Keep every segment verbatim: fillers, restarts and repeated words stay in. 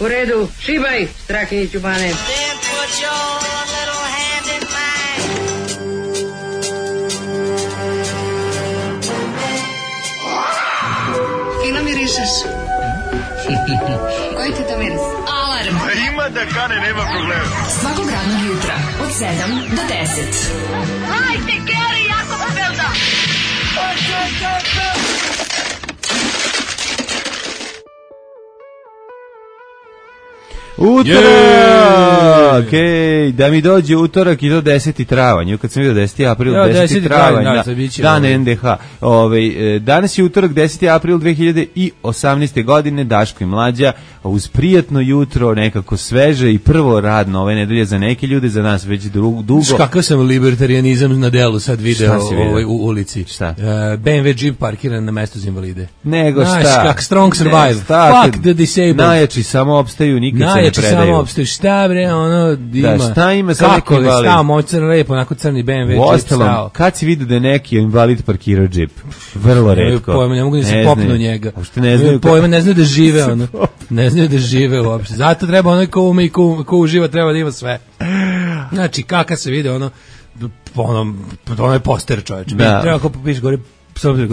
U redu, šibaj, Strahinjiću bane. Fino mirišeš. Koji ti to miris? Alarm. A ima da kane, nema problema. Svakog radnog jutra, od sedam do deset. Hajde, Geri, jako se velda. Utorak! Ej, da mi dođe utorak i do deseti travanj. Kad sam vidio deseti april, ja, deseti travanj, da, dan N D H. Ove, danas je utorak, deseti april dve hiljade osamnaeste. godine, Daško i Mlađa, uz prijatno jutro, nekako sveže i prvo radno ove nedelje za neke ljude, za nas već dugo. Kakav sam libertarianizam na delu sad video ovaj, u ulici. Šta? Uh, B M W Jeep parkiran na mestu za invalide. Nego šta? Znaš, kak strong survive. Ne, fuck the disabled. Najjači samo opstaju, nikad najjači se ne predaju. Samo opstaju. Šta bre, ono, ima. Da, šta ima sa neki invalid? Kako je stao moj crn lepo, onako crni B M W Jeep stao. Kad si vidio da je neki invalid parkirao džip? Vrlo retko. Pojma, ne mogu da se popnu njega. Uopšte ne znaju. Pojma, ne znaju da žive, ono. Ne znaju da žive uopšte. Zato treba onaj ko ume i ko, ko uživa, treba da ima sve. Znači, kaka se vide, ono, ono, ono je poster, čovječ. Da. Treba ko popiš gore,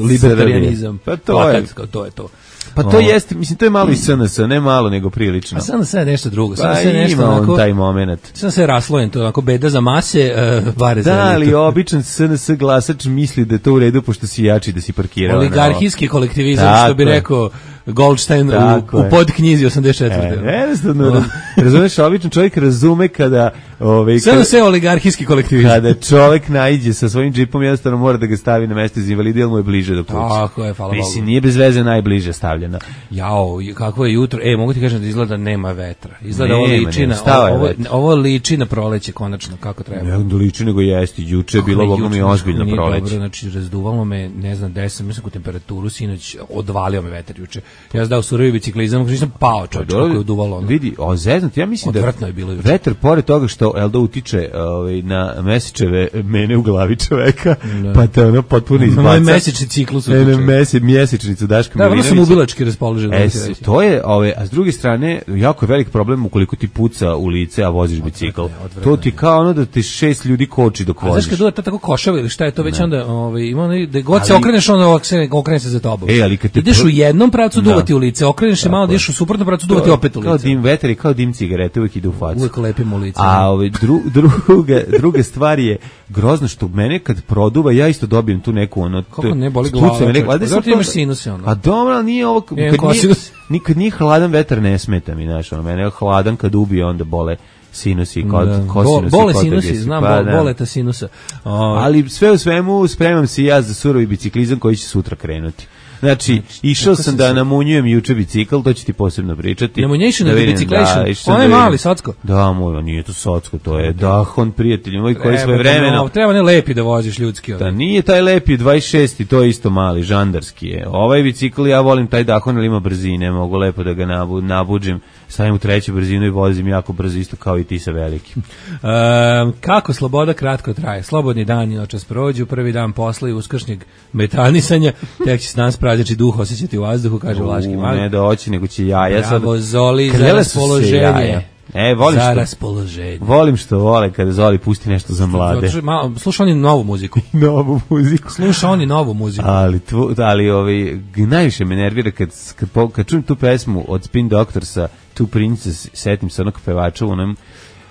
libertarianizam. Pa to je. To je to. Pa to jeste, mislim, to je malo i S N S, ne malo, nego prilično. A S N S je nešto drugo. Pa ima on taj moment. S N S je raslojen, to je onako beda za mase, uh, vare za da, ali običan S N S glasač misli da je to u redu, pošto si jači da si parkirao. Oligarhijski kolektivizam, tako, što bi rekao Goldstein u, u podknjizi osamdeset četvrte. E, jednostavno, razumeš, običan čovjek razume kada... Ove, S N S je oligarhijski kolektivizam. Kada čovjek naiđe sa svojim džipom, jednostavno mora da ga stavi na mesto iz invalida, jer mu je bliže do kuće. Tako je, hvala Bogu. Mislim, nije bez veze najbliže stavljeno. Jao, kakvo je jutro. E, mogu ti kažem da izgleda nema vetra. Izgleda nema, ovo liči na ovo, ovo liči na proleće konačno kako treba. Ne, da liči nego jeste. Juče je bilo bogom i ozbiljno proleće. Dobro, znači razduvalo me, ne znam, deset, mislim, u temperaturu sinoć odvalio me vetar juče. Ja sam dao surovi biciklizam, kako nisam pao, čovječ, kako je uduvalo. Ono. Vidi, o zeznut, ja mislim odvrtno da je bilo vetar, pored toga što Elda utiče ovaj, na mesečeve mene u glavi čoveka, da. Pa te ono potpuno izbaca. Moj mesečni ciklus utiče. Ne, mese, mjesečnicu Daška Milinovića. Da, vrlo sam ubilački raspoložen. E, to je, ove, a s druge strane, jako je velik problem ukoliko ti puca u lice, a voziš bicikl. To ti kao ono da ti šest ljudi koči dok voziš. A znaš kad to tako košava ili šta je to već ne. Onda, ovaj, ima ono, da god ali, se okreneš, onda okrene se za tobom. E, ali kad te ideš u jednom pravcu duvati u lice, okreneš se malo, ideš u suprotnom pravcu duvati opet u lice. Kao dim vetar i kao dim cigarete, uvijek ide u facu. Uvijek lepimo lice. A ove, dru, druga, druga stvar je grozno što mene kad produva, ja isto dobijem tu neku ono... Kako ne boli glava? Zato ti imaš sinuse ono. A dobro, nije ovo... Kad nije, nikad nije hladan vetar ne smeta mi, znaš, ono, mene je hladan kad ubije, onda bole sinusi, kod, da. Kosinusi, bole sinusi, znam, pa, bol, boleta sinusa. O, ali sve u svemu spremam se ja za surovi biciklizam koji će sutra krenuti. Znači, znači išao sam da namunjujem juče bicikl, to ću ti posebno pričati. Namunjation da biciklation, on je mali, socko. Da, moj, nije to socko, to je Dahon, prijatelji moj, koji svoje vremeno. No, treba ne lepi da voziš ljudski. Da, nije taj lepi, dvadeset šesti, to je isto mali, žandarski je. Ovaj bicikl, ja volim taj Dahon, ali ima brzine, mogu lepo da ga nabu, nabuđim, stavim u treću brzinu i vozim jako brzo, isto kao i ti sa velikim. um, kako sloboda kratko traje? Slobodni dan i noćas prođu, prvi dan posle i uskršnjeg metanisanja, tek će se nas prađači duh osjećati u vazduhu, kaže Vlaški Mag. Ne doći, nego će jaja. Bravo, Zoli, za raspoloženje. E, volim za što, raspoloženje. Volim što vole kada Zoli pusti nešto za mlade. Sluša oni novu muziku. novu muziku. Sluša oni novu muziku. Ali, tvo, ali ovaj, najviše me nervira kad, kad, kad čujem tu pesmu od Spin Doctorsa, Two Princess, setim se onog pevača u onom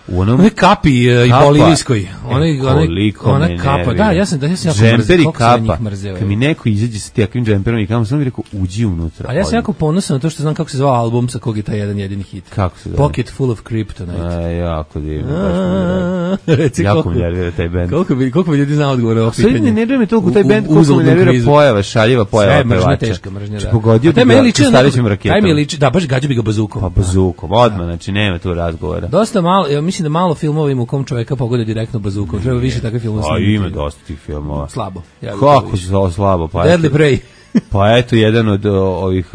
u onom one kapi uh, i bolivijskoj onaj ona kapa da ja sam da ja sam jako džemper i kapa kad mi neko izađe sa takvim džemperom i kao sam mi rekao uđi unutra a ja sam jako ponosan na to što znam kako se zvao album sa kog je taj jedan jedini hit kako se zove Pocket Full of Kryptonite a jako divno baš mi jako mi nervira taj bend koliko bi koliko bi ljudi znao odgovore na pitanje ne nervira me toliko taj bend koliko mi nervira pojava šaljiva pojava pevača teška mržnja da pogodio da me liči starećim raketom taj mi liči da baš gađa bi ga bazukom pa bazukom odmah znači nema tu razgovora dosta malo ja mislim da malo filmova ima u kom čovjeka pogode direktno bazukom. Treba više takve filmova. A ima dosta tih filmova. Slabo. Ja kako se zove slabo? Pa Deadly Prey. Pa eto, jedan od ovih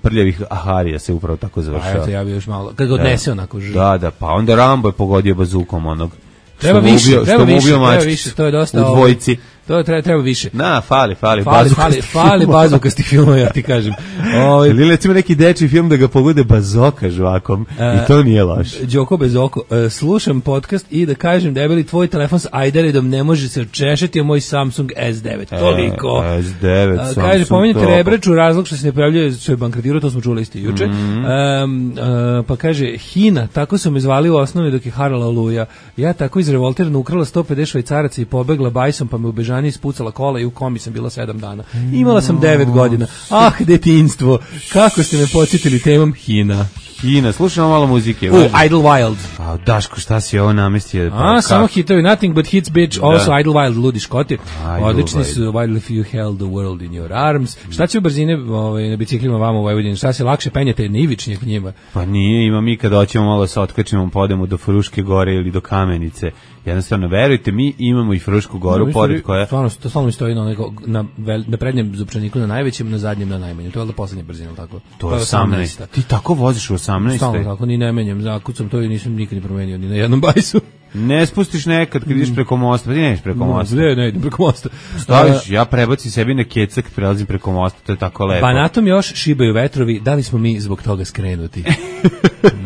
prljavih Aharija se upravo tako završava. A eto, ja bi još malo. Kad ga odnese onako žu. Da, da, pa onda Rambo je pogodio bazukom onog. Treba više, treba više, treba više, to je dosta u dvojici. To treba, treba više. Na, fali, fali, fali, fali, fali bazukastih filmova, ja ti kažem. Ovaj ili recimo neki dečiji film da ga pogode bazoka žvakom uh, i to nije loše. Đoko bez oko. Uh, slušam podcast i da kažem debeli tvoj telefon s Aideredom ne može se češeti, a moj Samsung S devet. Toliko. E, S devet, uh, Samsung. Kaže, pomenite Rebraču, razlog što se ne pojavljuje, što je bankrotirao, to smo čuli isti juče. Mm-hmm. Um, uh, pa kaže, Hina, tako su me zvali u osnovi dok je harala Oluja. Ja tako iz revolterna ukrala sto pedeset švajcaraca i pobegla bajsom, pa me u Bežani ispucala kola i u komi sam bila sedam dana. Imala sam devet godina. Ah, detinjstvo. Kako ste me podsjetili temom Hina. Hina, slušamo malo muzike. U, Idlewild. A, Daško, šta si ovo namestio? Pa, A, samo hitovi, Nothing But Hits, Bitch, da. Also Idlewild, Ludi Škoti. Odlični su Wild If You Held the World in Your Arms. Šta će u brzine ovaj, na biciklima vama u Vojvodini? Šta se lakše penjete na Ivičnjak njima? Pa nije, ima mi kad hoćemo malo se otkačimo, podemo do Fruške gore ili do Kamenice. Jednostavno, verujte, mi imamo i Frušku goru, no, pored koja... Stvarno, to stvarno stoji na, na, na prednjem zupčaniku na najvećem, na zadnjem na najmanjem. To je da poslednja brzina, tako? To je osamnaest. Ti tako voziš u osamnaest. Stvarno, tako, ni ne menjam. Zakucam to i nisam nikad ni promenio, ni na jednom bajsu. Ne spustiš nekad kad ideš preko mosta, pa ti ne ideš preko mosta. Ne, ne idem preko mosta. Staviš, ja prebacim sebi na keca kad prelazim preko mosta, to je tako lepo. Banatom još šibaju vetrovi, da li smo mi zbog toga skrenuti?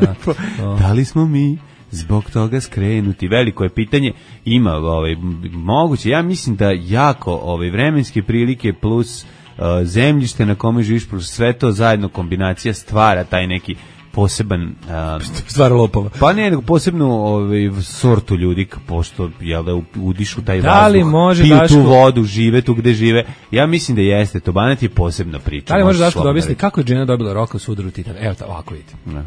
Da, da li smo mi zbog toga skrenuti? Veliko je pitanje, ima ovaj, moguće, ja mislim da jako ovaj, vremenske prilike plus uh, zemljište na kome živiš plus sve to zajedno kombinacija stvara taj neki poseban um, stvar lopova. Pa ne, nego posebnu ovaj, sortu ljudi, pošto jel da udišu taj da li vazduh, može piju Daško, tu vodu, žive tu gde žive. Ja mislim da jeste, to Banat je posebna priča. Da li može Daško da objasni kako je žena dobila roka u sudaru Titan? Evo, ovako vidite. Ne.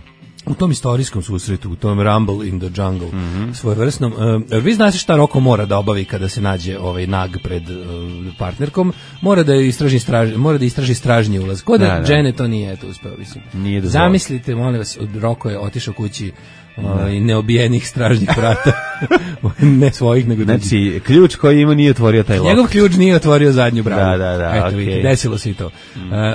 U tom istorijskom susretu, u tom Rumble in the Jungle, mm-hmm. svojevrsnom, uh, vi znate šta Roko mora da obavi kada se nađe ovaj nag pred uh, partnerkom, mora da istraži straž, mora da istraži stražnji ulaz. Kod da, da. Jene to nije eto uspeo, mislim. Nije zamislite, molim vas, Roko je otišao kući i neobijenih stražnjih vrata. Ne svojih, nego drugih. Znači, ključ koji ima nije otvorio taj lok. Njegov ključ nije otvorio zadnju bravu. Da, da, da. Eto, okay. vidite, desilo se i to. Uh,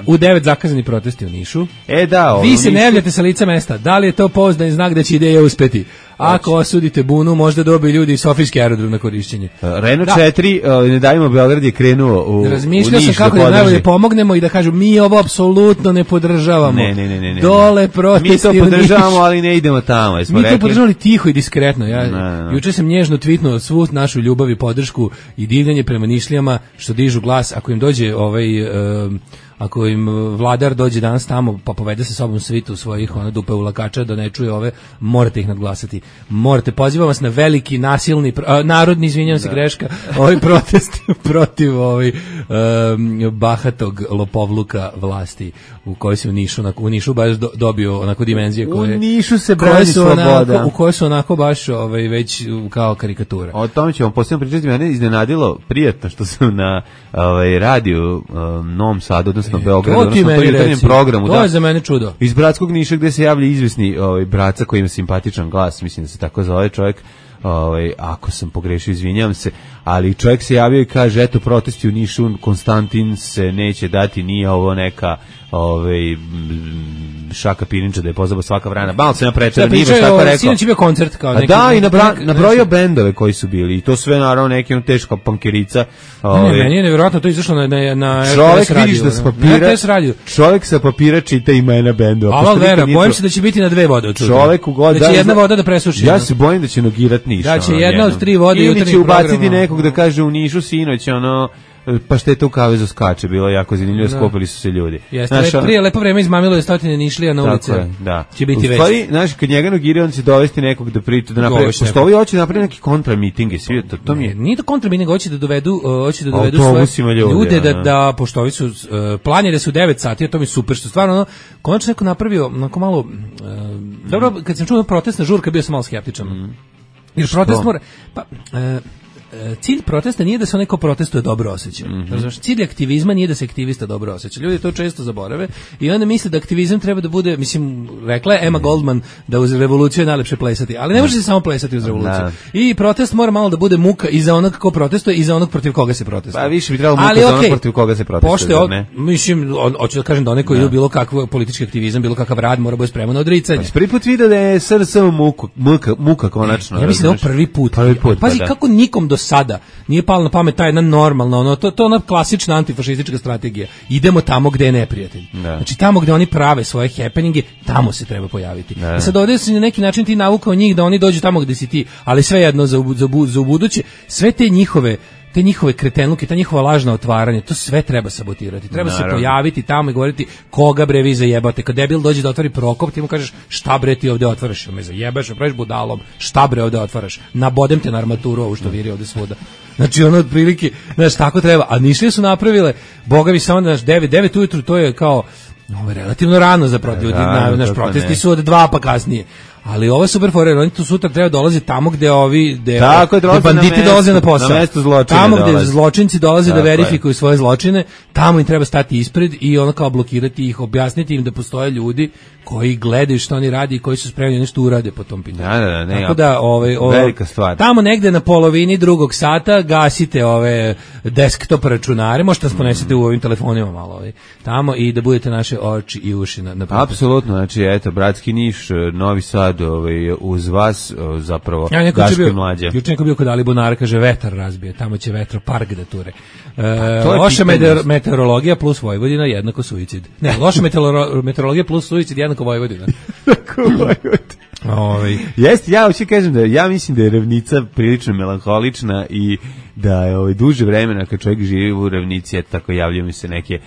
u devet zakazani protesti u Nišu. E, da. Ovo, vi se Nišu... ne javljate sa lica mesta. Da li je to pouzdan znak da će ideja uspeti? Ako osudite bunu, možda dobiju ljudi iz Sofijski aerodrom na korišćenje. Renault četiri, uh, ne dajmo, Beograd je krenuo u, u razmišljao sam kako da, da najbolje pomognemo i da kažu mi ovo apsolutno ne podržavamo. Ne, ne, ne, ne, ne. Dole protesti. Mi to podržavamo, ali ne idemo tamo. Mi rekli? To podržavali tiho i diskretno. Ja, no, no. Juče sam nježno tvitnuo svu našu ljubav i podršku i divljanje prema Nišlijama što dižu glas. Ako im dođe ovaj... Uh, ako im vladar dođe danas tamo pa povede sa sobom svitu svojih ona dupe ulakača da ne čuje ove, morate ih nadglasati. Morate, pozivam vas na veliki nasilni a, narodni, izvinjavam se, greška, ovaj protest protiv ovaj um, bahatog lopovluka vlasti u kojoj se u Nišu, onako, u Nišu baš do, dobio onako dimenzije koje u Nišu se brani sloboda, onako, u kojoj su onako baš ovaj, već kao karikatura. O tome ćemo posebno pričati, mene iznenadilo prijatno što sam na ovaj, radiju um, Novom Sadu, odnosno Beogradu, odnosno to jutarnjem programu. To da, je za mene čudo. Iz Bratskog Niša gde se javlja izvesni ovaj, Braca koji ima simpatičan glas, mislim da se tako zove čovjek, ovaj, ako sam pogrešio, izvinjavam se, ali čovjek se javio i kaže, eto, protesti u Nišu, Konstantin se neće dati, nije ovo neka ovaj Šaka Pirinča da je pozabao svaka vrana. Malo se naprečera, nije baš tako rekao. Sinoć je bio koncert kao neki. Da, i nabra, nabrojio bendove koji su bili i to sve naravno neki on teška pankerica. Ovaj. Ne, meni je nevjerojatno to izašlo na na na čovjek vidiš da sa papira. Čovjek sa papira čita imena bendova. Alo vera, bojim se da će biti na dve vode od čovjek u god da će jedna voda da presuši. Ja se bojim da će nogirat Niš. Da će jedna od tri vode jutarnji program. Ili će ubaciti nekog da kaže u Nišu sinoć ono pa šteta u kavezu skače, bilo jako zanimljivo, skopili su se ljudi. Jeste, znaš, le, prije lepo vreme izmamilo je stotine Nišlija na ulice. Je, da. Će biti već. Stvari, znaš, kad njega nogiraju, on će dovesti nekog da priča, da napravi, pošto ovi hoće da napravi neki kontramiting i svi, to, to mi je... Nije to kontramiting, hoće da dovedu, hoće da dovedu svoje ljudi, ljude, da, da, pošto ovi su, uh, plan je da su devet sati, a to mi je super, što stvarno, ono, konačno neko napravio, onako malo, uh, dobro, kad sam čuo protestna žurka, bio sam malo skeptičan. Mm. Jer protest mora, pa... Uh, cilj protesta nije da se neko protestuje dobro osjeća. Mm-hmm. Znači, cilj aktivizma nije da se aktivista dobro osjeća. Ljudi to često zaborave i onda misle da aktivizam treba da bude, mislim, rekla je Emma Goldman da uz revoluciju je najlepše plesati, ali ne može se samo plesati uz revoluciju. Da. I protest mora malo da bude muka i za onog ko protestuje i za onog protiv koga se protestuje. Pa više bi trebalo muka ali, za onog okay, protiv koga se protestuje. Pošto je, mislim, hoću da kažem da onaj koji je bilo kakav politički aktivizam, bilo kakav rad, mora biti spreman na odricanje. Pa, prvi put vidio da je S R S muka, muka, muka konačno. Ja mislim da je prvi put. Prvi put. Pazi pa, da. kako nikom do do sada nije palo na pamet ta jedna normalna, ono, to, to ona klasična antifašistička strategija. Idemo tamo gde je neprijatelj. Da. Znači tamo gde oni prave svoje happeninge, tamo se treba pojaviti. Da. I sad ovdje si na neki način ti navukao njih da oni dođu tamo gde si ti, ali svejedno za, za, za ubuduće, sve te njihove te njihove kretenluke, ta njihova lažna otvaranja, to sve treba sabotirati. Treba Naravno. se pojaviti tamo i govoriti koga bre vi zajebate. Kad debil dođe da otvori Prokop, ti mu kažeš šta bre ti ovde otvaraš, me zajebaš, me praviš budalom, šta bre ovde otvaraš, nabodem te na armaturu ovu što viri ovde svuda. Znači ono otprilike, znaš, tako treba. A Nišlije su napravile, bogavi samo naš devet, devet ujutru, to je kao, ovo je relativno rano za protiv, da, naš protesti ne. su od dva pa kasnije. Ali ovo je super fora, oni tu sutra treba dolazi tamo gde ovi gde, Tako, gde banditi na dolaze na posao. Na mesto zločina tamo gde dolazi. zločinci dolaze Tako da verifikuju je. svoje zločine, tamo im treba stati ispred i ono kao blokirati ih, objasniti im da postoje ljudi koji gledaju što oni radi i koji su spremni nešto urade po tom pitanju. Da, da, da, ne, Tako da, ovaj, ovaj, velika stvar. Tamo negde na polovini drugog sata gasite ove desktop računare, možete nas ponesete u ovim telefonima malo ovaj, tamo i da budete naše oči i uši na, na Apsolutno, znači eto, Bratski Niš, Novi Sad, ovaj, uz vas zapravo ja, Daško i Mlađa. Juče neko bio kod Alibunara, kaže vetar razbije, tamo će vetropark da ture. E, to je loša pitanje. meteor, meteorologija plus Vojvodina jednako suicid. Ne, loša meteoro, meteorologija plus suicid jednako Vojvodina. Ovaj Jeste, ja hoću kažem da ja mislim da je Ravnica prilično melanholična i da je ovaj duže vremena kad čovjek živi u Ravnici, eto tako javljaju mi se neke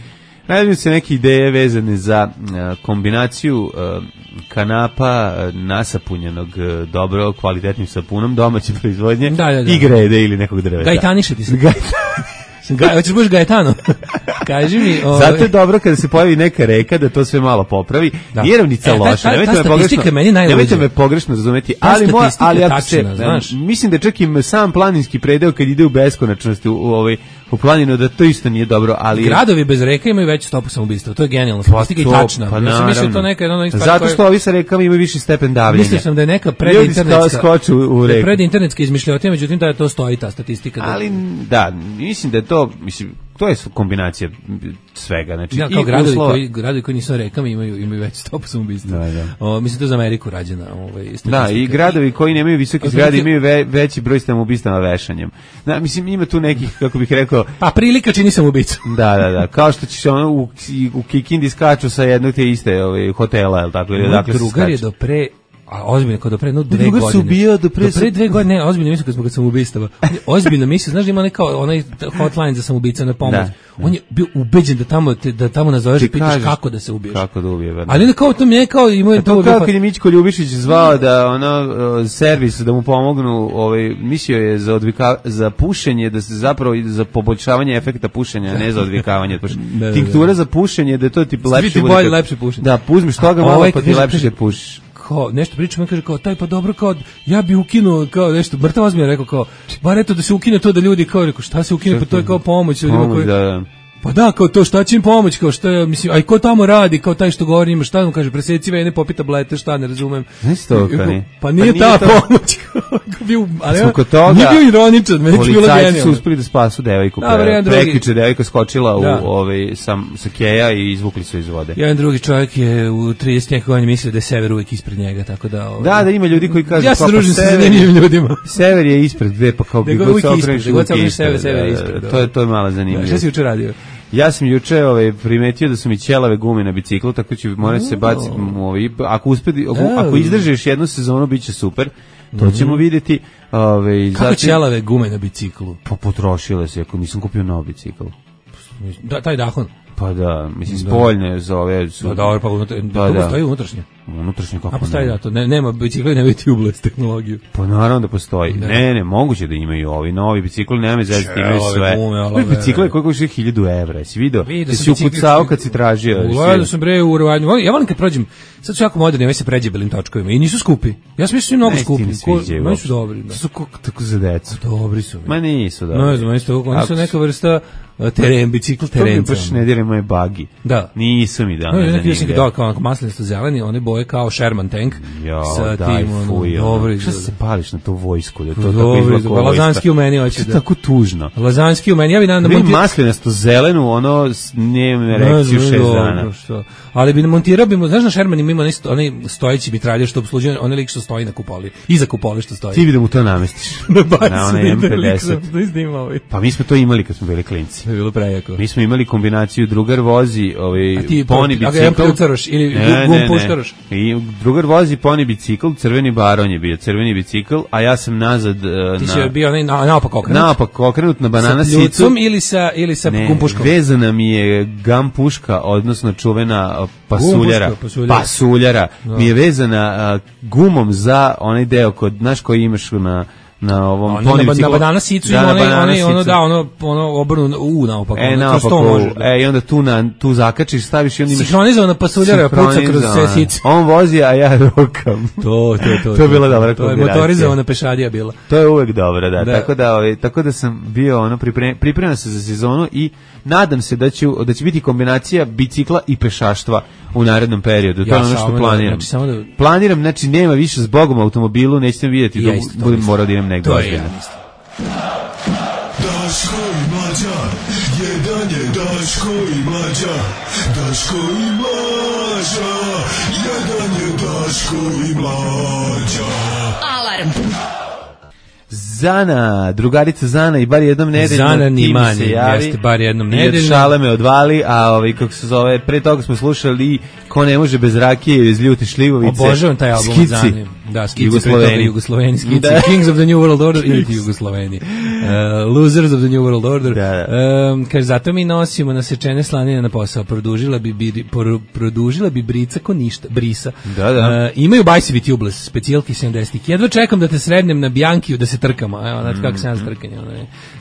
Najavljaju se neke ideje vezane za uh, kombinaciju uh, kanapa uh, nasapunjenog uh, dobro kvalitetnim sapunom domaće proizvodnje da, da, da. i grede ili nekog drveta. Gajtaniše ti se. Ga, hoćeš budeš Gajetano? Kaži mi. Ove... Zato je dobro kada se pojavi neka reka da to sve malo popravi. Da. Nije Ravnica e, loša. Nemojte me pogrešno, nemojte me pogrešno razumeti, ali moja, ali ako se, znaš, mislim da čak i sam planinski predeo kad ide u beskonačnosti u, u ovaj u planinu da to isto nije dobro, ali gradovi bez reka imaju veću stopu samoubistva. To je genijalno. Statistika je tačna. Pa ja sam mislio to neka jedna stvar. Zato što ovi sa rekama imaju viši stepen davljenja. Mislio sam da je neka predinternetska skoču u reku. Predinternetska izmišljotina, međutim da to stoji ta statistika. Ali da, mislim da je to, mislim to je kombinacija svega, znači ja, kao i gradovi uslova... koji gradovi koji nisu rekama imaju imaju veću stopu samoubistva. Da, da. O, mislim to je za Ameriku rađena, ovaj statistika. Da, i gradovi koji nemaju visoke zgrade imaju ve, veći broj samoubistava vešanjem. Da, mislim ima tu nekih, kako bih rekao, pa prilika čini samoubicu. Da, da, da, kao što ćeš ono u, u Kikindi skaču sa jednog te iste ovaj hotela, el tako ili odakle se skaču. Drugar je do pre a ozbiljno kao do pre no dve godine. Drugar se ubio do pre, do pre dve godine, ne, ozbiljno mislim kad smo kad samoubistava. Ozbiljno mislim, znaš da ima neka onaj hotline za samoubica na pomoć. Da. On je bio ubeđen da tamo te, da tamo nazoveš i pitaš kažeš, kako da se ubiješ. Kako da ubije, verno. Ali ne kao to mi je kao ima to, to kao kad je Mićko Ljubišić zvao da ono servis da mu pomognu, ovaj mislio je za odvika za pušenje, da se zapravo za poboljšavanje efekta pušenja, ne za odvikavanje. Da, tinktura za pušenje, da je to tip lepše bude. Bolje, lepše pušenje. Da, uzmeš toga malo pa ti lepše kad pušiš. Kao nešto pričam, on kaže kao taj pa dobro kao ja bi ukinuo kao nešto mrtav ozbiljno rekao kao bar eto da se ukine to da ljudi kao rekao šta se ukine pa to je kao pomoć ljudima koji da, da. Pa da, kao to šta će im pomoć, kao šta je, mislim, aj ko tamo radi, kao taj što govori ima, šta mu kaže, preseci vene, popi tablete, šta, ne razumem. Znaš to, kani? Pa nije, pa nije ta to... pomoć, bio, ali ja, toga, nije bio ironičan, meni je bilo genijalno. Policajci su uspeli da spasu devojku, pre, prekriče devojka skočila da. u ovaj, sam, sa keja i izvukli su iz vode. Jedan drugi čovjek je u trideset godina mislio da je sever uvijek ispred njega, tako da... Ovaj, da, da ima ljudi koji kažu... Ja se družim sa zanimljivim ljudima. Sever je ispred, gde, pa kao bi god se okreneš uvijek ispred. To je to je malo zanimljivo. Šta si juče radio? Ja sam juče ovaj primetio da su mi ćelave gume na biciklu, tako će morati se baciti ovaj ako uspe ako, ako izdržiš jednu sezonu biće super. To ćemo vidjeti, ovaj kako ćelave gume na biciklu. Pa potrošile se, ako nisam kupio nov bicikl. Da, taj Dahon. Pa da, mislim spoljne za ove su. Da, dobro, pa unutra, da, da. Stoji unutrašnje. Unutrašnje kako? A postoji da to, ne, nema bicikli, nema tubeless tehnologiju. Pa naravno da postoji. Da. Ne, ne, moguće da imaju ovi novi bicikli, nema zezati, imaju sve. Ovi bicikli koji koštaju hiljadu evra, jesi video? Ti si ukucao kad si tražio. Gledao sam bre u Urvanju. Ja volim kad prođem, sad su jako moderni, ove se pređebelim točkovima i nisu skupi. Ja sam mislio mnogo skupi. Oni su dobri. Su tako za decu. Dobri su. Ma nisu dobri. Ne znam, isto, oni su neka vrsta teren, bicikl terenca. To mi baš ne direm moje bagi. Da. Nisu mi da. No, neki usnik da kao maslinasto zeleni, one boje kao Sherman tank. Jo, sa daj, tim, ono, fuj, dobro. Šta se pališ na to vojsku? Da to tako Dobro, izgleda lazanski u meni hoće da. Tako tužno. Lazanski u meni, ja bi na montirao maslinasto zelenu, ono nije erekciju šest dana. Što? Ali bi montirao bi mu, znaš na Sherman ima onaj onaj stojeći mitraljer što opslužuje, onaj lik što stoji na kupoli, iza kupole što stoji. Ti bi da mu to namestiš. Na onaj em pedeset. Pa mi smo to imali kad smo bili klinci. To je bilo prejako. Mi smo imali kombinaciju drugar vozi, ovaj poni bicikl ili gum puštaroš. I drugar vozi poni bicikl, crveni baron je bio, crveni bicikl, a ja sam nazad na Ti si bio onaj naopak okrenut. Naopak okrenut na banana sicu. Sa ili sa ili sa gum puškom. Vezana mi je gum puška, odnosno čuvena pasuljara. Pasuljara mi je vezana gumom za onaj deo kod naš koji imaš na na ovom ono, poni biciklu. Na banana sicu ima onaj, onaj, ono, da, ono, ono obrnu u naopak. E, naopak u, e, i onda tu, na, tu zakačiš, staviš i onda imaš... Sinhronizovana pasuljara puca kroz sve sice. On vozi, a ja rokam. To, to, to. To je bila dobra kombinacija. To je motorizovana pešadija bila. To je uvek dobro, da. da. Tako, da ovaj, tako da sam bio, ono, pripremio pripremio se za sezonu i nadam se da će, da će biti kombinacija bicikla i pešaštva u narednom periodu. To ja je ono što planiram. Da, znači, da... Planiram, znači nema više zbogom automobilu, nećete vidjeti, ja da budem morao da idem negdje. To je ja mislim. Daško i Mlađa, jedan je Daško i Mlađa, Daško i Mlađa, jedan je Daško i Mlađa. Alarm. Zana, drugarica Zana i bar jednom nedeljno Zana ni manje, jeste bar jednom nedeljno. Jer šale me odvali, a ovaj, kako se zove, pre toga smo slušali Ko ne može bez rakije iz Ljute šljivovice. Obožavam taj album od Zane. Da, Skici, Jugosloveni. Jugosloveni, Skici, da. Kings of the New World Order ili ti Jugosloveni. Uh, losers of the New World Order. Da, da. Um, kaže, zato mi nosimo nasečene slanine na posao. Produžila bi, bi, por, produžila bi brica ko ništa, brisa. Da, da. Uh, imaju bajsevi tubeless, specijalki sedamdesetih. Jedva čekam da te srednem na Biankiju da se trkamo. Evo, znači kako se ja trkanje.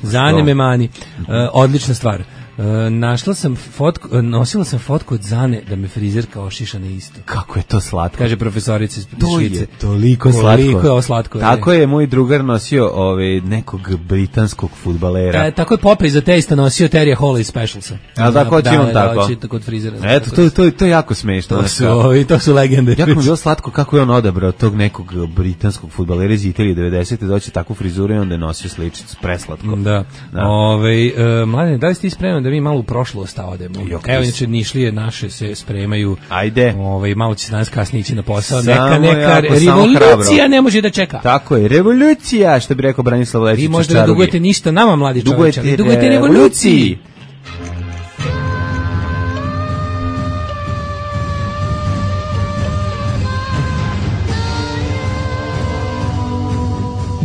Zane me mani. Uh, odlična stvar. Uh, našla sam fotku, uh, nosila sam fotku od Zane da me frizerka ošiša na isto. Kako je to slatko. Kaže profesorica iz Švice. To je toliko slatko. Koliko je ovo slatko. Tako je moj drugar nosio ove, nekog britanskog fudbalera. E, tako je Popeye za testa nosio Terija Hall iz Specialsa. A da, ko će on tako? Da, tako od frizera. Eto, to, to, to je jako smešno. To su, ovi, to su legende. Jako mi je bilo slatko kako je on odabrao tog nekog britanskog fudbalera iz Italije devedesete doći takvu frizuru i onda je nosio sličicu. Preslatko. Da. da. Ove, uh, mladine, da li ste spremni da mi malo u prošlost odemo? Evo, inače, Nišlije naše se spremaju. Ajde. Ove, malo će se danas kasnije ići na posao. Samo neka, neka revolucija ne može da čeka. Tako je, revolucija, što bi rekao Branislav Lečić. Vi možda ne dugujete ništa nama, mladi čovječe, ali dugujete revoluciji.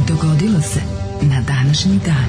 Dogodilo se na današnji dan.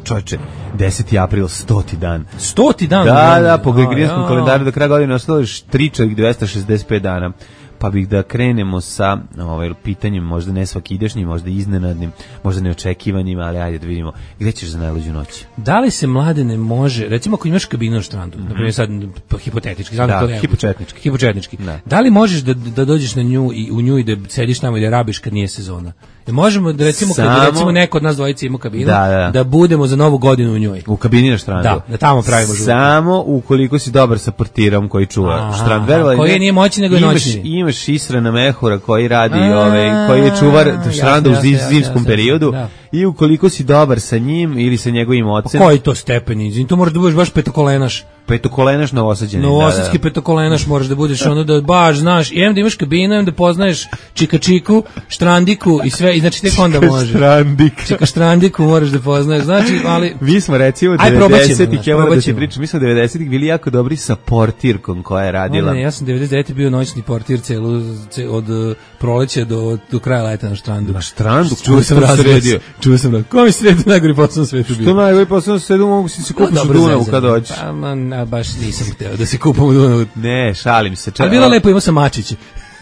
Čovječe, deseti april, stoti dan. Stoti dan? Da, da, po gregorijanskom kalendaru do kraja godine ostalo još tri čovjek dvesta šezdeset pet dana. Pa bih da krenemo sa ovaj, pitanjem, možda ne svakidašnjim, možda iznenadnim, možda neočekivanim, ali ajde da vidimo gde ćeš za najluđu noć. Da li se mlade ne može, recimo ako imaš kabinu na štrandu, mm-hmm. naprimjer sad hipotetički, znam da, to ne hipočetnički. Hipočetnički. Da. Da li možeš da, da dođeš na nju i u nju i da sediš tamo i da rabiš kad nije sezona? Da možemo da recimo Samo, kad recimo neko od nas dvojice ima kabinu, da, da. da budemo za novu godinu u njoj. U kabini na štrandu. Da, da tamo pravimo žurku. Samo ukoliko si dobar sa portirom koji čuva štrand. Verovali, koji nije moćni nego je noćni. Imaš Israna Mehura koji radi, ovaj, koji je čuvar štranda u zimskom periodu. I ukoliko si dobar sa njim ili sa njegovim ocem. Pa koji to stepeni? To moraš da budeš baš petokolenaš. Petokolenaš novosađeni. Novosadski da, da. petokolenaš moraš da budeš ono da baš znaš, i em da imaš kabinu, em da poznaješ čika čiku, štrandiku i sve, i znači tek onda može. Štrandik. Čika štrandiku moraš da poznaješ, znači, ali... Mi smo recimo devedesetih, ja moram da ti pričam, mi smo devedesetih bili jako dobri sa portirkom koja je radila. Ne, ja sam devedeset devete bio noćni portir celu, celu od uh, proleća do, do kraja leta na štrandu. Na štrandu? Čuo sam sredio. Čuo sam da. Ko mi sredio najgori posao na svetu bio? Što najgori posao na svetu mogu si se kupiš u Dunavu kad dođeš? Pa, man, baš nisam hteo da se kupam u Dunavu. Ne, šalim se. Ali bilo lepo, imao sam mačiće.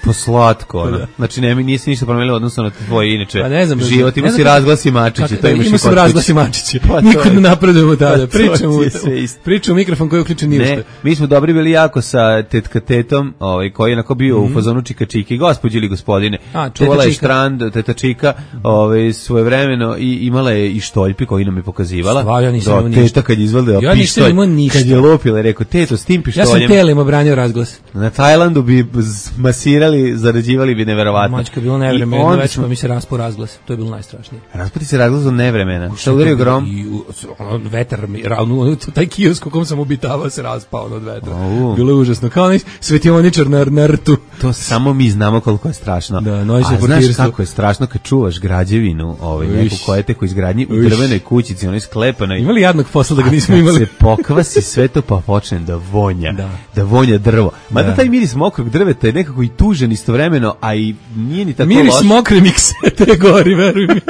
Pa slatko, ono. Znači, ne, nisi ništa promenilo odnosno na tvoj inače pa ne znam, život. Ima ne si znam, razglasi mačići, to imaš i ima sam razglasi mačići. Pa Nikud ne napredujemo tada. Pričamo u pričamo mikrofon koji je uključen ni u šta. Mi smo dobri bili jako sa tetka tetom, ovaj, koji je onako bio mm -hmm. u fazonu čika čike, gospođi ili gospodine. A, čuvala je štrand, teta čika, ovaj, svojevremeno i imala je i štoljpi koji nam je pokazivala. Stvar, ja nisam imao ništa. Teta kad je izvalila ja pištolj, ništa. kad je lopila, rekao, teto, s tim pištoljem. Ja sam telima branio razglas. Na Tajlandu bi masirali, zarađivali bi neverovatno. Mačka bilo nevremeno, već smo mi se raspao razglas. To je bilo najstrašnije. Raspati se razglas od nevremena. Šta udario grom? I ono, vetar mi, ravno, taj kiosk u kom sam obitavao se raspao od vetra. Oh. Bilo je užasno. Kao onaj svetioničar na, na rtu. To samo mi znamo koliko je strašno. Da, a znaš kako je strašno kad čuvaš građevinu, ovaj, neku koja te ko izgradnji u drvenoj kućici, onoj sklepanoj. Imali jadnog posla da ga nismo imali. Se pokvasi sve to pa počne da vonja. Da, da vonja drvo. Mada da. Taj miris mokrog drveta je nekako i tužan istovremeno, a i nije ni tako loš. Miris mokre miksete gori, veruj mi.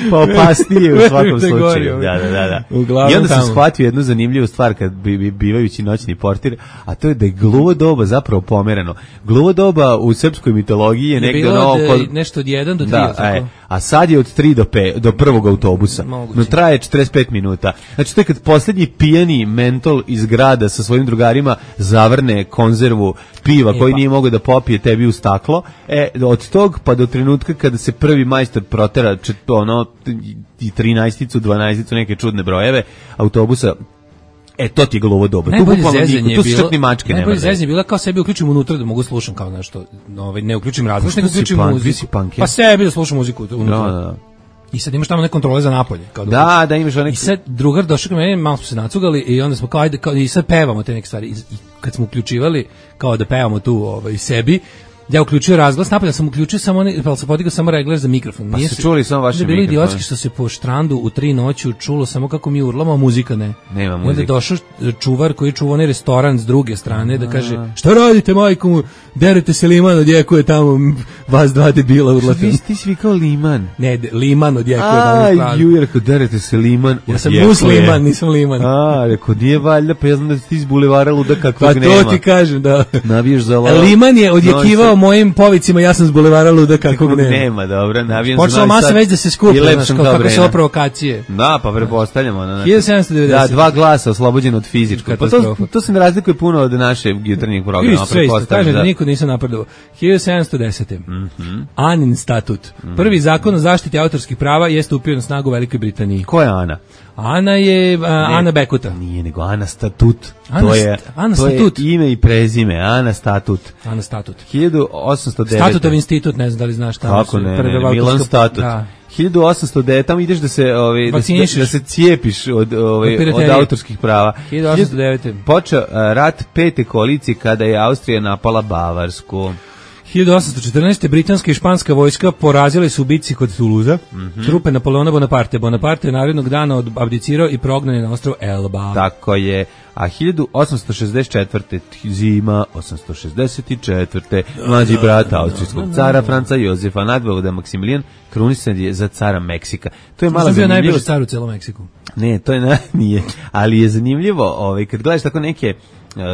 Pa opasnije u svakom slučaju. Da, da, da, da. I onda sam shvatio jednu zanimljivu stvar kad bi, bi bivajući noćni portir, a to je da je gluvo doba zapravo pomereno. Gluvo doba u srpskoj mitologiji je negde ono oko nešto od jedan do tri, da, aj, a sad je od tri do pet do prvog autobusa. Moguće. No traje četrdeset pet minuta. Znači to je kad poslednji pijani mentol iz grada sa svojim drugarima zavrne konzervu piva e, koji pa. nije mogao da popije tebi u staklo. E od tog pa do trenutka kada se prvi majstor protera čet, ono i trinaesticu, dvanaesticu neke čudne brojeve autobusa. E, to ti je gluvo doba. Tu bukvalno niko, tu su čak ni mačke nema. Najbolje zezanje je bila kao sebi uključim unutra da mogu slušam kao nešto, ovaj, ne uključim razglas, nego uključim pan, muziku. Pa sebi da slušam muziku unutra. Da, da. I sad imaš tamo neke kontrole za napolje. Kao da, da, da imaš onek... I sad drugar došao k meni, malo smo se nacugali i onda smo kao, ajde, kao, i sad pevamo te neke stvari. I, i kad smo uključivali, kao da pevamo tu ovaj, sebi, ja uključio razglas, napolje sam uključio samo onaj, pa se podigao samo regler za mikrofon. Pa Nije se čuli samo vaše mikrofone. Bilo idiotski što se po štrandu u tri noću čulo samo kako mi urlamo, a muzika ne. Nema muzike. Onda je došao čuvar koji čuva onaj restoran s druge strane da kaže, šta radite majko mu, derete se Liman, odjekuje tamo, vas dva debila urlate. Ti, ti si vikao Liman. Ne, de, Liman odjekuje tamo u stranu. A, ju, rekao, derete se Liman, ja sam musliman, nisam Liman. A, rekao, nije valjda, pa ja znam da ti iz bulevara luda kakvog pa nema. Pa to ti kažem, da. Navijaš za lava. Liman je odjekivao mojim povicima, ja sam s bulevara luda kakvog nema. Nema, dobro, navijam za počela masa već da se skupi, znaš, kako se ovo provokacije. Da, pa prepostavljamo. Ono, hiljadu sedamsto devedeset. Da, dva glasa oslobođeno od fizičkog. Pa to, to se ne razlikuje puno od našeg jutarnjeg programa. Isto, kažem da niko nisam napredovao. hiljadu sedamsto desete. Mm -hmm. Anin statut. Mm -hmm. Prvi zakon o zaštiti autorskih prava je stupio na snagu u Velikoj Britaniji. Ko je Ana? Ana je uh, Ana Bekuta. Nije, nego Ana Statut. Ana to je, Ana to Statut. je ime i prezime, Ana Statut. Ana Statut. hiljadu osamsto devete. Statutov institut, ne znam da li znaš tamo. Kako ne, ne, ne Milan Statut. Da. hiljadu osamsto devete, tamo ideš da se ovaj da, da se cijepiš od ovaj od, od autorskih prava. hiljadu osamsto devete. Počeo uh, rat pete koalicije kada je Austrija napala Bavarsku. hiljadu osamsto četrnaeste. britanska i španska vojska porazile su u bitci kod Tuluza. Mm -hmm. Trupe Napoleona Bonaparte. Bonaparte je narednog dana abdicirao i prognan je na ostrvo Elba. Tako je. A hiljadu osamsto šezdeset četvrte. zima osamsto šezdeset četvrte. mlađi brat austrijskog cara Franca Jozefa nadvojvoda Maksimilijan krunisan je za cara Meksika. To je mala zanimljivost. Najbrži car u celom Meksiku. Ne, to je na, nije, ali je zanimljivo, ovaj kad gledaš tako neke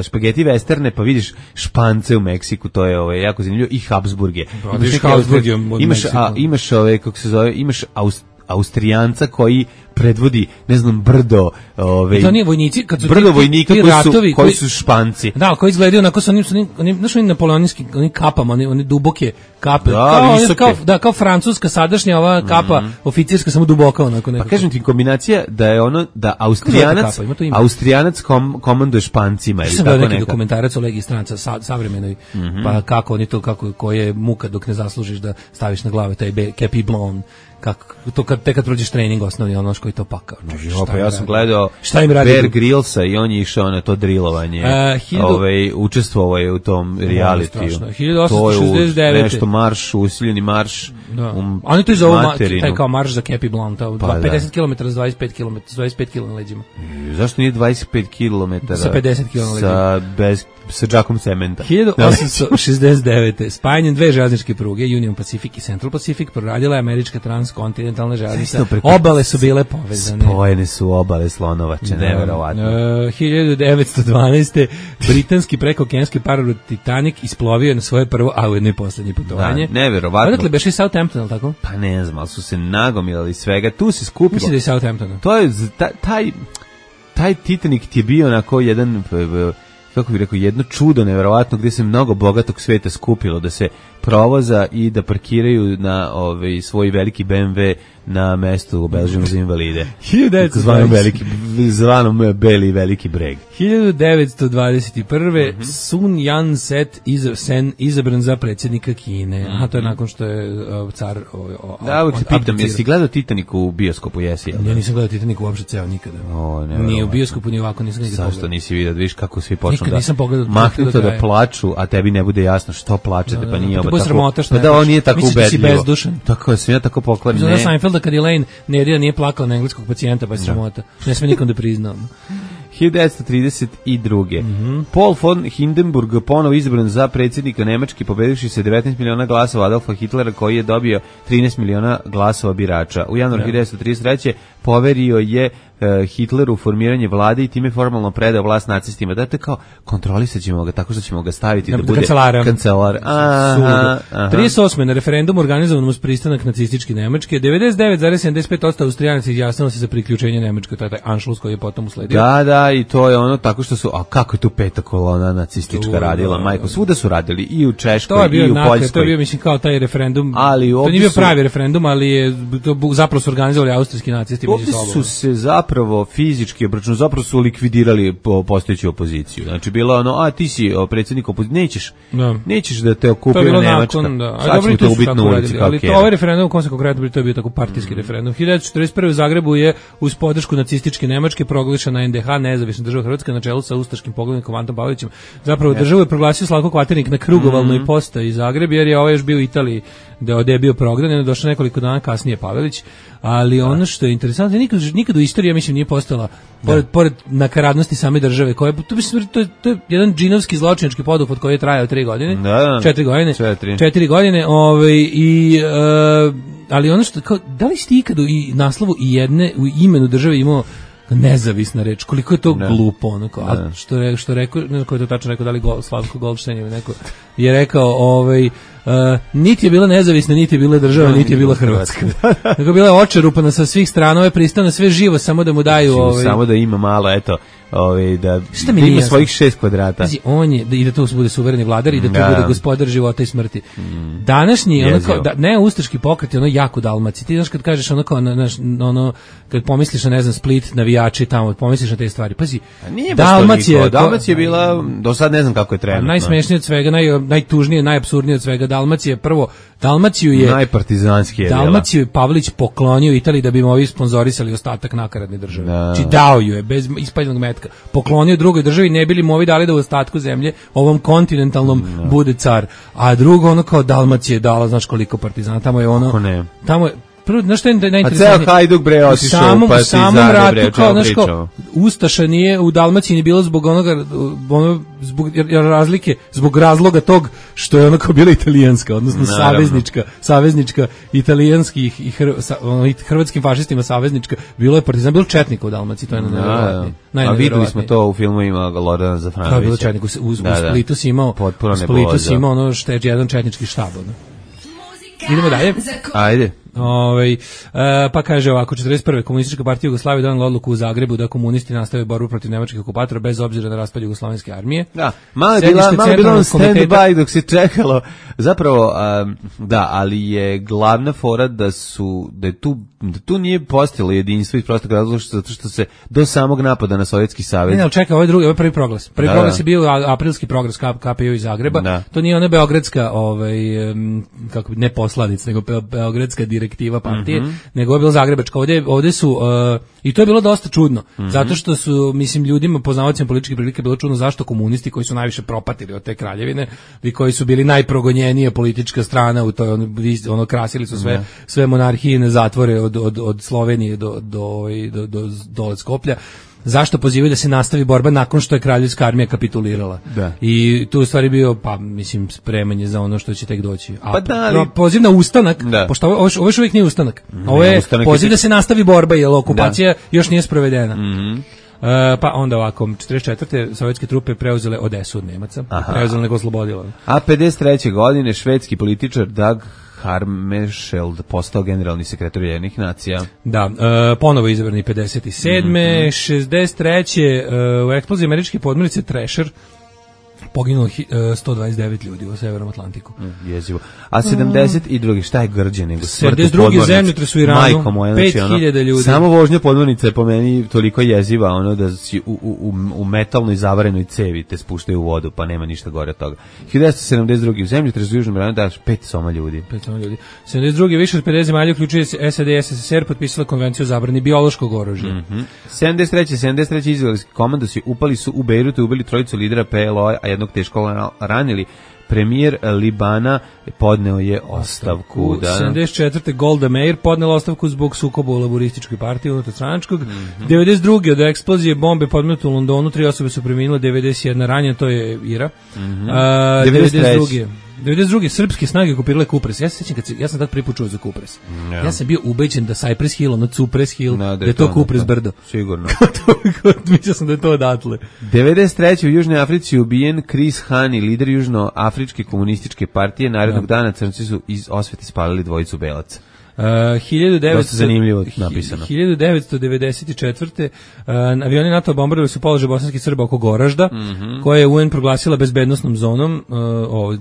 špageti westerne, pa vidiš Špance u Meksiku, to je ovaj jako zanimljivo, i Habsburge. Imaš Habsburge imaš a imaš ove kako se zove, imaš Aust, Austrijanca koji predvodi, ne znam, brdo, ove, to nije vojnici, kad su brdo ti, vojnika ti koji, ratovi, su, koji, koji su Španci. Da, koji izgledaju onako sa onim, sa onim, onim, znaš, onim napoleonijskim, onim kapama, onim, onim duboke kape. Da, kao, visoke. Kao, da, kao francuska sadašnja ova kapa, mm. oficirska, samo duboka onako nekako. Pa kažem ti, kombinacija da je ono, da Austrijanac, kapa, Austrijanac kom, komanduje Špancima. Ili sam tako neki neka. dokumentarac o legiji stranca, sa, savremenoj, mm -hmm. pa kako oni to, kako, koje je muka dok ne zaslužiš da staviš na glave taj kepi blond. Kako to kad tek kad prođeš trening osnovni ono što je to pakao. No, pa ja sam gledao šta im radi Bear Grillsa i on je išao na to drilovanje. Uh, hiljadu... Ovaj učestvovao je u tom realitiju. hiljadu osamsto šezdeset devete. Nešto marš, usiljeni marš. Da. Um, oni to zovu taj kao marš za Kepi Blond, pa, pedeset kilometara s dvadeset pet kilometara, s dvadeset pet kilometara na leđima. I, zašto nije dvadeset pet kilometara? Sa pedeset kilometara na leđima. Sa bez sa džakom cementa. hiljadu osamsto šezdeset devete. Spajanjem dve železničke pruge, Union Pacific i Central Pacific, proradila je američka transkontinentalna kaže, ali sa, obale su bile povezane. Spojene su obale Slonovače, neverovatno. Uh, hiljadu devetsto dvanaeste. britanski prekookeanski parorod Titanic isplovio na svoje prvo, a ujedno i poslednje putovanje. Da, neverovatno. Odakle beše iz Southamptona, ali tako? Pa ne znam, ali su se nagomilali svega. Tu se skupilo. Mislim da je Southamptona. To je, taj, taj, taj Titanic ti je bio onako jedan, kako bih rekao, jedno čudo neverovatno gdje se mnogo bogatog sveta skupilo da se provoza i da parkiraju na ovaj svoj veliki B M W na mestu obeleženo za invalide. Zvanom veliki, zvanom Beli veliki breg. hiljadu devetsto dvadeset prve. Mm-hmm. Sun Yat-sen izabran, izabran za predsjednika Kine. Mm-hmm. Aha, to je nakon što je uh, car o, o, da, uvijek se pitam, jesi gledao Titanic u bioskopu, jesi? Ja nisam gledao Titanic uopšte ceo nikada. O, ne, nije u bioskopu, ni ovako nisam nikada pogledao. Zašto nisi vidio, vidiš kako svi počnu da mahnuto da, da plaču, a tebi ne bude jasno što plačete, da, pa nije ovo tako. Sramota, pa da, on nije tako ubedljivo. Misliš da si bezdušan. Tako je, sam ja tako pokvaran. Zada Seinfelda kad Elaine Nedija nije plakala na engleskog pacijenta, pa je sramota. Ne sme nikom da priznao. hiljadu devetsto trideset druge. Mm-hmm. Paul von Hindenburg ponovo izabran za predsjednika Nemačke, pobedivši se devetnaest miliona glasova Adolfa Hitlera, koji je dobio trinaest miliona glasova birača. U januaru hiljadu devetsto trideset treće poverio je uh, Hitleru formiranje vlade i time formalno predao vlast nacistima. Dakle, kao kontrolisat ćemo ga tako što ćemo ga staviti da, da bude kancelara. kancelar. Aha, aha. trideset osme. na referendum organizovan uz pristanak nacističke Nemačke, devedeset devet zarez sedamdeset pet posto Austrijanaca izjasnilo se za priključenje Nemačke, to je taj Anschluss koji je potom usledio. Da, da, i to je ono tako što su, a kako je tu peta kolona nacistička tu, radila, da, majko, svuda su radili, i u Češkoj, i u nakre, Poljskoj. To je bio, mislim, kao taj referendum, ali to nije bio pravi referendum, ali je to zapravo su organizovali austrijski nacisti. Ovdje su se zapravo fizički obračunali, zapravo su likvidirali postojeću opoziciju. Znači, bilo ono, a ti si predsjednik opozicije, nećeš, da. nećeš da te okupira Nemačka. Nakon, da. Sad ćemo te ubiti na ulici. Ali to ovaj referendum, u kom se konkretno to je bio tako partijski mm. referendum. hiljadu devetsto četrdeset prve. u Zagrebu je uz podršku nacističke Nemačke proglašena N D H, nezavisna država Hrvatska, na čelu sa ustaškim poglavnikom Antom Pavelićem. Zapravo yes. državu je proglasio Slavko Kvaternik na krugovalnoj mm. postaji Zagreb, jer je ovaj još bio u Italiji, da je bio prognan, je došao nekoliko dana kasnije Pavelić, ali da. Ono što je interesantno, nikad, nikad u istoriji, ja mislim, nije postala, pored, pored nakaradnosti same države, koje, to, to, je, to je jedan džinovski zločinački poduhvat koji je trajao tri godine, da, da. četiri godine, četiri, četiri godine, ovaj, i, uh, ali ono što, kao, da li ste ikad u i naslovu i jedne, u imenu države imao nezavisna reč, koliko je to ne. glupo, onako, a što, re, što rekao, ne znam ko je to tačno rekao, da li Gol, Slavko Goldstein ili neko, je rekao, ovaj, Uh, niti je bila nezavisna, niti je bila država, niti je bila Hrvatska. Nego bila je očerupana sa svih strana, ovo je pristano sve živo, samo da mu daju... Ovaj... Samo da ima malo, eto, ovaj, da, da ima svojih šest kvadrata. Znači, on je, da, i da to bude suvereni vladar i da to da. bude gospodar života i smrti. Mm. Današnji, ono kao, da, ne ustaški pokret je ono jako Dalmaci. Ti znaš kad kažeš ono kao, na, na, ono, kad pomisliš na, ne znam, Split, navijači tamo, pomisliš na te stvari. Pazi, Dalmacija... Dalmacija je bila, do sad ne znam kako je trenutno. Najsmešnije od svega, naj, najtužnije, najapsurdnije od svega, Dalmacija prvo, Dalmaciju je najpartizanski je Dalmaciju je Pavlić poklonio Italiji da bi mu ovi sponzorisali ostatak nakaradne države. Znači dao ju je bez ispaljenog metka. Poklonio drugoj državi, ne bili mu ovi dali da u ostatku zemlje ovom kontinentalnom no. bude car. A drugo ono kao Dalmacija je dala, znaš koliko partizana, tamo je ono tamo je prvo, znaš što je najinteresantnije? A ceo Hajduk bre otišao, pa si Zagreb bre, kao, znaš kao, Ustaša nije u Dalmaciji ni bilo zbog onoga, ono, zbog razlike, zbog razloga tog što je ono kao bila italijanska, odnosno naravno. saveznička, saveznička italijanskih i hr, sa, ono, hrvatskim fašistima saveznička, bilo je partizan, bilo četnika u Dalmaciji, to je nevjerovatnije. A videli smo to u filmu ima Lordana Zafranovića. Kao je bilo četnik, u, u, u Splitu si imao, u Splitu si imao ono šte, jedan četnički štab, ono. Idemo dalje. Ajde. Ovaj e, pa kaže ovako, četrdeset prve. Komunistička partija Jugoslavije donela odluku u Zagrebu da komunisti nastave borbu protiv nemačkih okupatora bez obzira na raspad jugoslovenske armije. Da, malo je bila, malo je bilo stand by dok se čekalo. Zapravo, um, da, ali je glavna fora da su, da je tu, da tu nije postojalo jedinstvo iz prostog razloga zato što se do samog napada na Sovjetski savez. Ne, ne, čekaj, ovo je drugi, ovo je prvi proglas. Prvi da, proglas je bio aprilski proglas K P U iz Zagreba. Da. To nije ona beogradska, ovaj, kako bi, ne poslanica, nego beogradska direktiva partije, mm-hmm. nego je bilo zagrebačka. Ovdje, ovdje su, uh, i to je bilo dosta čudno, mm-hmm. zato što su, mislim, ljudima, poznavacima političke prilike, bilo čudno zašto komunisti koji su najviše propatili od te kraljevine i koji su bili najprogonjenija politička strana u toj, ono, ono krasili su sve, yeah. sve monarhijine zatvore od, od, od Slovenije do, do, do, do, do, do Skoplja. zašto pozivaju da se nastavi borba nakon što je kraljevska armija kapitulirala. Da. I tu u stvari bio, pa mislim, spremanje za ono što će tek doći. A pa da, ali... poziv na ustanak, da. pošto ovo, ovo još uvijek nije ustanak. Ovo je ustanak poziv je... da se nastavi borba, jer okupacija da. još nije sprovedena. Mhm. Uh, pa onda ovako, četrdeset četvrte sovjetske trupe preuzele Odesu od Nemaca, preuzele nego oslobodile. A pedeset treće godine švedski političar Dag Hammarskjöld postao generalni sekretar Ujedinjenih nacija. Da, uh, ponovo izabrani pedeset sedme Mm-hmm. šezdeset treće Uh, u eksploziji američke podmornice Thrasher poginulo uh, sto dvadeset devet ljudi u Severnom Atlantiku. Mm, jezivo. A sedamdeset drugi šta je grđe nego smrt u sedamdeset drugi zemljotres u Iranu, moja, pet znači, hiljada ljudi. Samo vožnja podmornice je po meni toliko jeziva, ono da si u, u, u metalnoj zavarenoj cevi te spuštaju u vodu, pa nema ništa gore od toga. hiljadu devetsto sedamdeset drugi u zemljotres u Južnom Iranu daš pet soma ljudi. Pet soma ljudi. sedamdeset drugi više od pedeset zemalja uključuje S A D i S S S R potpisala konvenciju o zabrani biološkog oružja. Mm-hmm. sedamdeset treće sedamdeset treće izraelski komandosi upali su u Bejrutu i ubili trojicu lidera P L O, a jednog teško ranili. Premijer Libana podneo je ostavku. Da. sedamdeset četvrte Golda Meir podnela ostavku zbog sukoba u laborističkoj partiji unutarstranačkog. Mm-hmm. devedeset druge od eksplozije bombe podmetnute u Londonu, tri osobe su preminule, devedeset jedna ranjena, to je Ira. Mm-hmm. A, devedeset druge devedeset druge srpske snage okupirale Kupres. Ja se sećam kad se, ja sam tad prvi put čuo za Kupres. Yeah. Ja sam bio ubeđen da Cypress Hill, ono Cypress Hill, no, da je to Kupres da, brdo. Sigurno. Mislio sam da je to odatle. devedeset treće u Južnoj Africi ubijen Chris Hani, lider Južnoafričke komunističke partije. Narednog dana crnci su iz osvete spalili dvojicu belaca. Uh, hiljadu devetsto Dosta zanimljivo napisano. hiljadu devetsto devedeset četvrte Uh, avioni NATO bombardovali su položaj bosanskih Srba oko Goražda, mm-hmm. koje je U N proglasila bezbednosnom zonom. Uh, ove,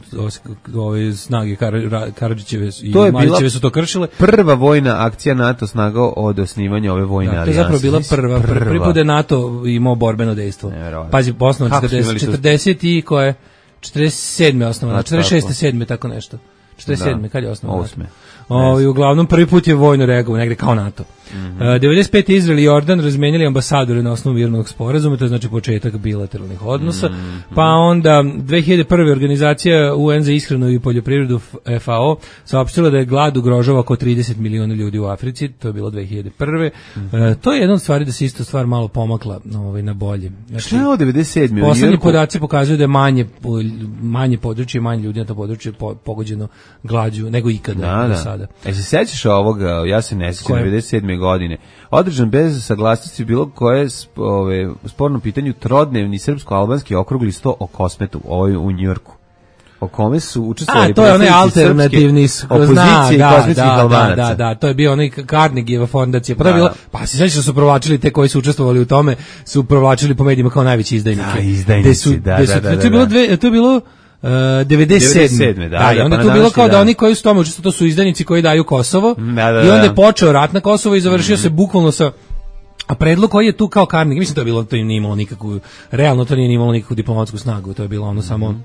ove snage Kar, Karadžićeve i Marićeve su to kršile. Prva vojna akcija NATO snaga od osnivanja ove vojne da, alijanse. To je zapravo bila prva. Prvi put je NATO imao borbeno dejstvo. Pazi, osnovan četrdeset, četrdeset i koje? četrdeset sedme osnovano, četrdeset šeste sedme tako nešto. četrdeset sedme kad je osnovan? osme O, uglavnom prvi put je vojno reagovao negde kao NATO. Mm-hmm. Uh, devedeset pete Izrael i Jordan razmenjali ambasadore na osnovu mirnog sporazuma, to je znači početak bilateralnih odnosa. Mm-hmm. Pa onda dve hiljade prve organizacija U N za ishranu i poljoprivredu F A O saopštila da je glad ugrožava oko trideset miliona ljudi u Africi, to je bilo dve hiljade prve Mm-hmm. Uh, to je jedna od stvari da se isto stvar malo pomakla ovaj, na bolje. Znači, šta je ovo devedeset sedme Poslednji podaci pokazuju da je manje, manje područje, manje ljudi na to područje pogođeno glađu nego ikada da, do da. sada. E se sećaš ovoga, ja se ne sećam, devedeset sedme godine održan bez saglasnosti bilo koje ove, sporno pitanju trodnevni srpsko-albanski okrugli sto o Kosmetu, ovaj u Njujorku. O kome su učestvovali A, to je onaj alternativni opozicije da, i kosmetskih da, Albanaca. Da, da, da, to je bio onaj Carnegieva fondacija. Pa, da, bilo, pa se sećaš da su provlačili te koji su učestvovali u tome, su provlačili po medijima kao najveći izdajnike. Da, izdajnici, su, da, da, da, da, da. To je bilo dve, to je bilo Uh, devedeset sedme Da, da, i onda pa tu bilo kao da, da oni koji su tome učestvovali, to su izdajnici koji daju Kosovo. Da, da, i onda je da. počeo rat na Kosovo i završio mm-hmm. se bukvalno sa a predlog koji je tu kao Carnegie, mislim to je bilo, to nije imalo nikakvu, realno to nije imalo nikakvu diplomatsku snagu, to je bilo ono mm-hmm. samo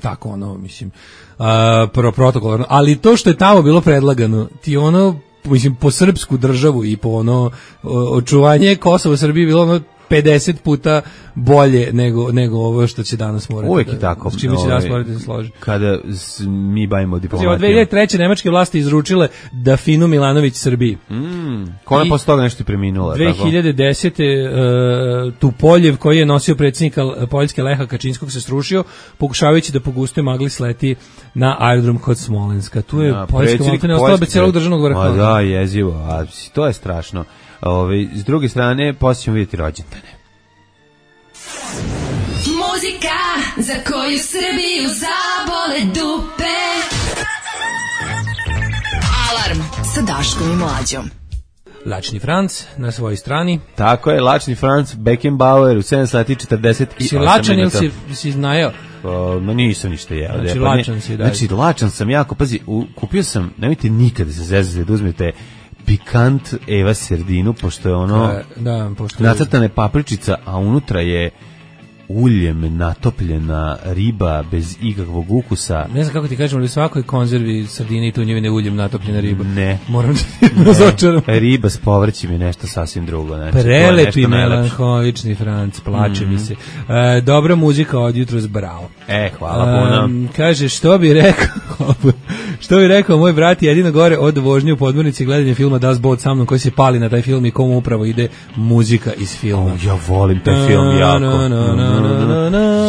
tako ono, mislim, uh, pro protokolarno, ali to što je tamo bilo predlagano, ti ono, mislim, po srpsku državu i po ono očuvanje Kosova Srbije bilo ono pedeset puta bolje nego nego ovo što će danas morati. Uvijek da, je tako. S čime će danas morati da se složi. Kada mi bavimo diplomatijom. Od dve hiljade treće nemačke vlasti izručile da Finu Milanović Srbiji. Mm, ko je posle toga nešto preminula? dve hiljade desete Uh, Tupoljev koji je nosio predsjednika Poljske Leha Kačinskog se srušio pokušavajući da po gustoj magli sleti na aerodrom kod Smolenska. Tu je ja, Poljska maltene ostala bez celog državnog vrha. Ma da, jezivo. A to je strašno. Ove, s druge strane, poslije ćemo vidjeti rođendane. Muzika za koju Srbiju zabole dupe. Alarm sa Daškom i Mlađom. Lačni Franc na svojoj strani. Tako je, Lačni Franc, Beckenbauer u sedam sati četrdeset osam si lačan ili si, si znajao? Uh, ma nisam ništa jeo. Znači, pa lačan si, da. Znači, lačan sam jako, pazi, u, kupio sam, nemojte nikada se zezati da uzmete pikant Eva serdinu, pošto je ono da, pošto je nacrtana papričica, a unutra je uljem natopljena riba bez ikakvog ukusa. Ne znam kako ti kažem, ali u svakoj konzervi sardine i tunjevine uljem natopljena riba. Ne. Moram da razočaram. Riba s povrćem je nešto sasvim drugo. Znači, prelepi melanholični Franc, plače mm-hmm. mi se. E, dobra muzika od jutros, bravo. E, hvala puno. Um, kaže, što bi rekao Što bi rekao moj brat, jedino gore od vožnje u podmornici gledanje filma Das Boot sa mnom koji se pali na taj film i komu upravo ide muzika iz filma. Oh, ja volim taj film jako.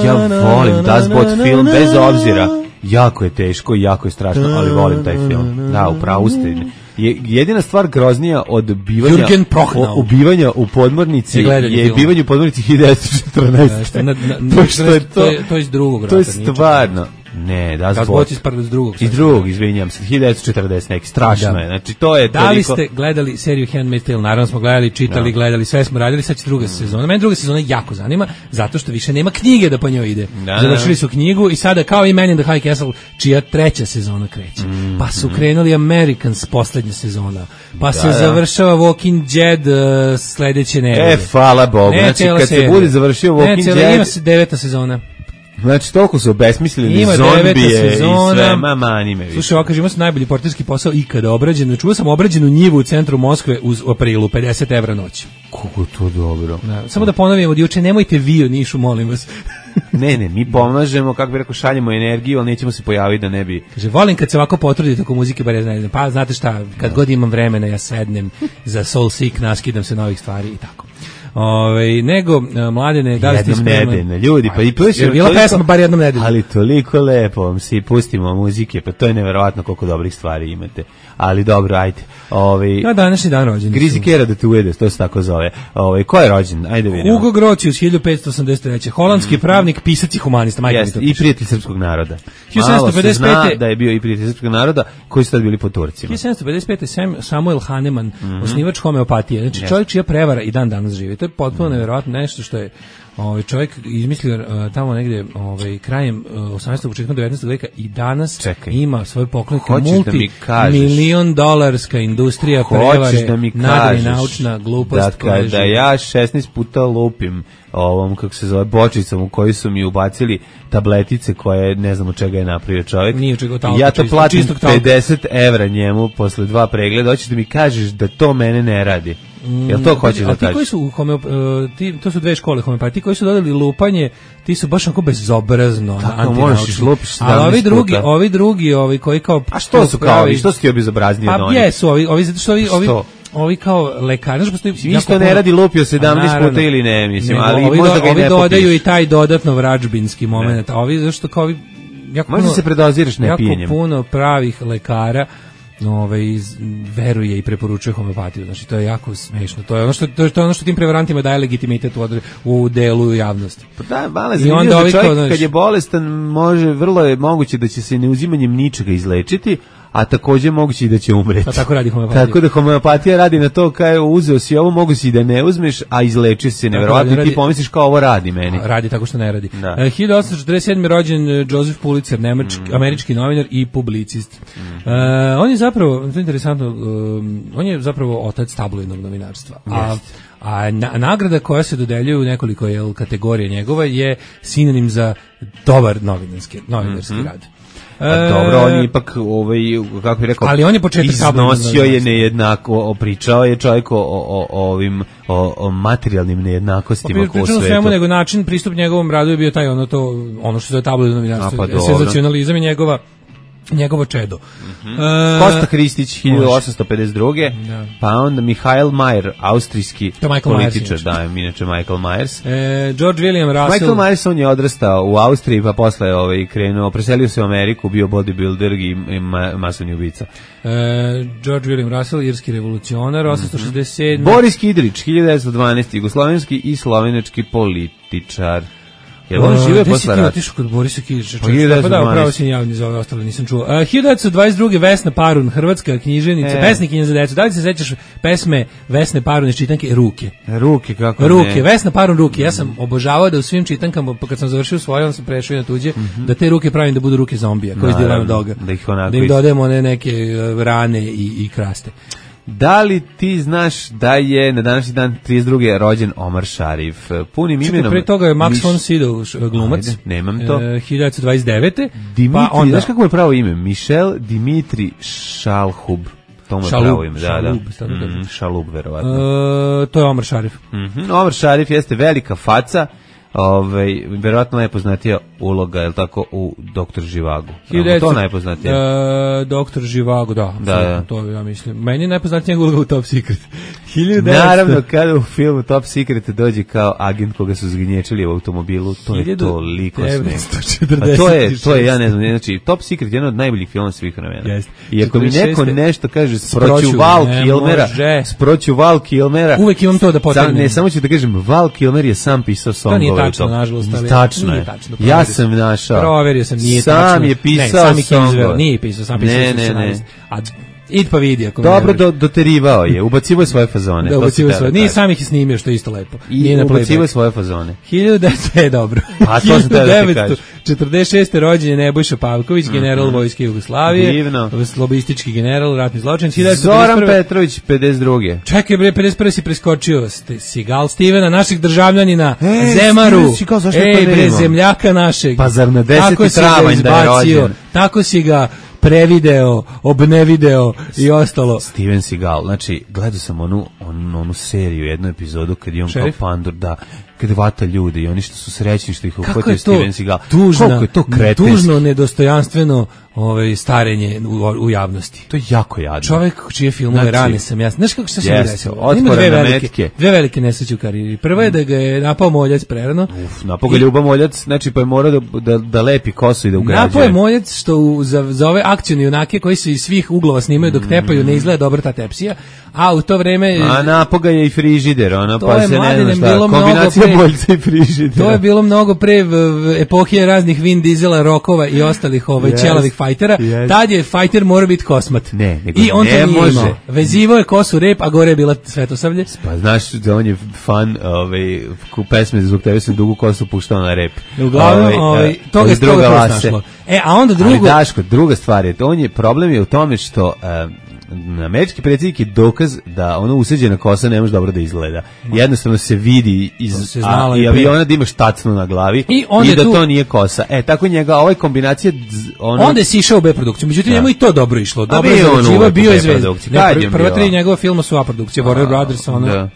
Ja volim Das Boot film bez obzira. Jako je teško i jako je strašno, ali volim taj film. Da, upravo ste. Je jedina stvar groznija od bivanja o, ubivanja u podmornici je bivanje u podmornici hiljadu devetsto četrnaeste. Na, na, na, to, što je to, to, je, to je iz drugog rata. To je stvarno. Ne, Das Boot. Das Boot iz prvog, iz drugog. Iz drugog, izvinjam se, hiljadu devetsto četrdeset neki, strašno da. Je. Znači, to je da toliko... li ste gledali seriju Handmaid's Tale? Naravno smo gledali, čitali, da. Gledali, sve smo radili, sad će druga mm. sezona. Mene druga sezona jako zanima, zato što više nema knjige da po njoj ide. Da. Završili su knjigu i sada, kao i Man in the High Castle, čija treća sezona kreće. Mm. Pa su krenuli Americans poslednja sezona. Pa da, se da. Završava Walking Dead uh, sledeće nedelje. E, hvala Bogu. Ne, znači, kad serija. Se bude završio Walking ne, Dead... Ima se deveta sezona. Znači, toliko su obesmislili zombije i sve, mama anime. Slušaj, ovo kaže, ima se najbolji portirski posao ikada obrađen. Čuo sam obrađenu njivu u centru Moskve u aprilu, pedeset evra noć. Kako to dobro. Da, samo da ponovim od juče, nemojte vi u Nišu, molim vas. ne, ne, mi pomažemo, kako bi rekao, šaljemo energiju, ali nećemo se pojaviti da ne bi... Kaže, volim kad se ovako potrudite oko muzike, bar ja znam, pa znate šta, kad no. god imam vremena, ja sednem za Soul Seek, naskidam se novih stvari i tako. Ove, nego, Mladene, da li ste ispremani? Jednom nedeljno, ljudi, pa i je bila toliko, pesma bar jednom nedeljno. Ali toliko lepo vam si pustimo muzike, pa to je neverovatno koliko dobrih stvari imate. Ali dobro, ajde. Ove, na današnji dan rođen. Grizi Kera da te uvede, to se tako zove. Ove, ko je rođen? Ajde vidimo. Hugo Grotius, hiljadu petsto osamdeset treće holandski mm. pravnik, pisac i humanista. Jest, i prijatelj srpskog naroda. hiljadu sedamsto pedeset pete Malo se zna da je bio i prijatelj srpskog naroda, koji su tad bili po Turcima. hiljadu sedamsto pedeset pete Samuel Hahnemann, mm-hmm. osnivač homeopatije. Znači yes. čovjek čija prevara i dan danas živi. To je potpuno nevjerojatno nešto što je ovaj čovjek izmislio uh, tamo negdje ovaj krajem uh, osamnaestog početkom devetnaestog veka i danas Čekaj. Ima svoje poklonike multi da milion dolarska industrija prevare, da nadrenaučna glupost. Da kada ja šesnaest puta lupim ovom, kako se zove, bočicom u koju su mi ubacili tabletice koje ne znam od čega je napravio čovjek. Nije čega, talka, ja to čisto, platim pedeset evra njemu posle dva pregleda. Hoćeš da mi kažeš da to mene ne radi? Jel to hoćeš da kažeš? Ti koji su homeo, ti, to su dve škole homeopatije, ti koji su dodali lupanje, ti su baš onako bezobrazno antinaučni. A ovi drugi, ovi drugi, ovi koji kao... A što su kao ovi? Što su ti obezobrazniji od onih? Pa jesu, ovi, ovi, zato što ovi... ovi ovi kao lekari, postoji isto ne radi lupio sedamnaest puta ili ne, mislim, ali ovi možda ga i ne popiš. Ovi dodaju i taj dodatno vračbinski moment, a ovi zašto kao ovi jako možda se predoziraš ne pijenjem. Jako puno pravih lekara ovaj veruje i preporučuje homeopatiju. Znači to je jako smešno. To je ono što to je ono što tim prevarantima daje legitimitet u, u delu javnosti. Pa da, male zanimljivo da čovjek znači, kad je bolestan može vrlo je moguće da će se neuzimanjem ničega izlečiti, a takođe moguće i da će umreti. Pa tako radi homeopatija. Tako da homeopatija radi na to kao uzeo si ovo, mogu si da ne uzmeš, a izleči se neverovatno i ti pomisliš kao ovo radi meni. Radi tako što ne radi. Da. hiljadu osamsto četrdeset sedme rođen Joseph Pulitzer, nemački, mm. američki novinar i publicist. Mm. Uh, on je zapravo, to je interesantno, um, on je zapravo otac tabloidnog novinarstva. A, a na, nagrada koja se dodeljuje u nekoliko jel, kategorija njegova je sinonim za dobar novinarski, novinarski mm-hmm. rad. Pa dobro, on je ipak ovaj kako bih rekao, ali on je početak iznosio je nejednako, pričao je čovjek o, o, o ovim o, o materijalnim nejednakostima u svetu. Svemu nego način pristup njegovom radu je bio taj ono to ono što je tabloidno novinarstvo, pa senzacionalizam i njegova njegovo čedo. Mm-hmm. Uh, Kosta Hristić hiljadu osamsto pedeset druge Da. Pa onda Michael Mayer, austrijski političar, da, inače Michael Myers. E, George William Russell. Michael Myers, on je odrastao u Austriji, pa posle ovaj, krenuo, preselio se u Ameriku, bio bodybuilder i, i ma, masovni ubica. E, George William Russell, irski revolucionar, osamsto šezdeset sedme Mm-hmm. Boris Kidrić, hiljadu devetsto dvanaeste jugoslovenski i slovenački političar. Jel on žive posle rata? Otišao kod Borisa Kidrića. Pa da, upravo si javni za ove ostale, nisam čuo. Uh, hiljadu devetsto dvadeset druge Vesna Parun, hrvatska književnica, e. pesnikinja za decu. Da li se sećaš pesme Vesne Parun iz čitanke Ruke? Ruke, kako Ruke, ne? Vesna Parun Ruke. Ja sam obožavao da u svim čitankama, pa kad sam završio svoje, on sam prešao i na tuđe, mm-hmm. da te ruke pravim da budu ruke zombija, koji izdjelaju doga. Da ih onako da im dodajemo ne, neke rane i, i kraste. Da li ti znaš da je na današnji dan trideset druge rođen Omar Šarif? Punim Čekaj, imenom... pre toga je Max Miš... von Sydow glumac. Ajde, nemam to. E, hiljadu devetsto dvadeset devete Dimitri, pa onda... znaš kako je pravo ime? Michel Dimitri Šalhub. To mu je Šalub, pravo ime, da, Šalub, da. Mm, Šalub, verovatno. E, to je Omar Šarif. Mm-hmm. Omar Šarif jeste velika faca, ovaj, verovatno najpoznatija uloga, je li tako, u Doktor Živagu. To najpoznatija. Uh, Doktor Živago, da, da, da. To ja mislim. Meni je najpoznatija uloga u Top Secret. Naravno, kada u filmu Top Secret dođe kao agent koga su zgnječili u automobilu, to je toliko smiješno. A to je, to je, ja ne znam, znači, Top Secret je jedan od najboljih filma svih vremena. Yes. I ako mi neko nešto kaže sproću Val Kilmera, sproću Val Kilmera, uvek imam to da potegnem. Ne, samo ću da kažem, Val Kilmer je sam pisao songove. To nije tačno, nažalost. Tačno je. Ja sam našao. Proverio sam, nije tačno. Sam je pisao songove. Nije pisao, sam pisao. Ne, ne, ne. A id pa vidi ako dobro do, doterivao je, ubacivo je svoje fazone. Da, ubacivo svoje. Nije sam ih snimio, što je isto lepo. I ubacivo je svoje fazone. hiljadu devetsto je dobro. A to sam teo da ti kažeš. četrdeset šeste rođen je Nebojša Pavković, general mm-hmm. vojske Jugoslavije. Divno. Lobistički general, ratni zločin. Zoran Petrović, pedeset druge. Čekaj bre, pedeset prve si preskočio. Sigal Stevena, naših državljanina, e, Zemaru. Ej bre, zemljaka našeg. Pa zar na deseti travanj da je rođen? Tako si ga prevideo, obnevideo i ostalo. Steven Seagal, znači, gledao sam onu, onu, onu seriju, jednu epizodu kad je on kao pandur, da, kad vata ljude i oni što su srećni što ih uhvatio Steven Seagal. Tužna, koliko je to kretenski. Tužno, nedostojanstveno ovaj, starenje u, u javnosti. To je jako jadno. Čovek čije filmove znači, rane sam ja. Znaš kako što se mi desilo? Ima dve velike, dve velike nesreće u karijeri. Prva je da ga je napao Moljac prerano. Uf, napao ga Ljuba Moljac, znači pa je morao da, da, da lepi kosu i da ugrađuje. Napao je Moljac što u, za, za ove akcione junake koji se iz svih uglova snimaju dok tepaju, ne izgleda dobro ta tepsija, a u to vreme... A napao ga je i frižider, ono, to pa je se ne znam šta, kombinacija Moljca i frižidera. To je bilo mnogo pre v, v epohije raznih Vin Diesela, Rokova i ostalih ovaj, yes, čelavih fajtera. Yes. Tad je fajter morao biti kosmat. Ne, nego I on ne to nije može. Imao. Vezivo je kosu rep, a gore je bila svetosavlje. Pa znaš da on je fan ovaj, ku pesme zbog tebe sam dugu kosu puštao na rep. Uglavnom, ovaj, ovaj, toga je druga vase. E, a onda drugo... Ali Daško, druga stvar je, on je, problem je u tome što... Um, američki predsjednik je dokaz da ono useđena kosa ne može dobro da izgleda. Jednostavno se vidi iz se a, i aviona da imaš tacnu na glavi i, i da tu, to nije kosa. E, tako njega, ovaj kombinacija... Ono, onda je sišao u B-produkciju. Međutim, njemu i to dobro išlo. Dobro je zarađivao, bio je zvezda. Prva tri njegova filma su A-produkcije. Warner Brothers, ono... Da.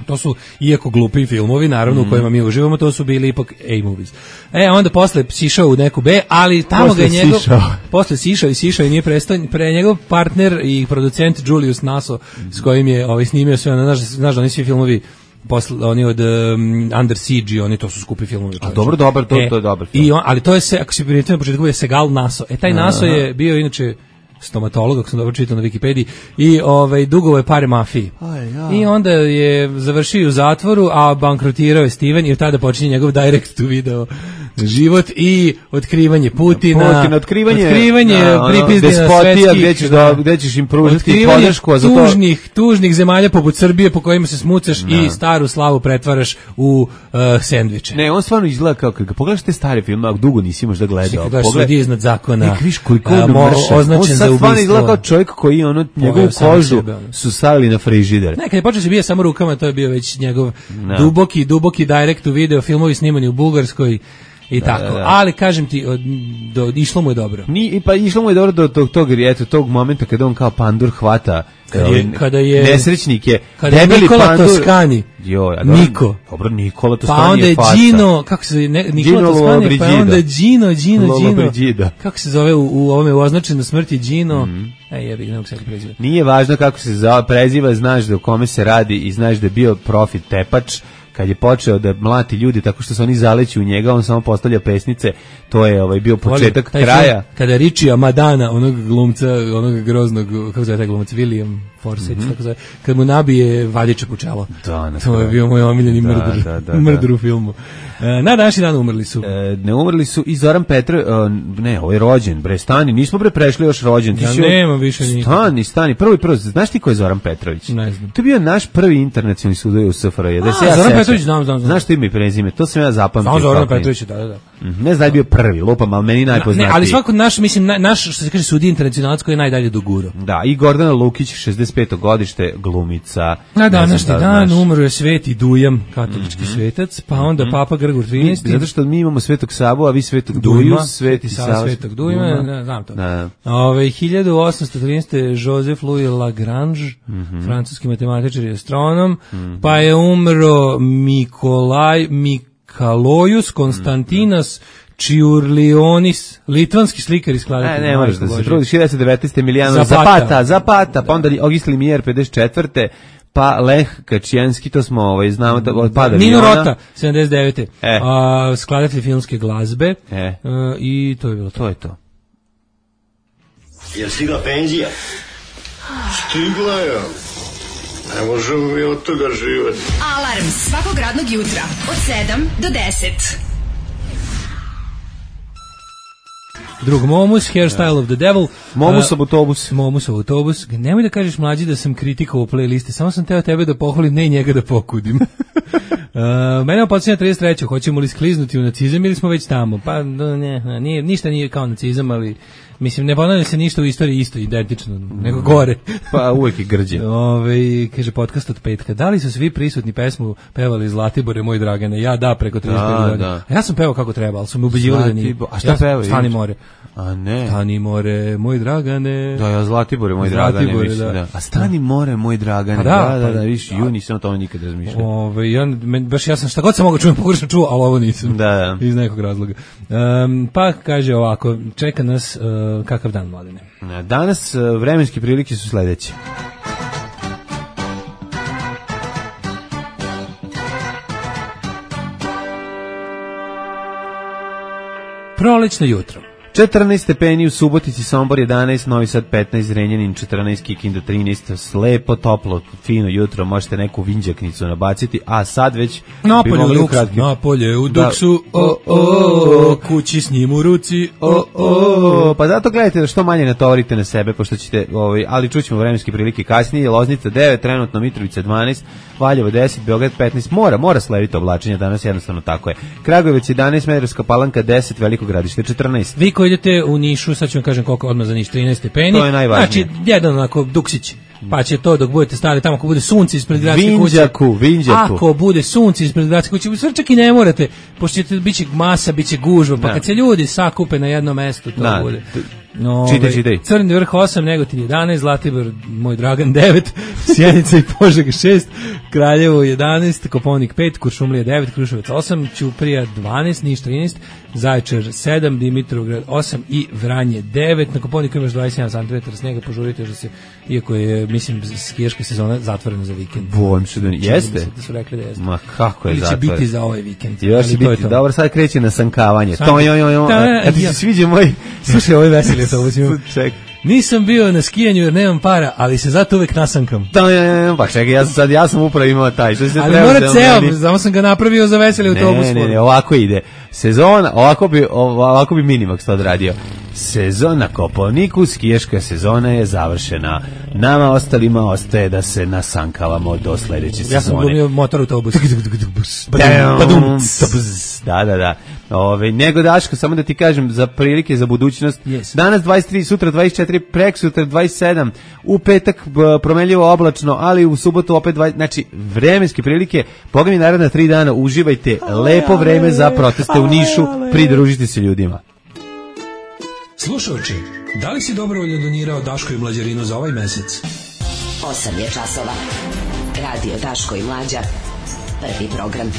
To su, iako glupi filmovi, naravno, mm. u kojima mi uživamo, to su bili ipak A-movies. E, onda posle sišao u neku B, ali tamo posle ga je njegov... Sišao. Posle sišao i sišao i nije prestao. Pre njegov partner i producent Julius Naso, mm. s kojim je ovaj, snimio sve, znaš, znaš da oni svi filmovi posle, oni od um, Under Siege, oni to su skupi filmovi. A dobro, dobar, to, e, to je dobar film. I on, ali to je se, ako se primijetio na početku, je Segal Naso. E, taj Naso je bio inače stomatolog, ako sam dobro čitao na Wikipediji, i ovaj, dugovo je pare mafiji. Aj, ja. I onda je završio u zatvoru, a bankrotirao je Steven i od tada počinje njegov direct to video život i otkrivanje Putina. Putin, otkrivanje, otkrivanje pripizdina despotija, gdje ćeš, da, gdje ćeš im pružiti podršku. A za to... tužnih, tužnih zemalja poput Srbije po kojima se smucaš no. i staru slavu pretvaraš u uh, sendviče. Ne, on stvarno izgleda kao, kad pogledaš te stare filme, ako dugo nisi možda gledao. Kad gledaš Sudije iznad zakona, nek viš koliko uh, označen za ubistvo. Stvarno izgleda kao čovjek koji ono, njegovu kožu sebe, su stavili na frižider. Ne, kad je počeo se bija samo rukama, to je bio već njegov no. duboki, duboki direct to video, filmovi snimani u Bugarskoj i da, tako. Da, da. Ali kažem ti, od, do, išlo mu je dobro. Ni, pa išlo mu je dobro do tog, tog, eto, tog momenta kada on kao pandur hvata kada je, kada je nesrećnik je kada je Nikola pandur, Toscani jo, ja, Niko dobro, Nikola Toscani pa onda je faca. Gino, kako se zove, ne, Nikola Gino Toscani, pa onda Gino, Gino, Gino, Gino. kako se zove u, u ovome u označenju smrti Gino, mm. e jebi, ne mogu se preziva. Nije važno kako se zove, preziva, znaš da u kome se radi i znaš da je bio profit tepač. Kad je počeo da mlati ljudi tako što se oni zaleću u njega, on samo postavlja pesnice, to je ovaj bio početak Volim, kraja. Film, kada Richija Madana, onog glumca, onog groznog, kako zove taj glumac, William Forsythe, mm-hmm. tako zove, kad mu nabije vadiče pučalo. Da, to je bio moj omiljeni da, mrdur, da, da, mrdur u filmu. E, na današnji dan umrli su. E, ne umrli su i Zoran Petrov, e, ne, ovo je rođen, bre, stani, nismo bre prešli još rođen. Ti ja nemam više nikada. Stani, stani, prvo i prvo, znaš ti ko je Zoran Petrović? Ne znam. To je bio naš prvi internacionalni sudoj u S F R J. Da se ja Zoran Petrović, znam, znam, znam. Znaš ti ime i prezime, to sam ja zapamtio. Znam Zoran Petrović, da, da, da. Ne znam da je bio prvi, lupam, ali meni najpoznatiji. Ne, ali svako naš, mislim, na, naš, što se kaže, sudija internacionalac koji je najdalje doguro. Da, i Gordana Lukić, šezdeset peto godište, glumica. Na današnji da dan umro je Sveti Dujam, katolički mm-hmm. svetac, pa onda mm-hmm. Papa Grgor trinaesti. Zato što mi imamo Svetog Savu, a vi Svetog Duju, Dujma, Sveti Sava. Svetog Dujma, da, znam to. Da. Ove, hiljadu osamsto trinaeste. Joseph Louis Lagrange, mm-hmm. francuski matematičar i astronom, mm-hmm. pa je umro Mikolaj Mik Kalojus Konstantinas Čiurlionis, litvanski slikar i skladatelj. Ne, ne moraš da se trudiš. hiljadu devetsto devetnaeste. Emiliano Zapata. Zapata, Zapata, pa onda Ogis Limier pedeset četvrte pa Lech Kačijanski, to smo ovaj, znamo da od pada Nino aviona. Rota, sedamdeset devete. E. A, skladatelj filmske glazbe. E. A, I to je bilo to. To je to. Je stigla penzija? Stigla je. Ne možemo mi od toga živati. Alarm svakog radnog jutra od sedam do deset. Drug Momus, Hairstyle of the Devil. Momusov autobus. Momusov autobus. Nemoj da kažeš mlađi da sam kritikovao playliste, samo sam teo tebe da pohvalim, ne i njega da pokudim. uh, mene opocinja trideset treće. Hoćemo li skliznuti u nacizam ili smo već tamo? Pa ne, nije, ništa nije kao nacizam, ali mislim, ne ponavlja se ništa u istoriji isto, identično, nego gore. Pa uvek je grđe. Ove, kaže podcast od petka. Da li su svi prisutni pesmu pevali Zlatibore, moj Dragane? Ja da, preko trideset pet godina. Da. A ja sam pevao kako treba, ali su me ubeđivali da nije. A šta ja pevao? Stani more. A ne. Stani more, moj Dragane. Da, ja Zlatibore, moj Zlatibore, Dragane, mislim, da. da. A stani more, moj Dragane. Da, da, da, da, pa, viš, ju nisam o tome nikad razmišljao. Ove, ja, men, baš ja sam šta god sam mogao čujem, pogrešno čuo, ali ovo nisam. Da, da. Iz nekog razloga. Um, pa kaže ovako, čeka nas uh, kakav dan, Mladene. Danas uh, vremenske prilike su sledeće. Prolećno jutro. četrnaest stepeni u Subotici, Sombor jedanaest, Novi Sad petnaest, Zrenjanin četrnaest, Kikinda trinaest, lepo, toplo, fino jutro, možete neku vinđaknicu nabaciti, a sad već Napolje u duksu, napolje u duksu, o, o, kući s njim u ruci, o, o. Pa zato gledajte da što manje natovarite na sebe, pošto ćete, ovaj, ali čućemo vremenske prilike kasnije, Loznica devet, trenutno Mitrovica dvanaest, Valjevo deset, Beograd petnaest, mora, mora slediti oblačenje, danas jednostavno tako je. Kragujevac jedanaest, Smederevska Palanka deset, Veliko Gradište četrnaest. Vi koji idete u Nišu, sad ću vam kažem koliko odmah za Niš, trinaest stepeni. To je najvažnije. Znači, jedan onako duksić. Pa će to dok budete stali tamo, ako bude sunce ispred gradske kuće. Vinđaku, Vinđaku. Ako bude sunce ispred gradske kuće, sve čak i ne morate, pošto ćete biće masa, biće gužva, pa da. Kad se ljudi sakupe na jednom mestu, to da. bude. No, čitaj, čitaj. Crni vrh osam, Negotin jedanaest, Zlatibor, moj Dragan devet, Sjenica i Požega šest, Kraljevo jedanaest, Koponik pet, Kuršumlija devet, Kruševac osam, Ćuprija dvanaest, Niš trinaest, Zaječar sedam, Dimitrovgrad osam i Vranje devet. Na Koponiku imaš dvadeset jedan centimetara snega, požurite još da se, iako je, mislim, skijaška sezona zatvorena za vikend. Bojim se da jeste? Da su rekli da jeste. Ma kako je ili će zatvoren? biti za ovaj vikend. Još će biti, to. Dobro, sad kreće na sankavanje. Sank... To, jo, jo, jo. Da, A ti ja. se sviđa moj... Slušaj, ovo je veseli to uzimam. Ček. Nisam bio na skijanju jer nemam para, ali se zato uvek nasankam. Da, pa čekaj, ja sam sad, ja sam upravo imao taj. Što se ali treba mora da ceo, meni... samo sam ga napravio za veseli autobus. Ne, ne, ne, ovako ide. Sezona, ovako bi, ovako bi Minimax to odradio. Sezona Koponiku, skijaška sezona je završena. Nama ostalima ostaje da se nasankavamo do sledeće sezone. Ja sam glumio motor autobus. Da, da, da. Ove, nego Daško, samo da ti kažem za prilike za budućnost. Yes. Danas dvadeset tri, sutra dvadeset četiri, preksutra dvadeset sedam, u petak promenljivo oblačno, ali u subotu opet dvadeset, znači vremenske prilike. Boga mi naredna tri dana uživajte, lepo vreme za proteste u Nišu, pridružite se ljudima. Slušaoči, da li si dobrovoljno donirao Daško i Mlađarinu za ovaj mesec? osam je časova. Radio Daško i Mlađa. Prvi program.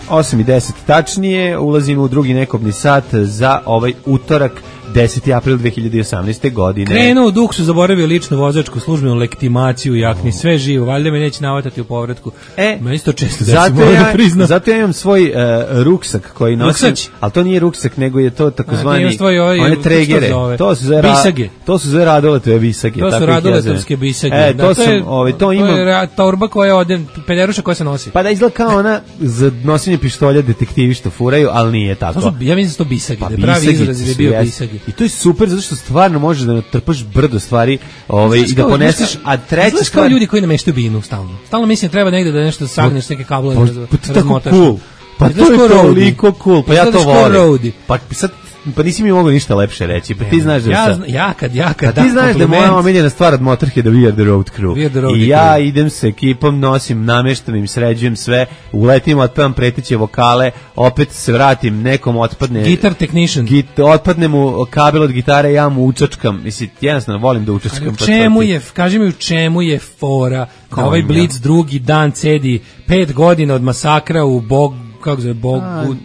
osam i deset tačnije, ulazimo u drugi nekobni sat za ovaj utorak, deseti april dve hiljade osamnaeste. godine. Krenuo u duksu, zaboravio ličnu vozačku, službenu legitimaciju, jakni, sve živo, valjda me neće navatati u povratku. E, meni isto često da zato, se ja, da priznam. zato ja imam svoj uh, ruksak koji nosim, Ruksać? ali to nije ruksak, nego je to takozvani tvoj, ovaj, one tregere. To su za bisage. To su za Radoletove bisage. To su Radoletovske bisage. E, da, to, to sam, je, ovaj, to, to imam. je torba koja ode, peljeruša koja se nosi. Pa da izgleda kao ona za nošenje pištolja detektivi što furaju, ali nije tako. To su, ja mislim da su to bisage, pa da je pravi izraz je bio jest. bisage. I to je super zato što stvarno možeš da natrpaš brdo stvari, ovaj i da poneseš, a treća stvar, kao ljudi koji nameštaju binu stalno. Stalno mislim da treba negde da nešto sagneš neke kablove pa, da pa, pa, razmotaš. Cool. Pa to je toliko cool, pa ja to volim. Pa sad pa nisi mi mogao ništa lepše reći, pa ti znaš da ja, sam... Ja kad, ja kad... Pa ti znaš da je moja omiljena stvar od Motorheada We Are The Road Crew. I ja idem sa ekipom, nosim, nameštam im, sređujem sve, uletim, otpevam preteće vokale, opet se vratim, nekom otpadne... Guitar technician. Git, otpadne mu kabel od gitare, ja mu učačkam. Mislim, jednostavno volim da učačkam. Ali u čemu je, kaži mi u čemu je fora, kao ovaj Blitz drugi dan cedi pet godina od masakra u Bog kako zove, Bog,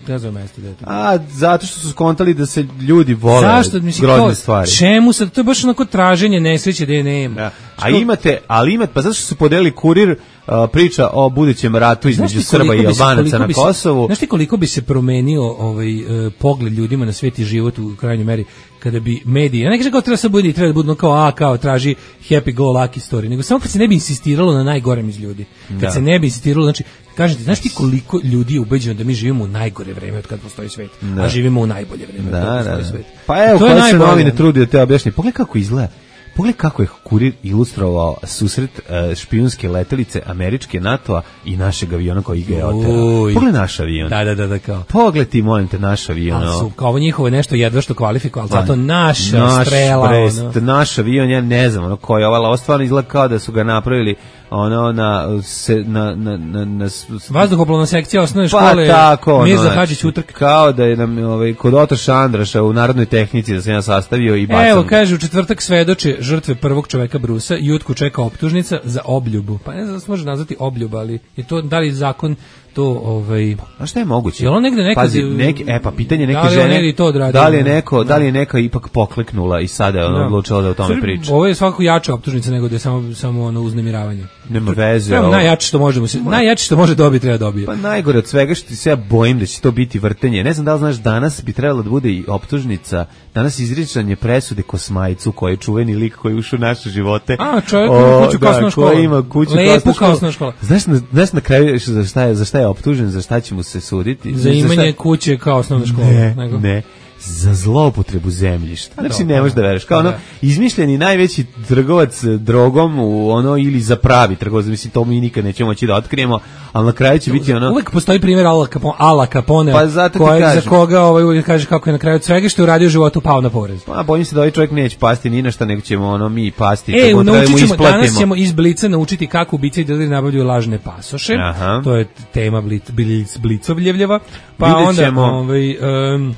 ne znam mesto da je to. A, zato što su skontali da se ljudi vole Zašto, mislim, grozne kao, stvari. Čemu sad, to je baš onako traženje nesreće da je nema. Da. A imate, ali imate, pa zato što su podelili kurir uh, priča o budućem ratu između Srba i Albanaca na Kosovu. Znaš ti koliko bi se promenio ovaj, uh, pogled ljudima na svet i život u krajnjoj meri kada bi mediji, ja ne kažem kao treba se budi, treba da budu kao, a, kao traži happy go lucky story, nego samo kad se ne bi insistiralo na najgorem iz ljudi. Kad da. se ne bi insistiralo, znači, kažete, znaš ti koliko ljudi je ubeđeno da mi živimo u najgore vreme od kad postoji svet, da. a živimo u najbolje vreme da, od kad postoji da, da. svet. Pa evo, kada se novine trudi da te objašnji, pogledaj kako izgleda. Pogledaj kako je kurir ilustrovao susret uh, špijunske letelice američke NATO-a i našeg aviona koji ga je oterao. Pogledaj naš avion. Da, da, da, da, kao. Pogledaj ti, molim te, naš avion. A su, kao ovo njihovo nešto jedva što kvalifikuje, ali zato naša naš strela. Brest, ono. Naš avion, ja ne znam, ono koji je ovala, ovo stvarno izgleda kao da su ga napravili ono na se na na na, na vazduhoplovna sekcija osnovne škole. Pa tako, Mirza Hadžić Utrk. Kao da je nam ovaj kod Otoša Andraša u narodnoj tehnici da se ja sastavio i bacam. Evo kaže u četvrtak svedoče žrtve prvog čoveka Brusa, Jutku čeka optužnica za obljubu. Pa ne znam da se može nazvati obljuba, ali je to da li zakon to ovaj a šta je moguće? Je on negde neka Pazi, neki e pa pitanje neke da žene to da li je neko da li je neka ipak pokleknula i sada je ona da. odlučila da o tome priča. Ovo je svakako jača optužnica nego da je samo samo ono uznemiravanje. Nema veze. Samo najjače što možemo se najjače što može dobiti treba dobije. Pa najgore od svega što se ja bojim da će to biti vrtenje. Ne znam da li znaš, danas bi trebalo da bude i optužnica, danas izricanje presude Kosmajcu koji je čuveni lik koji je ušao u naše živote. A čovjek ima kuću kasnu školu. Koji ima kuću kasnu školu. Znaš, znaš na kraju za šta je za šta je optužen, za šta će mu se suditi? Za imanje kuće kao osnovna škola. Ne, nego? ne. Za zloupotrebu zemljišta. Znači ne možeš da veruješ. Kao ono izmišljeni najveći trgovac drogom u ono ili za pravi trgovac, mislim to mi nikad nećemo moći da otkrijemo, ali na kraju će biti ono. Uvek postoji primjer Ala Capone, Ala Capone pa zato koji za koga ovaj uvijek kaže kako je na kraju svega što je uradio u životu pao na porez. Pa bojim se da ovaj čovjek neće pasti ni na šta, nego ćemo ono mi pasti. E, naučit ćemo, danas ćemo iz Blica naučiti kako ubice i dileri nabavljaju lažne pasoše. Aha. To je tema Blic, Blic, Blicovljevljeva. Pa Vidjet onda ćemo. ovaj um,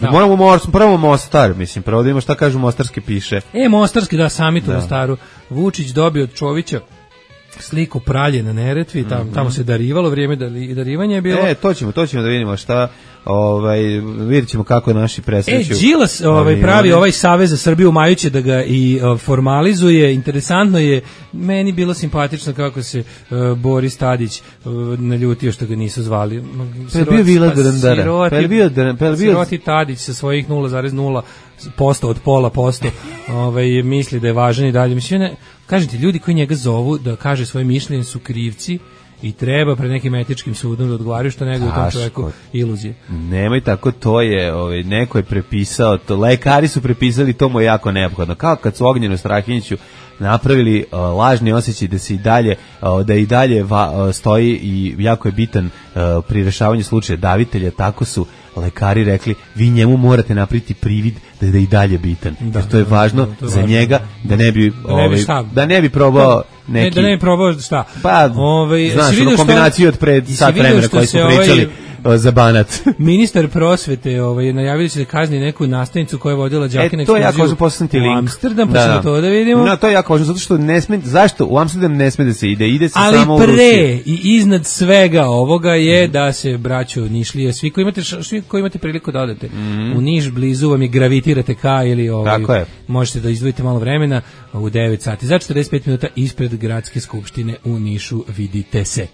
Da. Moramo Mors, prvo Mostar, mislim, prvo da ima šta kažu Mostarski piše. E, Mostarski, da, sami tu Mostaru. Vučić dobio od Čovića sliku pralje na Neretvi, tam, mm-hmm. tamo se darivalo, vrijeme darivanja je bilo. E, to ćemo, to ćemo da vidimo šta, ovaj, vidjet ćemo kako naši presreću. E, Đilas ovaj, pravi ovaj Savez za Srbiju majuće da ga i uh, formalizuje, interesantno je, meni bilo simpatično kako se uh, Boris Tadić uh, naljutio što ga nisu zvali. Siroti, bio Vila Drandara. Siroti, bio, bio... Siroti Tadić sa svojih nula zarez nula posto od pola posto ovaj, misli da je važan i dalje. Mislim, ne, kažete, ljudi koji njega zovu da kaže svoje mišljenje su krivci i treba pred nekim etičkim sudom da odgovaraju što nego u tom čovjeku iluzije. Nemoj tako, to je, ovaj, neko je prepisao to, lekari su prepisali, to mu je jako neophodno. Kao kad su Ognjenu Strahinjiću napravili uh, lažni osjećaj da se i dalje uh, da i dalje va, uh, stoji i jako je bitan uh, pri rešavanju slučaja davitelja, tako su lekari rekli, vi njemu morate napraviti privid da je da i dalje bitan. Da, jer to je važno da, to je za važno. Njega da ne bi da ne bi, ovaj, da ne bi probao neki ne, da ne bi probao šta. Pa, ovaj, znaš, ono kombinaciju od pred sat vremena koji smo pričali. Ovaj, za Banat. Ministar prosvete ovaj, najavili će da kazni neku nastavnicu koja je vodila đake na ekskurziju. E, to je jako važno, poslati link. U Amsterdam, pa ćemo to da vidimo. No, to je jako važno, zato što ne sme, zašto? U Amsterdam ne sme da se ide, ide se ali samo u Rusiju. Ali pre i iznad svega ovoga je mm. da se, braćo, Nišlije, svi koji imate, svi koji imate priliku da odete, mm. u Niš blizu vam je gravitirate ka ili ovaj, tako je. Možete da izdvojite malo vremena u devet sati. Za četrdeset pet minuta ispred gradske skupštine u Nišu vidite se.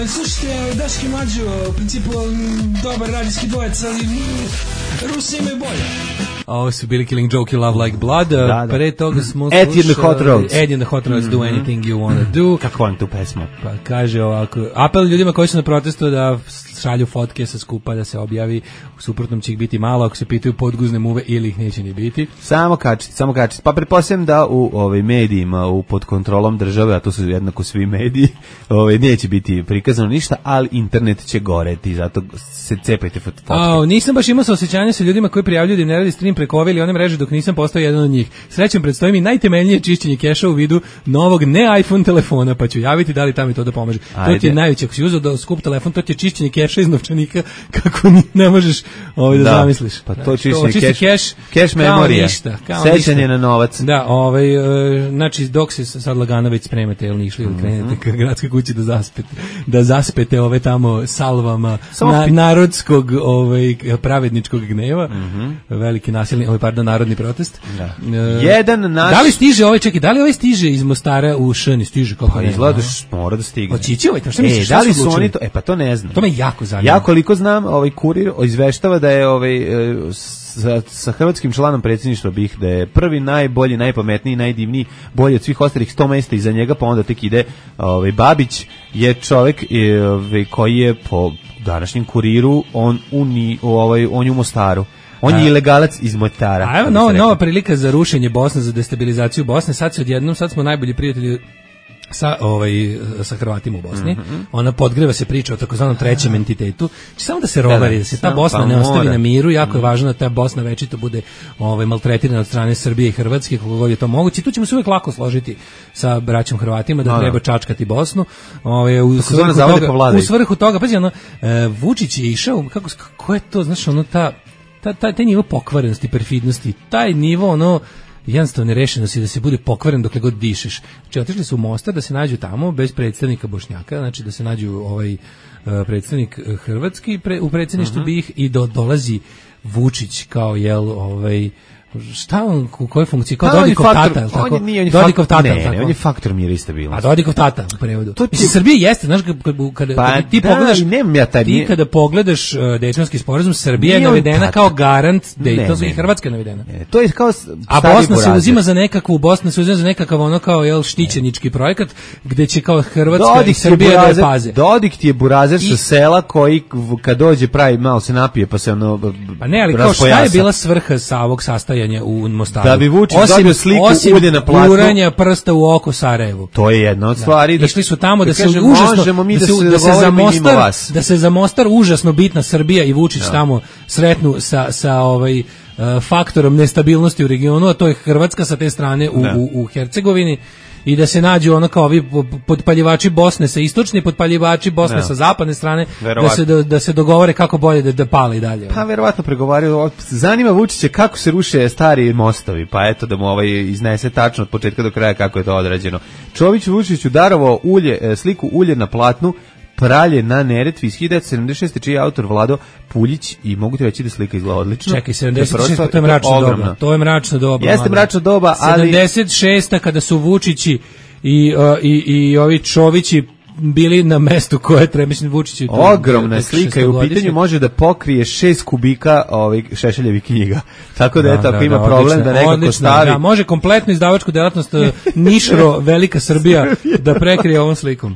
Slušajte, Daški Mlađo, u principu dobar radijski dvojec, ali Rusi imaju bolje. Ovo su bili Killing Joke, You Love Like Blood. Da, da. Pre toga smo slušali Eddie and the Hot Rods. Eddie and the Hot Rods, mm-hmm. Do Anything You Wanna Do. Kako vam tu pesmu? Pa kaže ovako, apel ljudima koji su na protestu da šalju fotke sa skupa, da se objavi, u suprotnom će ih biti malo, ako se pitaju podguzne muve ili ih neće ni biti. Samo kačiti, samo kačiti. Pa pretpostavljam da u ovaj, medijima, u pod kontrolom države, a to su jednako svi mediji, ovaj, neće biti prikazano ništa, ništa, ali internet će goreti, zato se cepajte fotke. A, nisam baš imao saosećanja sa ljudima koji prijavljuju da im ne radi stream preko ove ili one mreže dok nisam postao jedan od njih. Srećem, predstoji mi najtemeljnije čišćenje keša u vidu novog ne iPhone telefona, pa ću javiti da li tamo to da pomaže. Ajde. To ti je najveće, ako si uzeo da skup telefon, to ti je čišćenje keša iz novčanika kako ni, ne možeš ovaj, da, da zamisliš. Pa to čišćenje keš, keš memorija, sećanje na novac. Da, ovaj, uh, znači dok se sad lagano već spremate, jel nišli ili krenete ka gradskoj kući da zaspete, da zaspete ove tamo salvama na, narodskog ovaj, pravedničkog gneva, mm-hmm. veliki nasilni, ovaj, pardon, narodni protest. Da. Uh, Jedan naš... Da li stiže ovaj, čekaj, da li ovaj stiže iz Mostara u Šani, stiže kako pa ne? Izgledaš, mora da stigne. Očići ovaj, šta e, misliš, da li su oni to, e pa to ne znam. To me jako zanima. Ja koliko znam, ovaj kurir izveštava da je ovaj sa, sa hrvatskim članom predsjedništva B I H da je prvi najbolji, najpametniji, najdivniji, bolji od svih ostalih sto mesta iza njega, pa onda tek ide ovaj Babić je čovjek ovaj, koji je po današnjem kuriru on u ni, ovaj on je u Mostaru. On je ilegalac iz Mostara. A evo nova, nova prilika za rušenje Bosne, za destabilizaciju Bosne. Sad se odjednom, sad smo najbolji prijatelji sa ovaj sa Hrvatima u Bosni. Mm-hmm. Ona podgreva se priča o takozvanom trećem entitetu. Či samo da se rovari, da, da se ta Bosna pa ne ostavi mora. Na miru, jako mm. je važno da ta Bosna večito bude ovaj maltretirana od strane Srbije i Hrvatske, kako god je to moguće. I tu ćemo se uvek lako složiti sa braćom Hrvatima da no, treba čačkati Bosnu. Ovaj u svrhu toga, u svrhu toga, pazi ono, e, Vučić je išao, kako kako je to, znaš, ono ta ta taj, taj nivo pokvarenosti, perfidnosti, taj nivo ono jednostavno nerešenosti da se bude pokvaren dokle god dišeš. Znači, otišli su u Mostar da se nađu tamo bez predstavnika Bošnjaka, znači da se nađu ovaj uh, predstavnik hrvatski pre, u predsjedništvu uh-huh. B I H i do, dolazi Vučić kao jel ovaj šta on, u kojoj funkciji, kao Dodikov tata, je tako? Dodikov tata, ne, ne, on je faktor mira i stabilnosti. A Dodikov tata u prevodu. To ti... Srbija jeste, znaš, kada, kada pa, ti da, pogledaš, ja taj, ti kada pogledaš uh, Dejtonski sporazum, Srbija je navedena kao garant Dejtonskog i Hrvatska je navedena. Ne, to je kao a Bosna se uzima za nekakvu, Bosna se uzima za nekakav ono kao jel štićenički projekat, gde će kao Hrvatska Dodik i Srbija da paze. Dodik ti je burazer sa sela koji kad dođe pravi malo se napije pa se ono pa ne, ali kao šta je bila svrha sa ovog sastajanja u Mostaru? Da bi Vučić dobio sliku ulje na platu. Uranja prsta u oko Sarajevu. To je jedna od stvari. Da, išli su tamo da, da se kažem, užasno da, da, se, da, se za Mostar, da se za Mostar užasno bitna Srbija i Vučić da. Tamo sretnu sa, sa ovaj uh, faktorom nestabilnosti u regionu, a to je Hrvatska sa te strane u, u, u Hercegovini. I da se nađu ono kao ovi potpaljivači Bosne sa istočne, potpaljivači Bosne no. sa zapadne strane, da se, da, da se dogovore kako bolje da, da pale i dalje. Pa verovatno pregovaraju. Zanima Vučića kako se ruše stari mostovi, pa eto da mu ovaj iznese tačno od početka do kraja kako je to odrađeno. Čović Vučiću darovao ulje, sliku ulje na platnu, Pralje na Neretvi iz hiljadu devetsto sedamdeset šeste čiji je autor Vlado Puljić i mogu ti reći da slika izgleda odlično. Čekaj, sedamdeset šest to je mračno doba. To je mračno doba. Jeste mračno doba, ali sedamdeset šesta kada su Vučići i, uh, i, i ovi Čovići bili na mestu koje treba, mislim, Vučić. Ogromna slika i u pitanju može da pokrije šest kubika ovih Šešeljevih knjiga. Tako da, da eto, ako da, ima da, problem odlično, da nekako odlično, stavi. Da, može kompletno izdavačku delatnost Nišro, Velika Srbija da prekrije ovom slikom.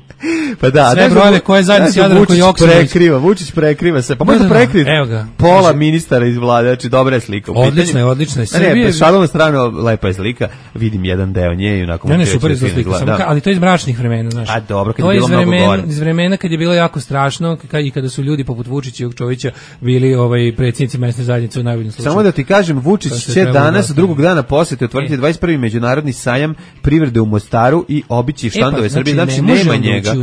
Pa da, sve brojeve koje zajedno s Jadrankom Joksimović. Prekriva, Vučić prekriva se. Pa može da prekrije pola ministara iz vlade, znači dobra je slika. Odlična je, odlična je. Ne, ne, šalom na stranu, lepa je slika. Vidim jedan deo nje i onako. Ne, ne, super je slika, ali to je iz mračnih vremena, znaš. A dobro, kad je bilo mnogo gore. Iz vremena kad je bilo jako strašno i kada su ljudi poput Vučića i Jokčovića bili ovaj predsjednici mesne zajednice u najboljim slučaju. Samo da ti kažem, Vučić će danas drugog dana posete otvoriti dvadeset prvi međunarodni sajam privrede u Mostaru i obići štandove e pa, Srbije, znači, znači nema njega.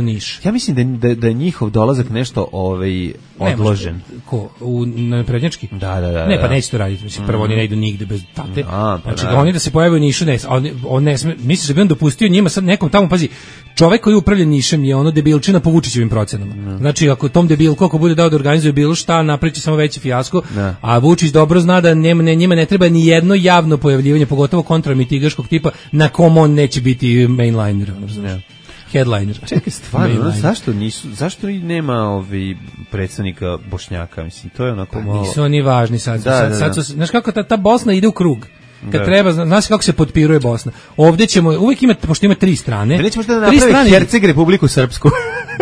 Ja mislim da da da je njihov dolazak nešto ovaj odložen. Ne, ko u na prednjački? Da, da, da. Ne, pa neće to raditi, mislim prvo oni ne idu nigde bez tate. A, pa znači da oni da se pojave u Nišu, ne, on on ne sme, misliš da bi on dopustio njima sad nekom tamo, pazi, čovjek koji upravlja Nišem je ono debilčina po Vučićevim procenama. Ne. Znači ako tom debil koliko bude dao da organizuje bilo šta, napravi samo veći fijasko, ne. A Vučić dobro zna da nema, ne, njima ne treba ni jedno javno pojavljivanje, pogotovo kontramitigaškog tipa na kom on neće biti mainliner, razumiješ? Headliner. Čekaj, stvarno, zašto nisu, zašto i nema ovi predstavnika Bošnjaka, mislim, to je onako malo. Nisu oni važni sad, da, sad, da, sad, sad su, znaš kako ta, ta Bosna ide u krug. Kad da. Treba, znaš kako se potpiruje Bosna. Ovdje ćemo, uvijek ima, pošto ima tri strane. Da nećemo da napravi Herceg Republiku Srpsku.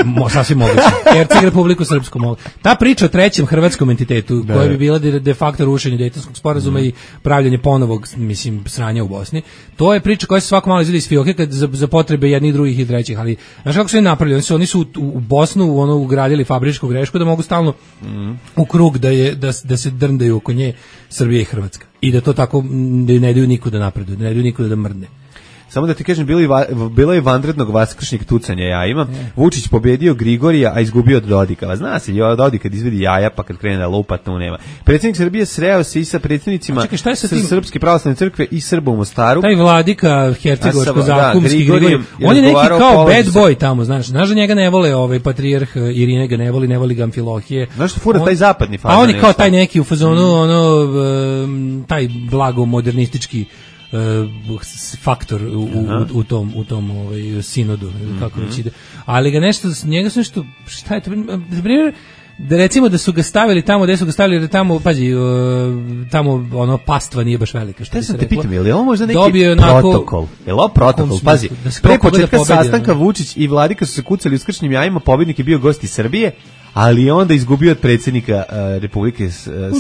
Mo, sasvim moguće. Herceg Republiku Srpsku mogu. Ta priča o trećem hrvatskom entitetu, da, koja bi bila de, de facto rušenje Dejtonskog sporazuma mm. i pravljanje ponovog, mislim, sranja u Bosni, to je priča koja se svako malo izvedi iz fioke kad za, za potrebe jednih, drugih i trećih, ali znaš kako su oni napravili? Oni su, oni su u, u Bosnu ono, ugradili fabričku grešku da mogu stalno mm. u krug da, je, da, da se drndaju oko nje Srbija i Hrvatska. I da to tako ne daju nikuda napreduje, ne daju nikuda da mrdne. Samo da ti kažem, bilo je, bilo je vanrednog vaskršnjeg tucanja jajima. Vučić pobedio Grigorija, a izgubio od Dodika. Zna se, Dodik kad izvedi jaja, pa kad krene da lupa, tu nema. Predsjednik Srbije sreo se i sa predsjednicima čekaj, šta je sa tim? Srpske pravoslavne crkve i Srba u Mostaru. Taj vladika hercegovačko-zakumski da, Grigorij, on je neki kao bad boy tamo, znaš. Znaš da njega ne vole ovaj patrijarh Irine, ga ne voli, ne voli ga Amfilohije. Znaš što fura on, taj zapadni fazon? A on je kao taj neki u fazonu, mm. ono, um, taj blago modernistički Uh, faktor u, u, u tom u tom ovaj sinodu mm-hmm. kako već ide, ali ga nešto njega su nešto šta je to na primjer da recimo da su ga stavili tamo gde su ga stavili da tamo pazi uh, tamo ono pastva nije baš velika što se te pitam je li ovo možda neki onako, protokol je li ovo protokol pazi da pre početka da sastanka no? Vučić i Vladika su se kucali uskršnjim jajima, pobednik je bio gost iz Srbije, ali je onda izgubio od predsjednika uh, Republike uh,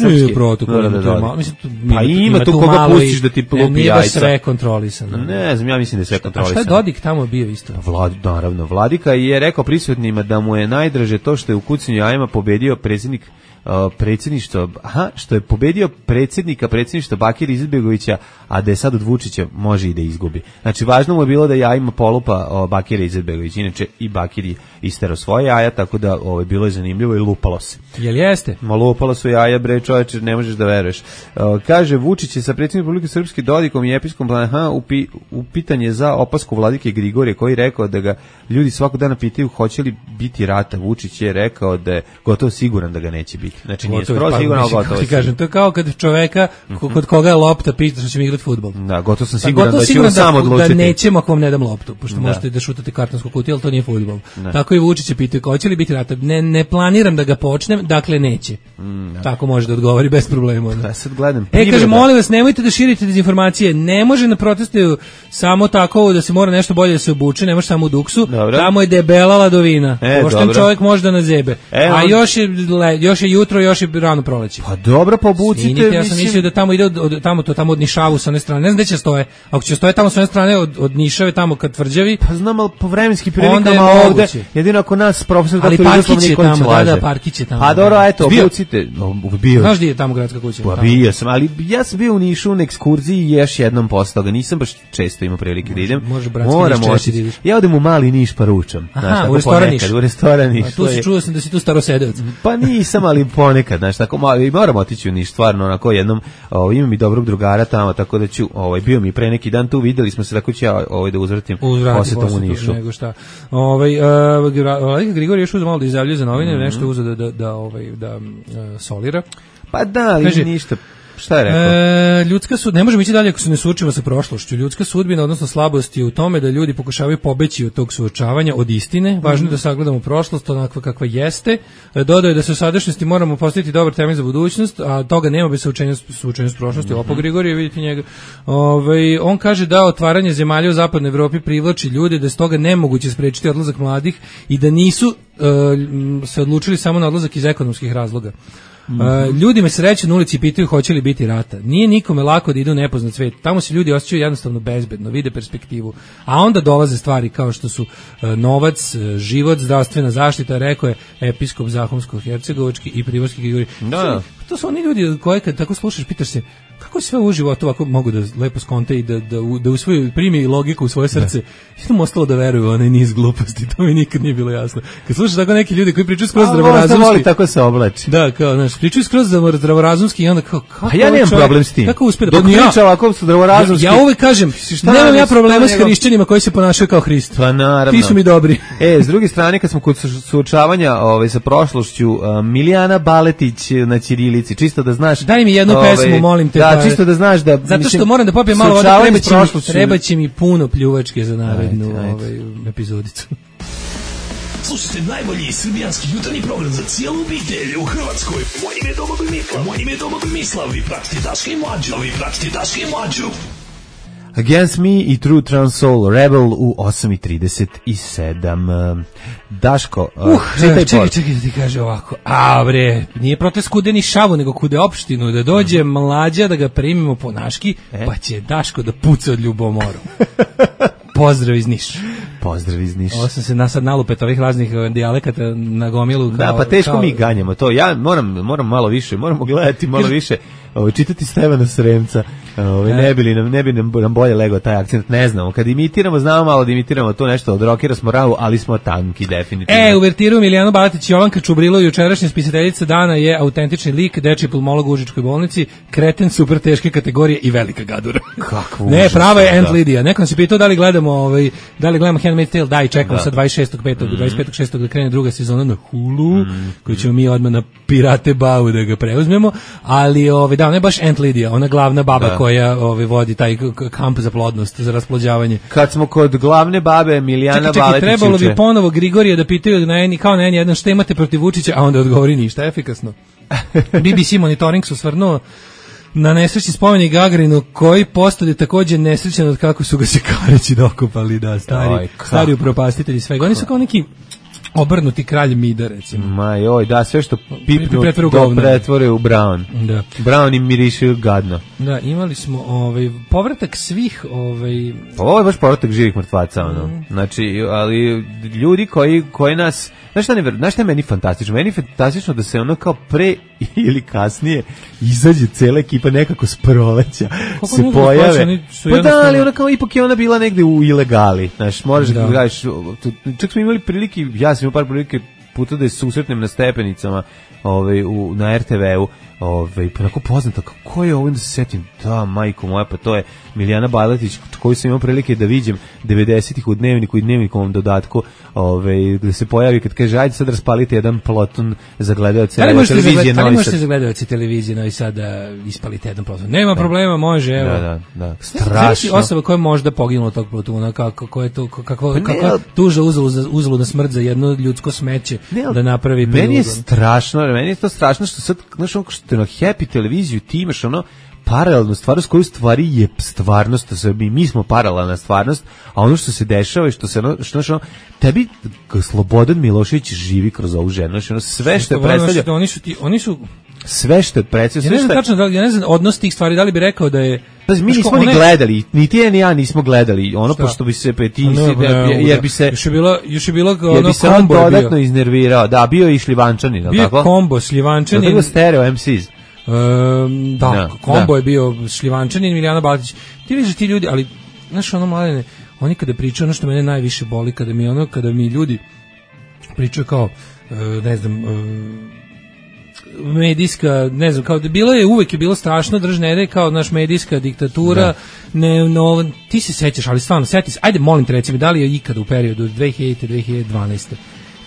Srpske. Protokol, da, da, da, da. Mislim, tu, pa ima, ima tu koga pustiš da ti lupi jajca. Nije baš sve kontrolisano. Ne znam, ja mislim da je sve kontrolisano. A šta je Dodik tamo bio isto? Vlad, naravno, Vladika je rekao prisutnima da mu je najdraže to što je u kucanju jajima pobedio predsjednik Uh, predsjedništvo, aha, što je pobedio predsjednika predsjedništva Bakira Izetbegovića, a da je sad od Vučića može i da izgubi. Znači, važno mu je bilo da jajima polupa o, Bakira Izetbegović, inače i Bakir je isterao svoje jaja, tako da ovo je bilo zanimljivo i lupalo se. Jel jeste? Ma lupalo su jaja, bre, čoveče, ne možeš da veruješ. Uh, kaže, Vučić je sa predsjednikom Republike Srpske Dodikom i episkom aha, upi, upitanje za opasku vladike Grigorije, koji je rekao da ga ljudi svakog dana pitaju hoće li biti rata. Vučić je rekao da je gotovo siguran da ga neće biti. Znači nije skroz pa, sigurno, gotovo. Ti kažem, to je kao kad čoveka mm-hmm. kod koga je lopta pita što će mi igrati fudbal. Da, gotovo sam siguran da će on sam odlučiti. Da nećemo ako vam ne dam loptu, pošto da. Možete da šutate kartonsku kutiju, ali to nije fudbal. Tako i Vučić je pitao hoće li biti rata. Ne, ne planiram da ga počnem, dakle neće. Mm, da. Tako može da odgovori bez problema. Da, sad gledam. E, kaže, molim vas, nemojte da širite dezinformacije. Ne može na protestu samo tako da se mora nešto bolje da se obuče, ne može samo u duksu. Dobro. Tamo je debela ladovina. E, pošten čovjek može da nazebe. E, a on... još je još je jutro, još je rano proleće. Pa dobro, pa obucite. Svinite, ja sam mislio da tamo ide od, od tamo to tamo od Nišavu sa one strane. Ne znam gde će stoje. Ako će stoje tamo sa one strane od, od Nišave tamo kad tvrđavi. Pa znam, al po vremenskim prilikama ovde. Jedino ako nas profesor ali Parkić je tamo, da, da, Parkić je tamo. Pa dobro, eto, obucite. Bio. Znaš gdje je tamo gradska kuća? Pa bio sam, ali ja sam bio u Nišu na ekskurziji i još jednom posle toga. Nisam baš često imao prilike da idem. Može bratski Niš češće. Ja odem u mali Niš pa ručam. Aha, u restoran Niš. U restoran Niš. Tu se čuo sam da si tu starosedevac. Pa nisam, ali ponekad, znaš, tako malo i moramo otići u Niš, stvarno, onako jednom, o, imam i dobrog drugara tamo, tako da ću, ovaj, bio mi pre neki dan tu, videli smo se, tako ću ja ovaj, da uzvratim posjetom u Nišu. Nego šta. Ovaj, uh, Grigorij još uzeo malo da izjavljuje za novine, mm-hmm. nešto uzeo da, da, da, ovaj, da uh, solira. Pa da, ali kaže, ništa. Šta je rekao? E, ljudska sud, ne možemo ići dalje ako se ne suočimo sa prošlošću. Ljudska sudbina, odnosno slabost je u tome da ljudi pokušavaju pobeći od tog suočavanja, od istine. Važno je da sagledamo prošlost onakva kakva jeste. E, dodao je da se u sadašnjosti moramo postaviti dobar temelj za budućnost, a toga nema bez suočenja, suočenja s prošlosti. Mm-hmm. Opo Grigorije, vidite njega. Ove, on kaže da otvaranje zemalja u zapadnoj Evropi privlači ljude, da je stoga nemoguće sprečiti odlazak mladih i da nisu e, se odlučili samo na odlazak iz ekonomskih razloga. Mm-hmm. Uh, ljudi me sreću na ulici i pitaju hoće li biti rata. Nije nikome lako da idu u nepoznat svet. Tamo se ljudi osjećaju jednostavno bezbedno, vide perspektivu. A onda dolaze stvari kao što su uh, novac, uh, život, zdravstvena zaštita, rekao je episkop Zahumsko-Hercegovački i Priborski Grigorij. Da. To su oni ljudi koje kad tako slušaš, pitaš se kako sve u životu ovako mogu da lepo skonte i da, da, da u svoju primi logiku u svoje srce. I mu ostalo da veruju onaj niz gluposti, to mi nikad nije bilo jasno. Kad slušaš tako neki ljudi koji pričaju skroz zdravorazumski. A voli tako se oblači. Da, kao, znaš, pričaju skroz zdravorazumski i onda kao, kako a ja nemam čovjek, problem s tim. Kako uspe da... Dok priča ovako su zdravorazumski. Ja, ja uvek kažem, nemam ja problema s hrišćanima koji se ponašaju kao Hrist. Pa naravno. Ti su mi dobri. E, s druge strane, kad smo kod suočavanja ovaj, sa prošlošću, uh, Milijana Baletić na ćirilici, čisto da znaš... Daj mi jednu ovaj, pesmu, molim te. Da, čisto da znaš da... Zato što mislim, moram da popijem malo vode, treba će, mi, treba će mi puno pljuvačke za narednu ovaj, epizodicu. Slušajte najbolji srbijanski jutarnji program za cijelu obitelj u Hrvatskoj. Moje ime je Domagoj Mislav. Moje ime je Domagoj Mislav. Vi pratite Daška i Mlađu. Vi pratite Daška i Mlađu. Against Me i True Trans Soul Rebel u osam i trideset sedam. Daško, uh, čekaj, čekaj, čekaj da ti kaže ovako. A bre, nije protest kude ni šavu, nego kude opštinu, da dođe mm. mlađa da ga primimo po naški, e? Pa će Daško da puca od ljubomoru. Pozdrav iz Niša. Pozdrav iz Niša. Ovo sam se nasad nalupet ovih raznih dijalekata na gomilu. Kao, da, pa teško kao... mi ganjamo to. Ja moram, moram malo više, moramo gledati malo više, ovo, čitati Stevana Sremca. Ovo, ne bi li nam, ne bi nam, nam bolje legao taj akcent, ne znamo. Kad imitiramo, znamo malo da imitiramo to nešto od rokera smo ravu, ali smo tanki, definitivno. E, uvertiru Milijano Balatić, Jovanka Čubrilo, jučerašnja spisateljica dana je autentični lik, dečiji pulmolog u Užičkoj bolnici, kreten super teške kategorije i velika gadura. Kakvo ne, užas, prava je Aunt da. Lidija. Nekom se pitao da li gledamo, ovaj, da li gledamo Handmaid's Tale, da i čekamo da. Sa dvadeset šestog petog do dvadeset petog šestog da krene druga sezona na Hulu, mm. koju ćemo mi odmah na Pirate Bavu da ga preuzmemo, ali ovaj, da, ona je baš Aunt Lidija, ona glavna baba da. Koja ovaj, vodi taj kamp za plodnost, za rasplođavanje. Kad smo kod glavne babe Milijana Baletić, čekaj, čekaj, trebalo bi ponovo Grigorija da pitaju na eni, kao na eni jedan šta imate protiv Vučića, a onda odgovori ništa, efikasno. B B C monitoring su stvarno na nesrećni spomenik Gagarinu, koji postade takođe nesrećan od kako su ga se Kareći dokopali, da, stari, Oj, stari upropastitelji svega. Oni su kao neki obrnuti kralj Mida, recimo. Ma joj, da, sve što pipnu do pretvore u Brown. Da. Brown im miriše gadno. Da, imali smo ovaj, povratak svih... Ovaj... Ovo je baš povratak živih mrtvaca, ono. Mm. Znači, ali ljudi koji, koji nas... Znaš šta, ne, znaš šta je meni fantastično? Meni je fantastično da se ono kao pre ili kasnije izađe cela ekipa nekako s proleća, kako se pojave. Pa da, ali ona kao ipak je ona bila negde u ilegali. Znaš, moraš da gledaš... Čak smo imali prilike, ja sam imao par prilike puta da je susretnem na stepenicama ovaj, u, na er te veu, ovaj, pa onako poznata, kako je ovo, da se setim, da, majko moja, pa to je Milijana Baletić, koju sam imao prilike da vidim devedesetih u Dnevniku i Dnevnikovom dodatku, ovaj, gde se pojavi kad kaže, ajde sad raspalite jedan ploton za gledaoce televizije. Da li možete za gledaoce televizije Novi Sad da ispalite jedan ploton? Nema da. Problema, može, evo. Da, da, da. Strašno. Osoba koja je možda poginula tog plotuna, kako, kako je to, kako, pa kako tuža uzelu na smrt za jedno ljudsko smeće ne, da napravi. Meni je strašno, meni je to strašno što sad, znaš, ono što na Happy televiziju ti imaš ono paralelnu stvarnost koju stvari je stvarnost, mi, mi smo paralelna stvarnost, a ono što se dešava i što se ono, što, što, tebi Slobodan Milošević živi kroz ovu ženu, ono, sve što je predstavlja, oni su ti, oni su sve što je predstavlja, ja ne znam tačno, ja ne znam odnos tih stvari, da li bi rekao da je Znači, mi nismo ni gledali, ni ti ni ja nismo gledali, ono šta? Pošto bi se peti, no, jer bi se još je bilo, još je bilo ono jer bi se on dodatno iznervirao, da, bio je i Šljivančanin, tako? Bio kombo Šljivančanin. Bio stereo em se's. Um, da, no, kombo da. Je bio Šljivančanin i Milijana Baletić. Ti vidiš ti ljudi, ali znaš ono Mladene, oni kada pričaju, ono što mene najviše boli, kada mi ono, kada mi ljudi pričaju kao, ne znam, medijska, ne znam, kao da bilo je, uvek je bilo strašno držnere, kao naš medijska diktatura, da. Ne, no, ti se sećaš, ali stvarno, seti se, ajde molim te recimo, da li je ikada u periodu dve hiljadite do dve hiljade dvanaeste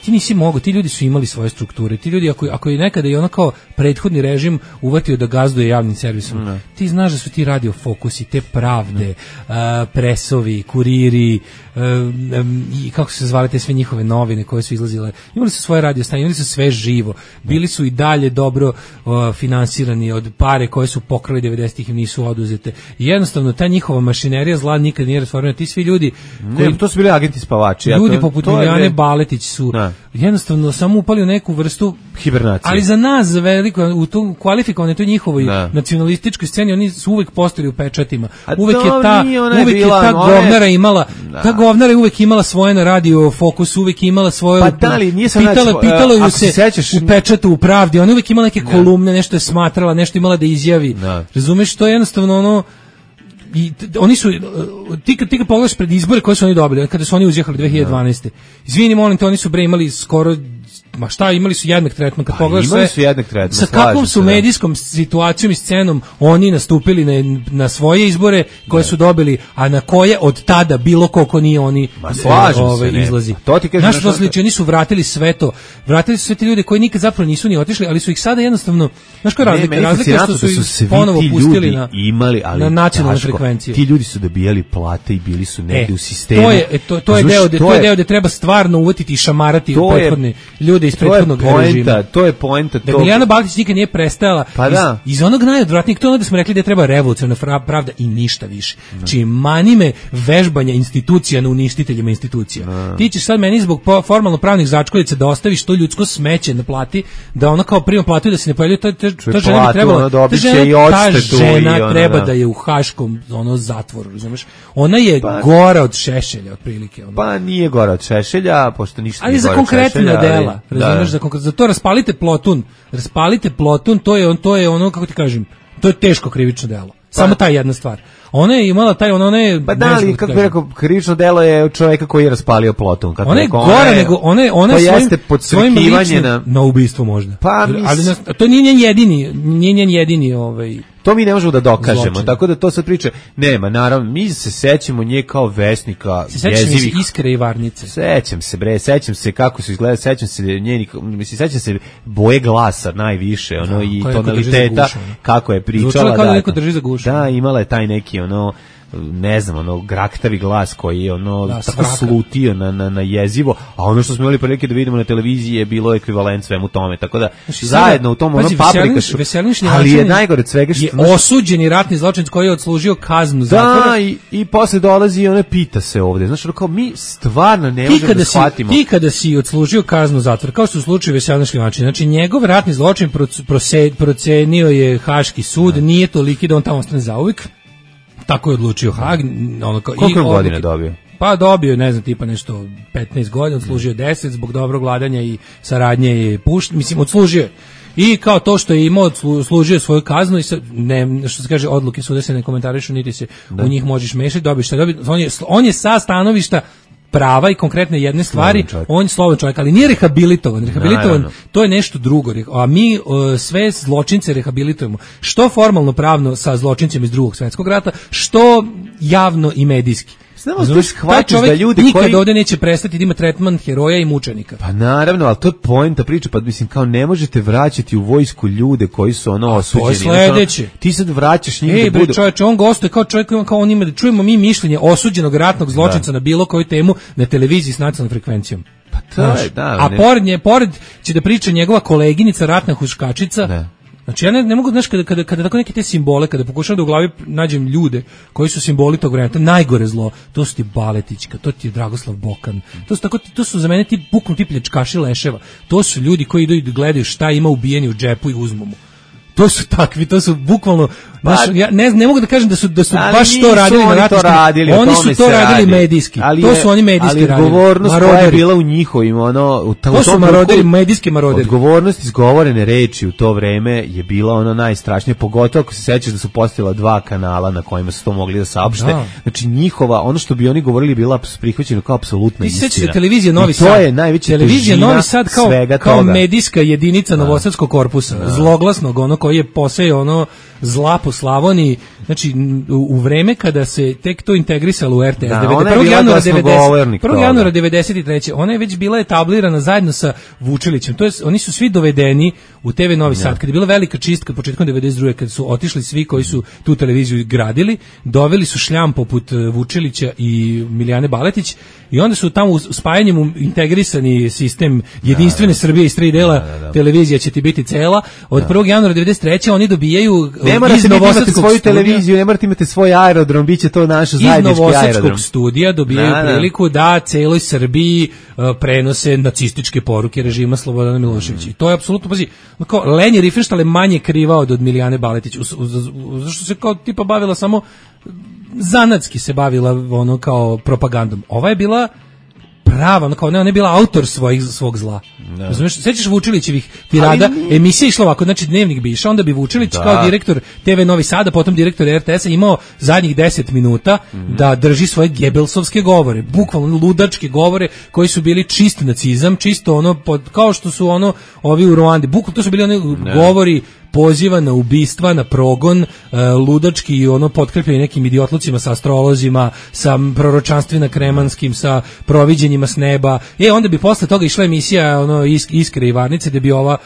ti nisi mogao, ti ljudi su imali svoje strukture, ti ljudi ako, ako je nekada i ono kao prethodni režim uvatio da gazduje javnim servisom, ne. Ti znaš da su ti radio fokusi, te pravde, uh, presovi, kuriri, uh, um, i kako su se zvale te sve njihove novine koje su izlazile, imali su svoje radio stanje, imali su sve živo, bili su i dalje dobro uh, finansirani od pare koje su pokrali devedesetih im nisu oduzete. I jednostavno ta njihova mašinerija zla nikad nije rasformirana, ti svi ljudi koji, ne, to su bili agenti spavači. Ljudi ja, to, poput Milijane je... Baletić su ne. Jednostavno samo upali u neku vrstu hibernacije. Ali za nas, za veliko, u tom kvalifikovanoj toj njihovoj da. Nacionalističkoj sceni, oni su uvek postali u pečatima. A uvek je ta, je uvek bila, je ta govnara je... imala, da. Ta govnara je uvek imala svoje na radio Fokus, uvek imala svoje, pa da li, nije pitala, pitala ju se, se sećaš, u pečatu, u Pravdi, ona uvek imala neke da. Kolumne, nešto je smatrala, nešto imala da izjavi. Da. Razumeš, to je jednostavno ono, i oni su ti kad ti kad pogledaš pred izbore koje su oni dobili kada su oni uzjehali dve hiljade dvanaeste. Izvini molim te, oni su bre imali skoro ma šta, imali su jednak tretman kad pa, pogledaš sve. Su jednak tretman. Sa kakvom su medijskom situacijom i scenom oni nastupili na, na svoje izbore koje ne. Su dobili, a na koje od tada bilo koliko nije oni e, ove, se, izlazi. To ti kažeš. Naš to sliči, oni su vratili sve to. Vratili su sve ti ljudi koji nikad zapravo nisu ni otišli, ali su ih sada jednostavno, znaš koja razlika? Ne, razlika što su, da su ih ponovo pustili na, imali, ali na nacionalne frekvencije. Ti ljudi su dobijali plate i bili su negde e, u sistemu. To je, to, to je deo, to je deo gde treba stvarno uvatiti i šamarati prethodne ljude iz prethodnog režima. To je poenta, to je poenta. Da Milijana Baltić nikad nije prestajala pa iz, da. iz onog najodvratnijeg, to je ono da smo rekli da je treba revolucionarna pravda i ništa više. Znači, manime vežbanja institucija na uništiteljima institucija. Da. Ti ćeš sad meni zbog formalno pravnih začkoljica da ostaviš to ljudsko smeće na plati, da ona kao prima platu i da se ne pojavljuje, ta, ta, ta žena bi trebala, ta žena, ta žena treba da je u haškom ono, zatvoru, razumeš? Ona je pa, gora od Šešelja, otprilike. Ono. Pa nije gora od Šešelja, pošto ništa ali nije za gora od Šešelja. Ali za konkretna dela, razumeš, za, konkret, za to raspalite plotun, raspalite plotun, to je, on, to je ono, kako ti kažem, to je teško krivično delo. Samo ta jedna stvar. Ona je imala taj, ona je... Pa da, ali kako bi rekao, krivično delo je od čovjeka koji je raspalio plotun. Ona je gore nego, ona je, ona je svojim, svojim ličnim, na... na ubistvo možda. Pa, mis... ali nas, to nije njen jedini, nije njen jedini, ovaj... To mi ne možemo da dokažemo, zločin. Tako da to sad priče nema, naravno, mi se sećamo nje kao vesnika se jezivih. Se Iskre i Varnice. Sećam se, bre, sećam se kako su izgleda, sećam se njenih, mislim, sećam se boje glasa najviše, ono, da, i tonaliteta, gušu, kako je pričala. Zvučala kao da neko drži za gušu. Da, imala je taj neki, ono, ne znam, ono, graktavi glas koji je, ono, da, tako svraka. Slutio na, na, na jezivo, a ono što smo imali prilike da vidimo na televiziji je bilo ekvivalent svemu tome, tako da, znači, zajedno u tom, ono, paprika su, ali je najgore od svega što... Je osuđeni ratni zločinac koji je odslužio kaznu zatvora. Da, i, i posle dolazi i ona pita se ovde, znaš, kao, mi stvarno ne možemo da shvatimo. Ti kada si odslužio kaznu zatvora, kao su u slučaju Veselina Šljivančina, znači, njegov ratni zločin procenio je Haški sud, da. Nije toliki da on tamo ostane zauvijek. Tako je odlučio Hag. Ono kao, koliko godina dobio? Pa dobio, ne znam, tipa nešto petnaest godina, odslužio deset, zbog dobrog vladanja i saradnje je pušten, mislim, odslužio je. I kao to što je imao, služio svoju kaznu i sad, ne, što se kaže, odluke suda se ne komentarišu, niti se da. U njih možeš mešati, dobiš šta dobi. On je, on je sa stanovišta prava i konkretne jedne stvari, on je slobodan čovjek, ali nije rehabilitovan. Rehabilitovan, no, to je nešto drugo. A mi uh, sve zločince rehabilitujemo. Što formalno pravno sa zločincima iz Drugog svjetskog rata, što javno i medijski. Znamo da shvatiš da ljudi nikad koji... ovdje neće prestati da ima tretman heroja i mučenika. Pa naravno, ali to je poenta priče, pa mislim kao ne možete vraćati u vojsku ljude koji su ono osuđeni. To je sledeće. Ono, ti sad vraćaš njih Ej, da budu... čovječe, on gostuje kao čovjek, kao on ima da čujemo mi mišljenje osuđenog ratnog zločinca da. Na bilo koju temu na televiziji s nacionalnom frekvencijom. Pa to je, da. A pored nje, pored će da priča njegova koleginica ratna huškačica. Da. Znači ja ne, ne mogu, znaš, kada, kada, kada tako neke te simbole, kada pokušam da u glavi nađem ljude koji su simboli tog vremena, to je najgore zlo, to su ti Baletićka, to ti je Dragoslav Bokan, to su, tako, to su za mene ti buknu ti pljačkaši leševa, to su ljudi koji idu i gledaju šta ima ubijeni u džepu i uzmu mu. To su takvi, to su bukvalno, znaš, ja ne, ne mogu da kažem da su, da su baš to radili na ratištima, oni su to radili radi. medijski, ali to su oni medijski radili. Ali odgovornost koja je bila u njihovim, ono, u to su maroderi, medijski maroderi. Odgovornost izgovorene reči u to vreme je bila ono najstrašnije, pogotovo ako se sećaš da su postojala dva kanala na kojima su to mogli da saopšte. Da. Znači njihova, ono što bi oni govorili bila prihvaćeno kao apsolutna istina. Ti se sećaš televizije Novi Sad? To je najveća televizija Novi Sad kao, kao toga. medijska jedinica da. Novosadskog korpusa, da. Zloglasnog, ono koji je posejao ono zla po Slavoniji, znači u, u vreme kada se tek to integrisalo u R T S, da, prvog januara devedeset treće ona je već bila etablirana zajedno sa Vučilićem, to je, oni su svi dovedeni u T V Novi Sad, ja. Kad je bila velika čistka početkom devedeset druge kad su otišli svi koji su tu televiziju gradili, doveli su šljam poput Vučilića i Milijane Baletić i onda su tamo spajanjem u integrisani sistem jedinstvene da, da. Srbije iz tri dela, da, da, da. Televizija će ti biti cela, od prvog januara devedeset treće oni dobijaju ne morate imati svoju televiziju, ne morate imati svoj aerodrom, biće to naš zajednički aerodrom. Iz Novosadskog studija dobijaju da, da. priliku da celoj Srbiji uh, prenose nacističke poruke režima Slobodana Miloševića. I to je apsolutno, pazi, kao Leni Riefenstahl je manje kriva od, od Milijane Baletić, zašto se kao tipa bavila samo zanatski se bavila ono kao propagandom. Ova je bila prava, ono kao ne, ona je bila autor svojih, svog zla. No. Razumeš, sećaš Vučilićevih tirada, emisija išla ovako, znači dnevnik bi išao, onda bi Vučilić da. Kao direktor T V Novi Sada, potom direktor R T S-a imao zadnjih deset minuta mm-hmm. da drži svoje gebelsovske govore, bukvalno ludačke govore koji su bili čist nacizam, čisto ono, pod, kao što su ono ovi u Ruandi, bukvalno to su bili oni ne. govori poziva na ubistva, na progon, uh, ludački i ono potkrepljeni nekim idiotlucima sa astrolozima, sa proročanstvima kremanskim, sa proviđenjima s neba. E, onda bi posle toga išla emisija ono, Isk, Iskre i Varnice, gde bi ova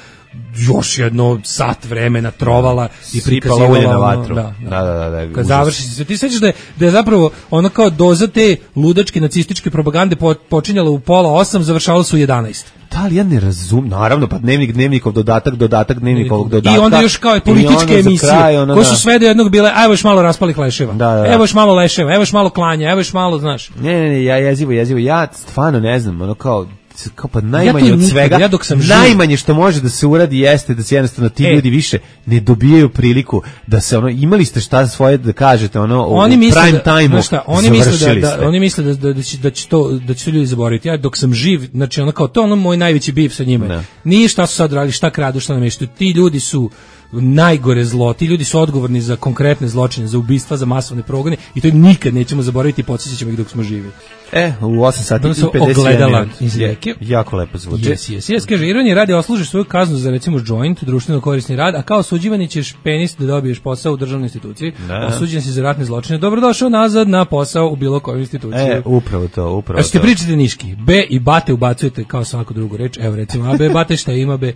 još jedno sat vremena trovala i prikazivala ulje na vatru. Da, da, da, da, da, kad završi se, ti sećaš da je, da je zapravo ono kao doza te ludačke nacističke propagande po, počinjala u pola osam, završavala su u jedanaest. Da li ja ne razum, naravno, pa dnevnik, dnevnikov dodatak, dodatak, dnevnikovog dodatka. I onda još kao političke emisije, kraj, ono, koje su da. sve do jednog bile, evo još malo raspalih leševa, Da, da, da. evo još malo leševa, evo još malo klanja, evo još malo, znaš. Ne, ne, ne, ja jezivo, jezivo, ja stvarno ne znam, ono kao, kao pa najmanje ja od nikad, svega, ja dok sam najmanje što može da se uradi jeste da se jednostavno ti e. ljudi više ne dobijaju priliku da se ono, imali ste šta svoje da kažete ono oni u prime da, time-u, šta, oni misle da, da oni misle da, da, da, će, da će to da će to ljudi zaboraviti. Ja dok sam živ, znači ono kao to je ono moj najveći bif sa njima. Ne. Nije šta su sad radili, šta kradu, šta nameštuju. Ti ljudi su najgore zlo, ti ljudi su odgovorni za konkretne zločine, za ubistva, za masovne progone i to im nikad nećemo zaboraviti i podsjetit ćemo ih dok smo živi. E, u osam sati i pedeset jedan minut. Jako lepo zvuči. Yes, yes, yes. Kaže, ironija radi oslužiš svoju kaznu za recimo joint, društveno korisni rad, a kao osuđivani ćeš penis da dobiješ posao u državnoj instituciji, da. Osuđen si za ratne zločine, dobrodošao nazad na posao u bilo kojoj instituciji. E, upravo to, upravo a što to. pričate niški, B i bate ubacujete kao svaku drugu reč, evo recimo, a B, bate šta ima B.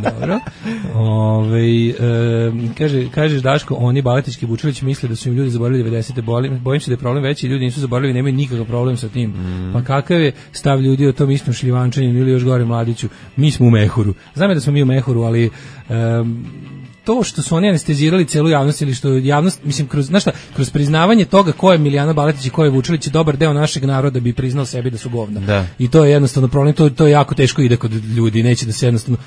Dobro. Ove, e, kaže, kažeš Daško, oni Baletički Vučilić misle da su im ljudi zaboravili devedesete. Bojim se da je problem veći, ljudi nisu zaboravili, nemaju nikakav problem sa tim. Mm. Pa kakav je stav ljudi o tom istom šljivančanju ili još gore Mladiću? Mi smo u mehuru. Znam je da smo mi u mehuru, ali um, to što su oni anestezirali celu javnost ili što javnost, mislim, kroz, znaš šta, kroz priznavanje toga ko je Milijana Baletić i ko je Vučilić, je dobar deo našeg naroda bi priznao sebi da su govna. Da. I to je jednostavno problem, to, to je jako teško ide kod ljudi, neće da se jednostavno...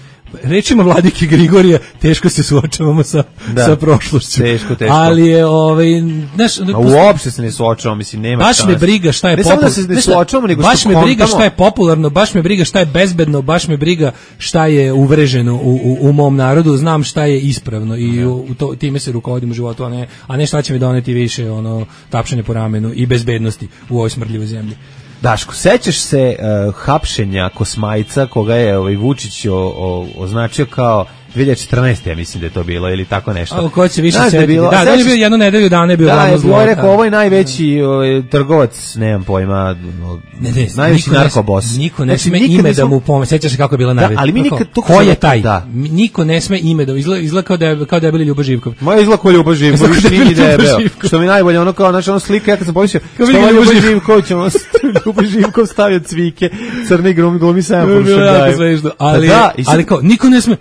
Rečima Vladike Grigorija, teško se suočavamo sa, da. sa prošlošću. Teško, teško. Ali je, ovaj, znaš... A uopšte se ne suočavamo, mislim, nema baš me briga šta je popularno. Ne samo da se ne suočavamo, nego baš što me kontamo. briga šta je popularno, baš me briga šta je bezbedno, baš me briga šta je uvreženo u, u, u mom narodu, znam šta je ispravno i u, u to, time se rukovodim u životu, a ne, a ne šta će mi doneti više ono, tapšanje po ramenu i bezbednosti u ovoj smrdljivoj zemlji. Daško, sećaš se uh, hapšenja Kosmajca koga je ovaj Vučić o, o, označio kao dve hiljade četrnaeste. ja mislim da je to bilo ili tako nešto. A ko će više setiti? Da, da, da je bio jednu nedelju dana je bio glavno zlo. Da, je rekao, ovo je najveći ovaj, trgovac, nemam pojma, no, ne, ne, najveći narkobos. Niko ne sme ime nismo... da mu pomene. Sećaš se kako je bila najveća? Da, ali mi nikad to ko je taj? Da. Niko ne sme ime da izgleda, izgleda kao da je kao da je bili Ljubo Živkov. Moje izgleda kao Ljubo Živkov, više nije da je bio. Što mi najbolje ono kao naša ono slika, ja kad sam pomislio, što je Ljubo Živkov, ćemo Ljubo Živkov stavio cvike, crni glumi glumi sam po ali ali kao niko ne sme.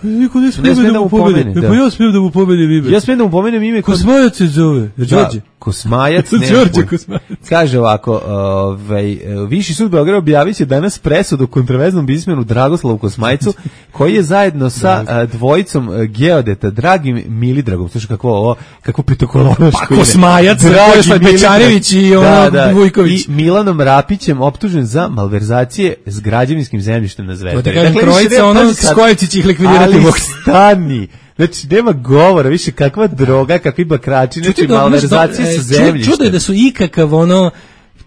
Niko ne smije da mu pobedi. Pa ja smijem da mu pobedi ime. Ja smijem da mu pomenem ime. Kosmajac se zove. Đorđe. Kosmajac. Đorđe Kosmajac. Kaže ovako, ovaj, Viši sud Beograda objavit će danas presudu kontroverznom biznismenu Dragoslavu Kosmajcu, koji je zajedno sa dvojicom geodeta Dragim Milidragom. Slušaj kako ovo, kako petokolonoško ime. Pa Kosmajac, Vojislav Bečarević i ono Vujković. I Milanom Rapićem optužen za malverzacije s građevinskim zemljištem na Zvezdari. Dakle, trojica ono Skojević ih likvidirati. Ali stani, znači nema govora, više kakva droga, kakvi bakrači, znači malverzacije sa zemljištem. Čudo je da su ikakav ono,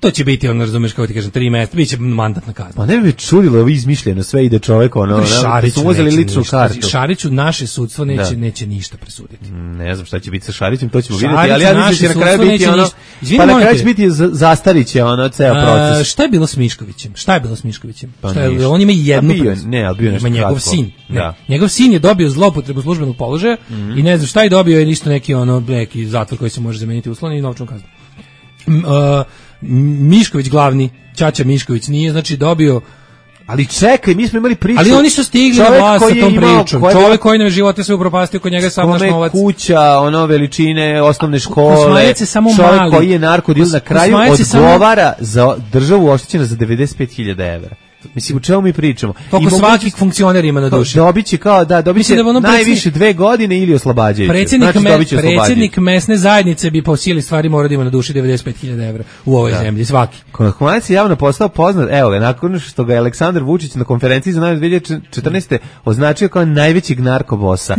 to će biti ono, razumeš, kako ti kažem, tri mesta, bit će mandatna kazna. Pa ne bi me čudilo, ovo izmišljeno, sve ide čovek, ono, Šariću su uzeli ličnu ništa, kartu. Šariću naše sudstvo neće, neće ništa presuditi. Ne znam šta će biti sa Šarićem, to ćemo vidjeti, ali ja mislim da će na kraju biti ono, Izvini, pa na kraju će biti zastariće, ono, ceo proces. A, šta je bilo s Miškovićem? Šta je bilo s Miškovićem? Pa šta je, on ima jednu bio, ne, ali bio nešto njegov kratko. sin. Ne. Da. Njegov sin je dobio zloupotrebu službenog položaja mm-hmm. i ne znam šta je dobio, je ništa neki ono neki zatvor koji se može zameniti uslovno i novčanu kaznu. Uh, Mišković glavni, Ćaća Mišković nije znači dobio. Ali čekaj, mi smo imali priču. Ali oni su stigli na vlast sa tom pričom. Čovjek koji nam živote sve upropastio, kod njega sam naš novac. Kuća, ono veličine, osnovne škole. Kosmajac je samo čovjek mali. Koji je narkodil na kraju odgovara samo... za državu oštećena za devedeset pet hiljada evra. Mislim, u čemu mi pričamo? Koliko svaki funkcioner ima na duši. Dobit će kao, da, dobit će da ono najviše dve godine ili oslobađajuće. Predsjednik, znači, me, predsjednik mesne zajednice bi po sili stvari mora da ima na duši devedeset pet hiljada evra u ovoj da. zemlji, svaki. Kosmajac je javno postao poznat, evo ga, nakon što ga je Aleksandar Vučić na konferenciji za najave dve hiljade četrnaeste. označio kao najvećeg narkobosa.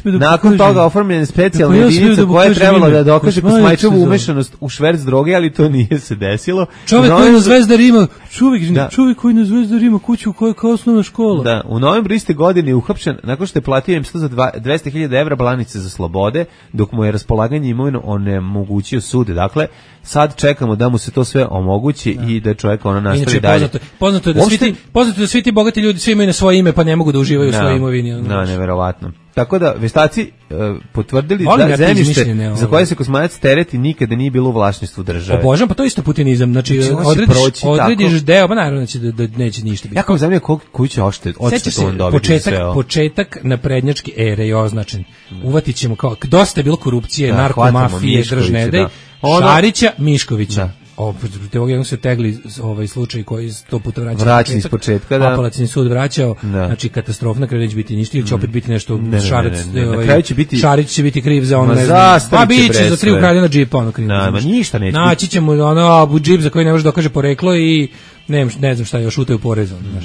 Da nakon toga oformljena specijalna da jedinica da koja je trebala da dokaže Kosmajićevu umešanost u šverc droge, ali to nije se desilo. Čovjek koji na Zvezdari ima, čovjek, čovjek koji na Zvezdari ima kuću koja je kao osnovna škola. Da, u novembru iste godine je uhapšen nakon što je platio im sto za dvesta hiljada evra blanice za slobode, dok mu je raspolaganje imovinom onemogućio sud. Dakle, sad čekamo da mu se to sve omogući da. i da čovjek ono nastavi Inače, dalje. Poznato, poznato, je da Uopšte... svi ti, poznato je da svi ti bogati ljudi svi imaju na svoje ime pa ne mogu da uživaju u svojoj imovini. Da, neverovatno. Tako da veštaci uh, potvrdili Volim da ja te zemljište izmišljene, za koje se kosmonac tereti nikada nije bilo u vlasništvu države. Obožavam, pa to je isto putinizam. Znači, Znači, on će odrediš, proći odrediš tako. deo, pa naravno će da, da neće ništa biti. Ja kao zemlja koliko koju će oštet, Sećaš odštetu se, on dobiti početak, sve ovo. početak naprednjačke ere je označen. Uvatit ćemo kao, dosta je bilo korupcije, Da, hvatamo narkomafije, Miškovića, držnedej, da. Ono- Šarića, Miškovića. Da. O, te ovog jednog se tegli ovaj slučaj koji sto puta vraća. Vraća iz početka, da. Apelacioni sud vraćao, Da. znači katastrofa, na kraju neće biti ništa, ili će opet biti nešto, Ne, ne, Šarac, ne, ne, ne. Na ovaj, kraju će biti- Šarić će biti kriv za ono, Ma ne znam, zastarit pa će, biće bre, za tri sve. ukradena džipa, ono kriv. Da, ma ništa neće Naći ćemo ono, a, džip za koji ne može dokaže poreklo i ne, ne znam šta je, još utaju porez, ono, znaš.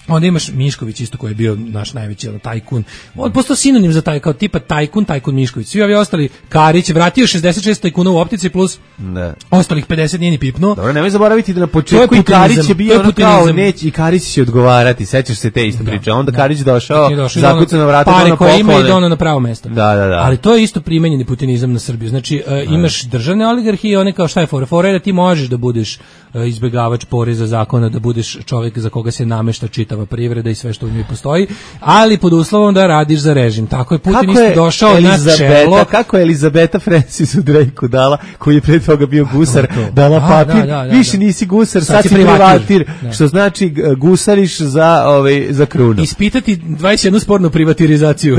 Onda imaš Mišković isto koji je bio naš najveći ono, tajkun. On postao sinonim za taj kao tipa tajkun, tajkun Mišković. Svi ovi ostali, Karić vratio šezdeset šest tajkuna u optici plus Da. ostalih pedeset nije ni pipnuo. Dobro, nemoj zaboraviti da na To je početku i putinizam, Karić je to bio je ono kao putinizam. neće i Karić će odgovarati, sećaš se te isto priče. Onda Karić došao, Nije došao, zakucao na vrata, pare ono koje ima poklone. ide ono na pravo mesto. Da, da, da. Ali to je isto primenjeni putinizam na Srbiju. Znači, uh, imaš državne oligarhije, one kao šta je fora? Fora je da ti možeš da budeš uh, izbegavač poreza zakona, da budeš čovjek za koga se namešta čitava privreda i sve što u njoj postoji, ali pod uslovom da radiš za režim. Tako je Putin Kako isto je došao na Elizabeta, čelo. kako je Elizabeta Francisu Drakeu dala, koji je pre toga bio gusar, to. dala A, papir, da, da, da, više da. nisi gusar, Sad sad si si privatir. privatir, Da. što znači g- gusariš za, ovaj, za krunu. Ispitati dvadeset jednu spornu privatizaciju.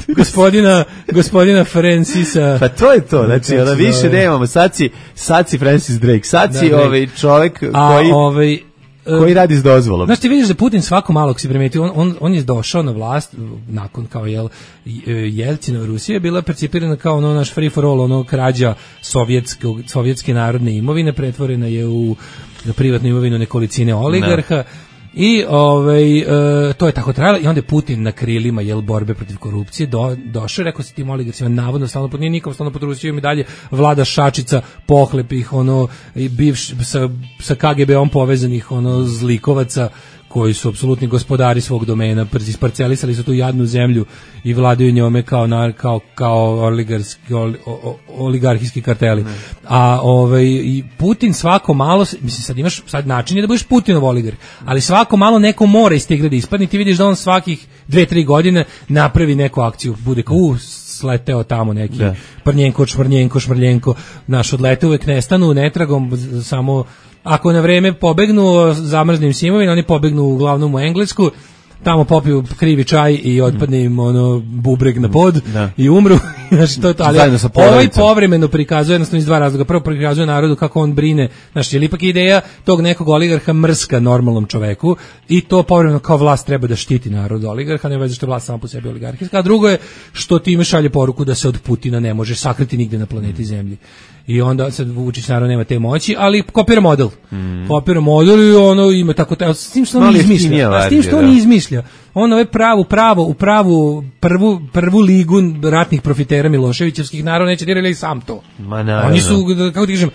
gospodina, gospodina Francisa. Pa to je to, znači, Kako ona se više zove? nemamo, sad si, sad si Francis Drake, sad Da, si Drake. ovaj čovjek A, koji, ovaj, koji radi s dozvolom. Znaš, ti vidiš da Putin svako malo, ako si primetio, on, on, on je došao na vlast nakon kao jel, Jelcinova Rusija je bila percipirana kao ono naš free for all, ono krađa sovjetskog, sovjetske narodne imovine, pretvorena je u privatnu imovinu nekolicine oligarha. I ovaj, e, to je tako trajalo i onda je Putin na krilima jel borbe protiv korupcije do, došao, rekao se tim oligarcima navodno stalno pod nije nikom stalno pod Rusijom i dalje vlada šačica pohlepih ono i bivš sa, sa K G B-om povezanih ono zlikovaca koji su apsolutni gospodari svog domena, isparcelisali su tu jadnu zemlju i vladaju njome kao na, kao kao oligarski ol, o, oligarhijski karteli. Ne. A ovaj i Putin svako malo, mislim sad imaš sad način je da budeš Putinov oligarh, ali svako malo neko mora iz te igre da ispadne, ti vidiš da on svakih dve tri godine napravi neku akciju, bude kao u sleteo tamo neki da. Prnjenko, šmrnjenko, šmrljenko, naš odlete uvek nestanu, netragom, samo ako na vreme pobegnu zamrznim simovima, oni pobegnu uglavnom u Englesku, tamo popiju krivi čaj i otpadne im ono bubreg na pod da. I umru. Znači, to je to, ali ovaj povremeno prikazuje jednostavno iz dva razloga. Prvo prikazuje narodu kako on brine, znači, je li ipak ideja tog nekog oligarha mrska normalnom čoveku i to povremeno kao vlast treba da štiti narod oligarha, ne veze što je vlast sama po sebi oligarhijska, a drugo je što time šalje poruku da se od Putina ne može sakriti nigde na planeti Zemlji. I onda sad Vučić naravno nema te moći, ali kopira model. Mm. Kopira model i ono ima tako te, s tim što on izmišlja. A s tim što on izmišlja. On ove pravu, pravo, u pravu prvu, prvu ligu ratnih profitera Miloševićevskih naravno neće dirali sam to. Ma naravno. Oni su, kako ti kažem,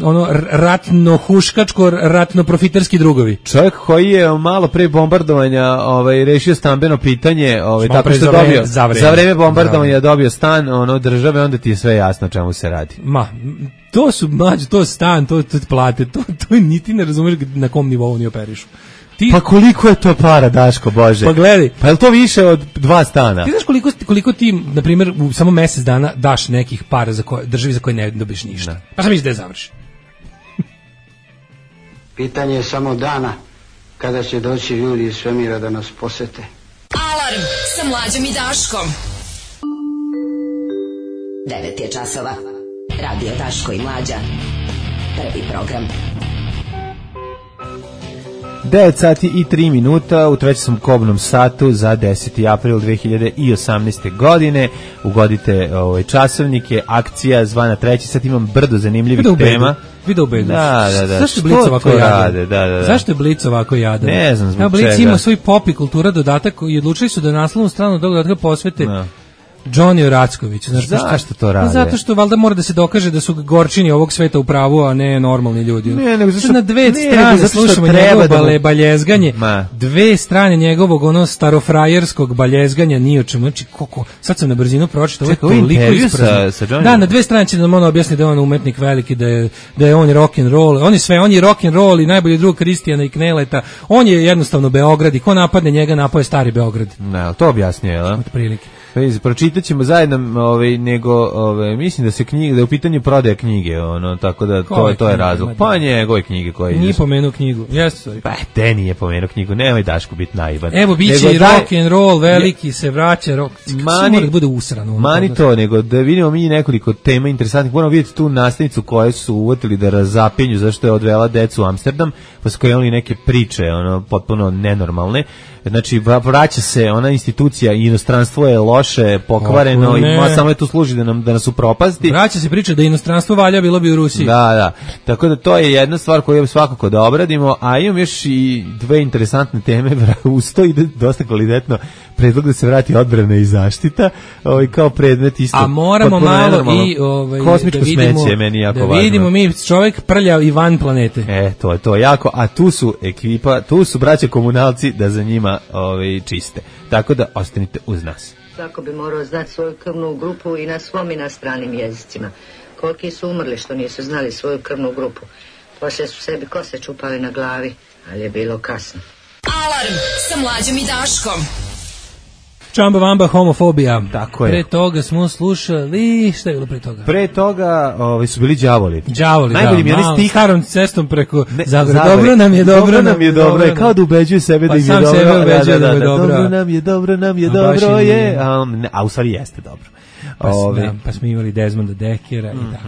ono ratno huškačko ratno profiterski drugovi. Čovjek koji je malo pre bombardovanja ovaj rešio stambeno pitanje, ovaj tako što za dobio vreme, za, vreme. za vreme bombardovanja dobio stan ono države, onda ti je sve jasno čemu se radi. Ma, to su mađe, to stan, to to plate, to to niti ne razumeš na kom nivou oni operišu. Ti, pa koliko je to para, Daško, Bože? Pa gledaj. Pa je li to više od dva stana? Ti znaš koliko, koliko ti, na primjer, u samo mjesec dana daš nekih para za koje, državi za koje ne dobiš ništa? Ne. Pa sam misli da je završi. Pitanje je samo dana kada će doći ljudi iz svemira da nas posete. Alarm sa Mlađom i Daškom. devet je časova. Radio Daško i Mlađa. Prvi program. devet sati i tri minuta u trećem kobnom satu za deseti april dve hiljade osamnaeste. godine. Ugodite ovaj časovnike, akcija zvana treći sat, imam brdo zanimljivih tema. Video u bedu. Da, da, da. Zašto je Blic ovako jadan? Da, da, da. Zašto je Blic ovako jadan? Ne znam zbog Evo, Blic čega. ima svoj pop i kultura dodatak i odlučili su da naslovnu stranu tog dodatka posvete. Da. Johnny Oracković. Znaš, zašto to rade? Zato što valjda mora da se dokaže da su gorčini ovog sveta u pravu, a ne normalni ljudi. Ne, nego zašto, na dve ne, strane slušamo njegovo da mu... bale, baljezganje, Ma. dve strane njegovog ono starofrajerskog baljezganja ni o čemu. Znači, koliko, sad sam na brzinu pročitao, ovo je toliko isprazno. Sa, sa da, na dve strane će da ono objasni da je on umetnik veliki, da je, da je on rock and roll, on je sve, on je rock and roll i najbolji drug Kristijana i Kneleta, on je jednostavno Beograd i ko napadne njega, napao je stari Beograd. Ne, to objasnio, je li? Od prilike. Pročitat ćemo zajedno, ovaj, nego, ovaj, mislim da se knjige, da je u pitanju prodaja knjige, ono, tako da to, to je razlog. Pa njegove knjige koje... Nije pomenuo knjigu, jeste, sorry. Pa, te nije pomenuo knjigu, nemoj Daško biti naivan. Evo, bit će i rock and roll, veliki, se vraća, rock, mani, da bude usrano. Mani to, nego da vidimo mi nekoliko tema interesantnih, moramo vidjeti tu nastavnicu koje su uvotili da razapinju zašto je odvela decu u Amsterdam, pa su krenuli neke priče, ono, potpuno nenormalne. Znači, vraća se ona institucija i inostranstvo je loše, pokvareno i samo je tu služi da, nam, da nas upropasti. Vraća se priča da inostranstvo valja, bilo bi u Rusiji. Da, da. Tako da to je jedna stvar koju svakako da obradimo, a imam još i dve interesantne teme, uz to ide dosta kvalitetno predlog da se vrati odbrana i zaštita, ovaj, kao predmet isto. A moramo malo i ovaj, kosmičko da vidimo, smeće, meni jako da važno. vidimo mi čovjek prljav i van planete. E, to je to jako, a tu su ekipa, tu su braća komunalci da za njima ovaj, čiste. Tako da ostanite uz nas. Svako bi morao znati svoju krvnu grupu i na svom i na stranim jezicima. Koliki su umrli što nisu znali svoju krvnu grupu. Poslije su sebi kose čupali na glavi, ali je bilo kasno. Alarm sa Mlađom i Daškom. Čamba vamba homofobija. Tako je. Pre toga smo slušali, šta je bilo pre toga? Pre toga ovaj, su bili đavoli. Đavoli, najbolji da. Mi malo, stih starom cestom preko Zagore. Dobro nam je, dobro, dobro nam je, dobro je. Kao da ubeđuje sebe pa da im je dobro. Pa sam sebe ubeđuje da, da, da, da, dobro. Dobro nam je, dobro nam je, a dobro je. A, ne, a u stvari jeste dobro. Pa, Ove. Da, pa smo imali Desmonda Dekera i tako.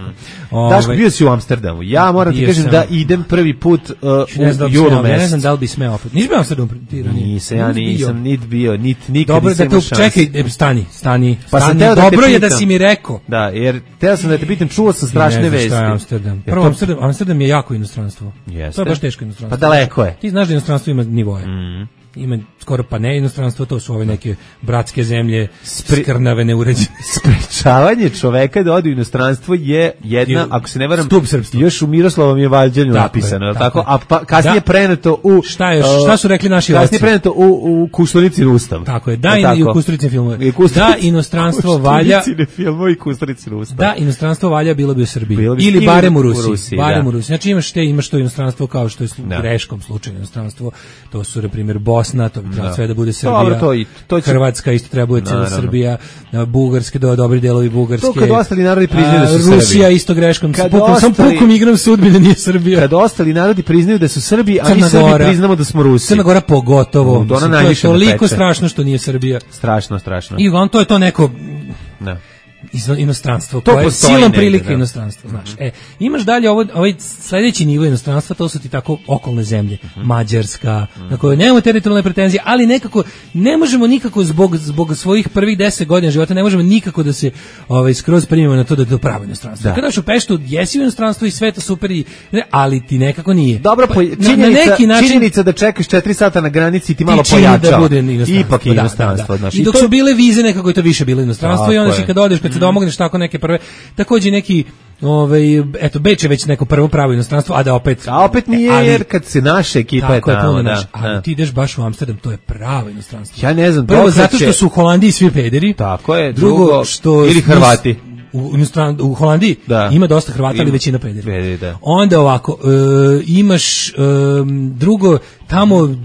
Ove. Daško, bio si u Amsterdamu. Ja moram ti kažem sam... da idem prvi put uh, u julu mesecu. Ne znam da li bi smeo opet. Nisi bio u Amsterdamu? Nisam, ja nisam nit bio, nit nikad dobro, nisam imao šanse. Dobro, da te čekaj, stani, stani. Pa stani. Da dobro je da si mi rekao. Da, jer teo sam da te pitam, čuo sam strašne vesti. Šta je Amsterdam? Prvo, to... Amsterdam, Amsterdam je jako inostranstvo. Jeste. To je baš teško inostranstvo. Pa daleko je. Ti znaš da inostranstvo ima nivoje. Mm. Ima skoro pa ne inostranstvo, to su ove neke bratske zemlje, Spri... skrnave, neuređene. Sprečavanje čoveka da ode u inostranstvo je jedna, je, ako se ne varam, stup srpstva. Još u Miroslavom je Valđanju napisano, je, tako? A pa, kasnije da. preneto u... Šta, je, šta su rekli naši kasnije preneto u, u Kušturicin ustav. Tako je, da, je i u Kušturicin filmove. Da, inostranstvo valja... filmove i Kušturicin ustav. Da, inostranstvo valja bilo bi u Srbiji. Bilo bi ili barem u Rusiji. U Rusiji barem da. u Rusiji. Znači imaš te, imaš to inostranstvo kao što je u greškom slučaju inostranstvo. To su, na primjer, Bosna, to bi trebalo sve da bude Srbija. Dobro, to i, to će... Hrvatska isto treba bude cijela Srbija, Bugarske, do, dobri delovi Bugarske. To kad ostali narodi priznaju da su Srbi. Rusija isto greškom. Sam pukom igram sudbine, nije Srbija. Kad ostali narodi priznaju da su Srbi, a mi Srbi priznamo da smo Rusi. Crna Gora pogotovo. To, to je toliko strašno što nije Srbija. Strašno, strašno. I on to je to neko... Da. inostranstvo, to koje je silom prilike inostranstvo, znaš. E, imaš dalje ovo, ovaj sledeći nivo inostranstva, to su ti tako okolne zemlje, mm-hmm. Mađarska, mm-hmm. na kojoj nemamo teritorijalne pretenzije, ali nekako ne možemo nikako zbog zbog svojih prvih deset godina života ne možemo nikako da se ovaj skroz primimo na to da je to pravo inostranstvo. Kada dođeš u Peštu, jesi u inostranstvu i sve to super i ali ti nekako nije. Dobro, pa, činjenica, na neki način, činjenica da čekaš četiri sata na granici ti malo pojača. Da bude ipak je inostranstvo, da, da, da. I dok I to... su bile vize nekako je to više bilo inostranstvo i onda si kad odeš kad se domogneš tako neke prve, takođe neki ovaj eto Beč je već neko prvo pravo inostranstvo, a da opet a opet nije ali, jer kad se naša ekipa je tamo, da, ali da. Ti ideš baš u Amsterdam, to je pravo inostranstvo. Ja ne znam, prvo zato što su u Holandiji svi pederi. Tako je, drugo, drugo što ili Hrvati. U, inostran, u Holandiji da. Ima dosta Hrvata, ali većina pederi. Pederi, da. Onda ovako, e, imaš e, drugo tamo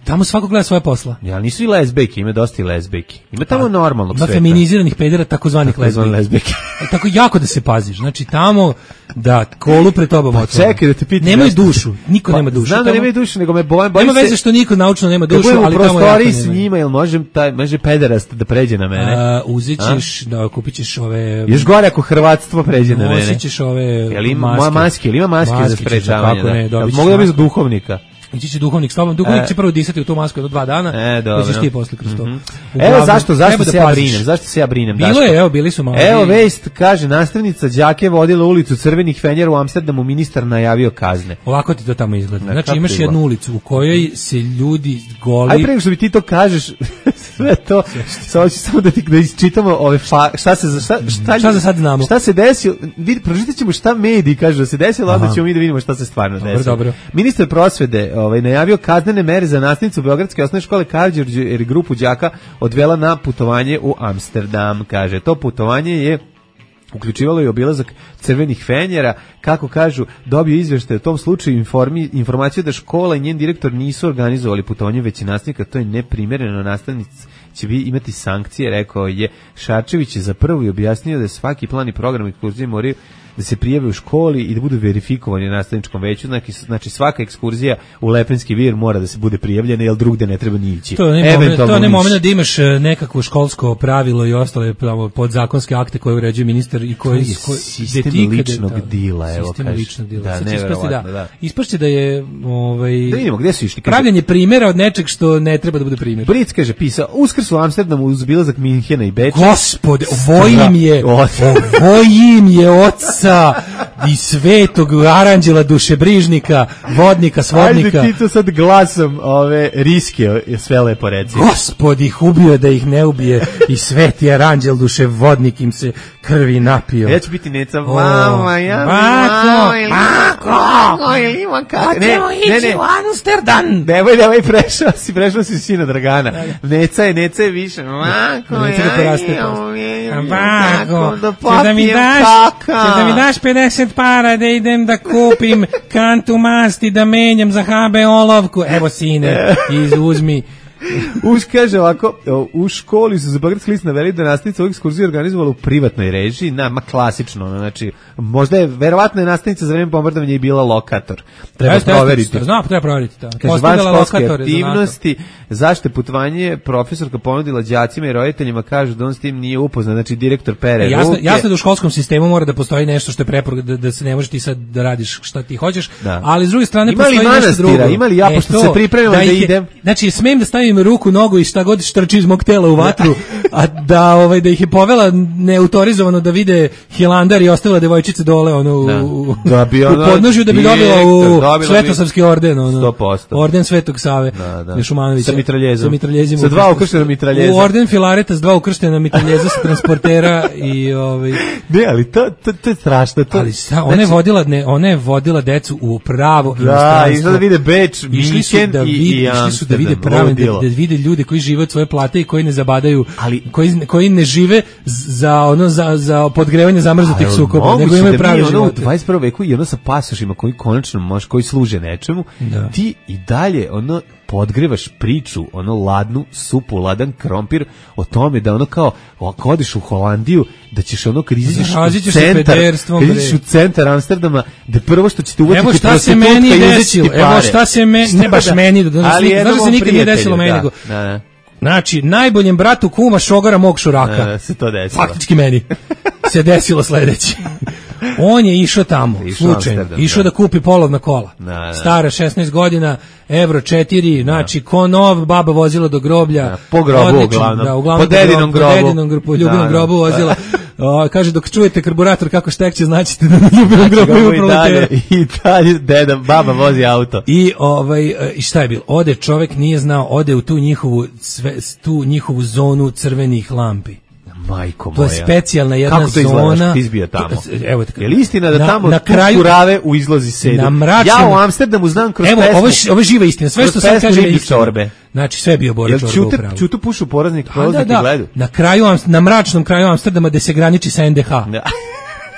tamo svako gleda svoje posla. Ja, nisu i lezbejke, ima dosta i lezbejke. Ima tamo normalnog sveta. Ima feminiziranih pedera, takozvanih lezbejke. Tako jako da se paziš. Znači tamo da kolu pred tobom pa čekaj da te pitam. Nemaju dušu, niko pa, nema dušu. Znam da tamo, nemaju dušu, nego me bojim. Bojim nema veze što niko naučno nema dušu, ali tamo prostori s njima, jel može taj može pederast da pređe na mene? A, uzićeš, da kupićeš ove. Još gore ako hrvatstvo pređe na mene. Uzićeš ove. Jel ima maske, ili ima maske za sprečavanje? Mogu da biti duhovnika. Ići će duhovnik s tobom, duhovnik e. će prvo disati u tu masku do dva dana, e, dobro. Da ćeš ti posle kroz to. Mm-hmm. Evo zašto, zašto se da ja brinem, zašto se ja brinem, Bilo Daško? je, evo, bili su malo. Evo vest, kaže, nastavnica đake vodila ulicu Crvenih fenjera u Amsterdamu, ministar najavio kazne. Ovako ti to tamo izgleda. Znači imaš jednu ulicu u kojoj se ljudi goli. Aj pre nego što bi ti to kažeš, sve to. Samo ću samo da ti da isčitamo ove fa, šta se šta šta, šta za sad znamo. Šta se desilo? Vidi, pročitaćemo šta mediji kažu da se desilo, onda ćemo mi da vidimo šta se stvarno dobro, desilo. Dobro. Ministar prosvete, ovaj najavio kaznene mere za nastavnicu Beogradske osnovne škole Karađorđe jer je grupu đaka odvela na putovanje u Amsterdam, kaže. To putovanje je uključivalo i obilazak crvenih fenjera, kako kažu, dobio izveštaj u tom slučaju informi, informaciju da škola i njen direktor nisu organizovali putovanje već i nastavnika, to je neprimjereno, nastavnici će bi imati sankcije, rekao je Šarčević je za prvo i objasnio da svaki plan i program ekskurzije moraju da se prijave u školi i da budu verifikovani na nastavničkom veću, znači, znači svaka ekskurzija u Lepenski vir mora da se bude prijavljena, jer drugde ne treba ni ići. To ne moment, to ne moment da imaš nekakvo školsko pravilo i ostale podzakonske akte koje uređuje ministar i koji je koji sistem ličnog da, dila, evo sistem kaže. ličnog dila. Da, ispašće da, da. ispašće da je ovaj da vidimo gde su išli. Pravljenje primjera od nečeg što ne treba da bude primjer. Bric kaže pisao Uskrs u Amsterdamu uz obilazak Minhena i Beča. Gospode, ovojim je, ovojim je oca i svetog aranđela dušebrižnika, vodnika, svodnika. Ajde ti to sad glasom ove riske sve lepo reci. Gospod ih ubio da ih ne ubije i sveti aranđel duševodnik im se krvi napio. Ja ću biti neca, mama, ja mi Bako, Bako, ili ima kako. Hoćemo ići u Amsterdam. Nemoj, nemoj, prešao si, prešao si sina Dragana. Neca je, neca je više. Mako, neca da poraste. Bako, da ćeš da mi daš, ćeš da mi daš pedeset para da idem da kupim kantu masti da menjam za ha be olovku. Evo sine, izuzmi. Už kaže ovako, u školi su za Beogradski list naveli da nastavnica ovih ekskurzija organizovala u privatnoj režiji, na, ma klasično, znači, možda je, verovatno je nastavnica za vreme bombardovanja i bila lokator. Treba jeste, proveriti. Znam, treba proveriti to. Kaže, van školske aktivnosti, zašto putovanje profesorka ponudila đacima i roditeljima, kažu da on s tim nije upoznat, znači direktor pere jasno, ruke. jasno da u školskom sistemu mora da postoji nešto što je preporuka, da, da se ne može ti sad da radiš šta ti hoćeš, da. Ali s druge strane ima postoji nešto drugo. Ima li ja, e, pošto se pripremam da, da idem? Znači, smem da stavim ruku, nogu i šta god štrči iz mog tela u vatru, a da ovaj da ih je povela neautorizovano da vide Hilandar i ostala devojčice dole ono u, da bi ono, u podnožju da bi dobila u Svetosavski orden ono, sto posto orden Svetog Save da, da. Šumanovića sa mitraljezom, sa, mitraljezima, sa dva ukrštena mitraljeza u orden Filareta s dva ukrštena mitraljeza sa transportera i ovaj ne, ali to, to, to je strašno to, ali šta, ona je vodila ne, ona je vodila decu u pravo da, i da vide Beč, išli su da vide, išli su da vide prave, da, da vide ljude koji žive od svoje plate i koji ne zabadaju, ali koji, koji ne žive za ono za za podgrevanje zamrznutih sukoba, nego imaju pravi život. U dvadeset prvom veku i ono sa pasošima koji konačno može, koji služe nečemu, da. Ti i dalje ono podgrevaš priču, ono ladnu supu, ladan krompir o tome da ono kao, ako odiš u Holandiju, da ćeš ono kad izađeš u centar, kad izađeš u centar Amsterdama, da prvo što će te uvatiti evo šta se meni desilo, evo šta se meni, ne baš meni, znaš da se nikad nije desilo meni, nego znači, najboljem bratu kuma šogara mog šuraka. Da, se to desilo. Faktički meni se desilo sledeće. On je išao tamo, slučajno, išao da. da kupi polovna kola. Da, da. Stara šesnaest godina, evro četiri, znači ko nov, baba vozila do groblja. Da, po grobu odlično, uglavnom. Da, uglavnom. Po dedinom grobu. Po dedinom grobu, po ljubinom da, grobu vozila. O, kaže, dok čujete karburator kako štekće, znaćete da na ljubinom grobu ima proletera. I dalje, deda, baba vozi auto. I ovaj, i šta je bilo? Ode čovek, nije znao, ode u tu njihovu, sve, tu njihovu zonu crvenih lampi. Majko moja. To je specijalna jedna kako to zona. Ti izbio tamo. Evo tako. Je li istina da na, tamo na kraju kurave u izlozi sedu? Ja u Amsterdamu znam kroz evo, pesmu. Evo, ovo je živa istina. Sve što sam kaže je istina. Znači sve je bio Bora Čorba upravo. Čutu pušu poraznik prolaznik da, da. gledu. Na kraju, na mračnom kraju Amsterdama gde se graniči sa en de ha. Da.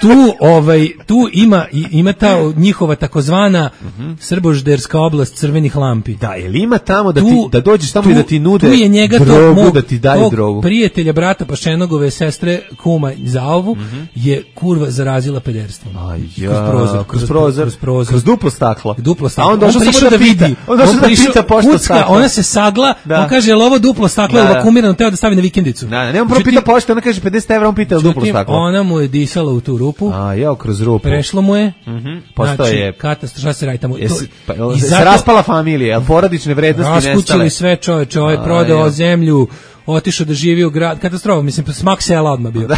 Tu ovaj tu ima ima ta njihova takozvana uh-huh. srbožderska oblast crvenih lampi. Da, jel ima tamo da tu, ti da dođeš tamo tu, i da ti nude tu je njega drogu, mog, da ti daju drogu. Prijatelja brata Pašenogove sestre kuma Zaovu uh-huh. je kurva zarazila pederstvom. Aj ja, kroz prozor, kroz prozor, kroz, prozor. kroz duplo staklo. Duplo staklo. A on došao samo da vidi. On došao da pita pošto staklo. Ona se sagla, da. On kaže jel ovo duplo staklo ili vakumirano, teo da stavi na vikendicu. Da, ne, on prvo pita pošto, ona kaže pedeset evra, on pita duplo staklo. Ona mu je disala u tu rupu. A ja kroz rupu. Prešlo mu je. Mhm. Postoje znači, katastrofa, šta se radi tamo. Jesi, pa, I zato, se raspala familija, al porodične vrednosti nestale. Raskućili sve čoveče, ovaj prodao zemlju, otišao da živi u grad, katastrofa, mislim smak sela odmah bio.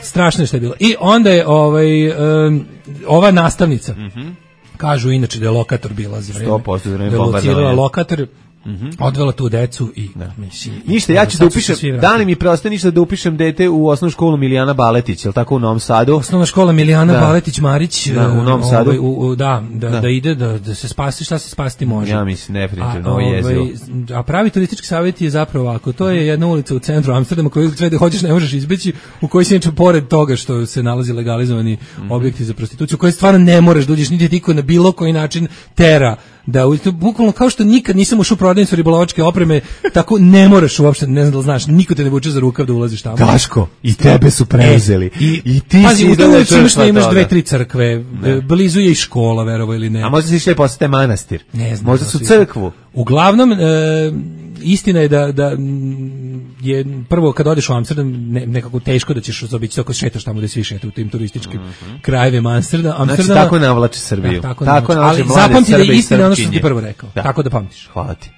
Strašno je što je bilo. I onda je ovaj um, ova nastavnica. Mhm. Kažu inače da je lokator bila za vreme. sto posto za vreme bombardovanja. Lokator Mhm. Odvela tu decu i Da. mislim, Ništa, ja ću da sad su se upišem, svi vratili. da li mi preostaje ništa da upišem dete u osnovnu školu Milijana Baletić, je li tako u Novom Sadu? Osnovna škola Milijana Da. Baletić Marić, Da, u Novom Sadu. ovaj, u, u, da, da, Da. da ide da, da se spasi šta se spasiti može. Ja mislim definitivno A, ovo je ovaj, jezivo. a pravi turistički savjet je zapravo ovako, to je jedna ulica u centru Amsterdama koju sve da hoćeš ne možeš izbeći, u kojoj se inače pored toga što se nalazi legalizovani Mhm. objekti za prostituciju, u kojoj stvarno ne moraš da uđeš niti tiko na bilo koji način tera da u- to bukvalno kao što nikad nisam ušao u prodavnicu ribolovačke opreme, tako ne moraš uopšte, ne znam da li znaš, niko te ne vuče za rukav da ulaziš tamo. Daško, i tebe su preuzeli. E, i, I ti pazi, si u toj izgleda ulici imaš, žrtva imaš toga. dve, tri crkve, e, blizu je i škola, verovo ili ne. A možda si išli posete manastir? Ne znam. Možda da su su crkvu? Uglavnom, e, istina je da, da mm, je prvo kad odeš u Amsterdam ne, nekako teško da ćeš zaobići ako šetaš tamo da svi šetaju u tim turističkim krajevima Amsterdama. Znači, Amsterdama. tako navlači Srbiju. Da, tako, Tako navlači. navlači Ali mlade zapamti da je Srbe i istina ono što sam ti Srpkinje. prvo rekao. Da. Tako da pamtiš. Hvala ti.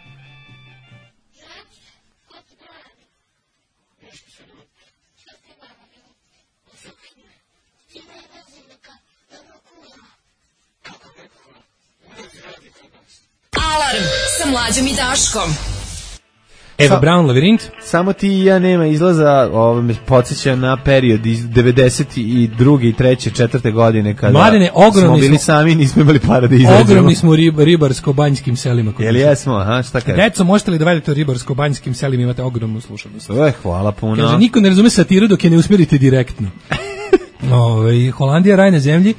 Alarm sa Mlađom i Daškom. Eva Sa- Braun, Lavirint. Samo ti i ja nema izlaza, ovo me podsjeća na period iz devedeset druge i treće, četvrte godine kada Mladene, ogromni smo bili smo- sami i nismo imali para da izađemo. Ogromni smo u rib, ribarsko-banjskim selima. kod Jel nas. jesmo, aha, šta kaže? Deco, možete li da vedete o ribarsko-banjskim selima, imate ogromnu slušanost. Eh, hvala puno. Kaže, niko ne razume satiru dok je ne usmjerite direktno. Ove, Holandija, raj na zemlji,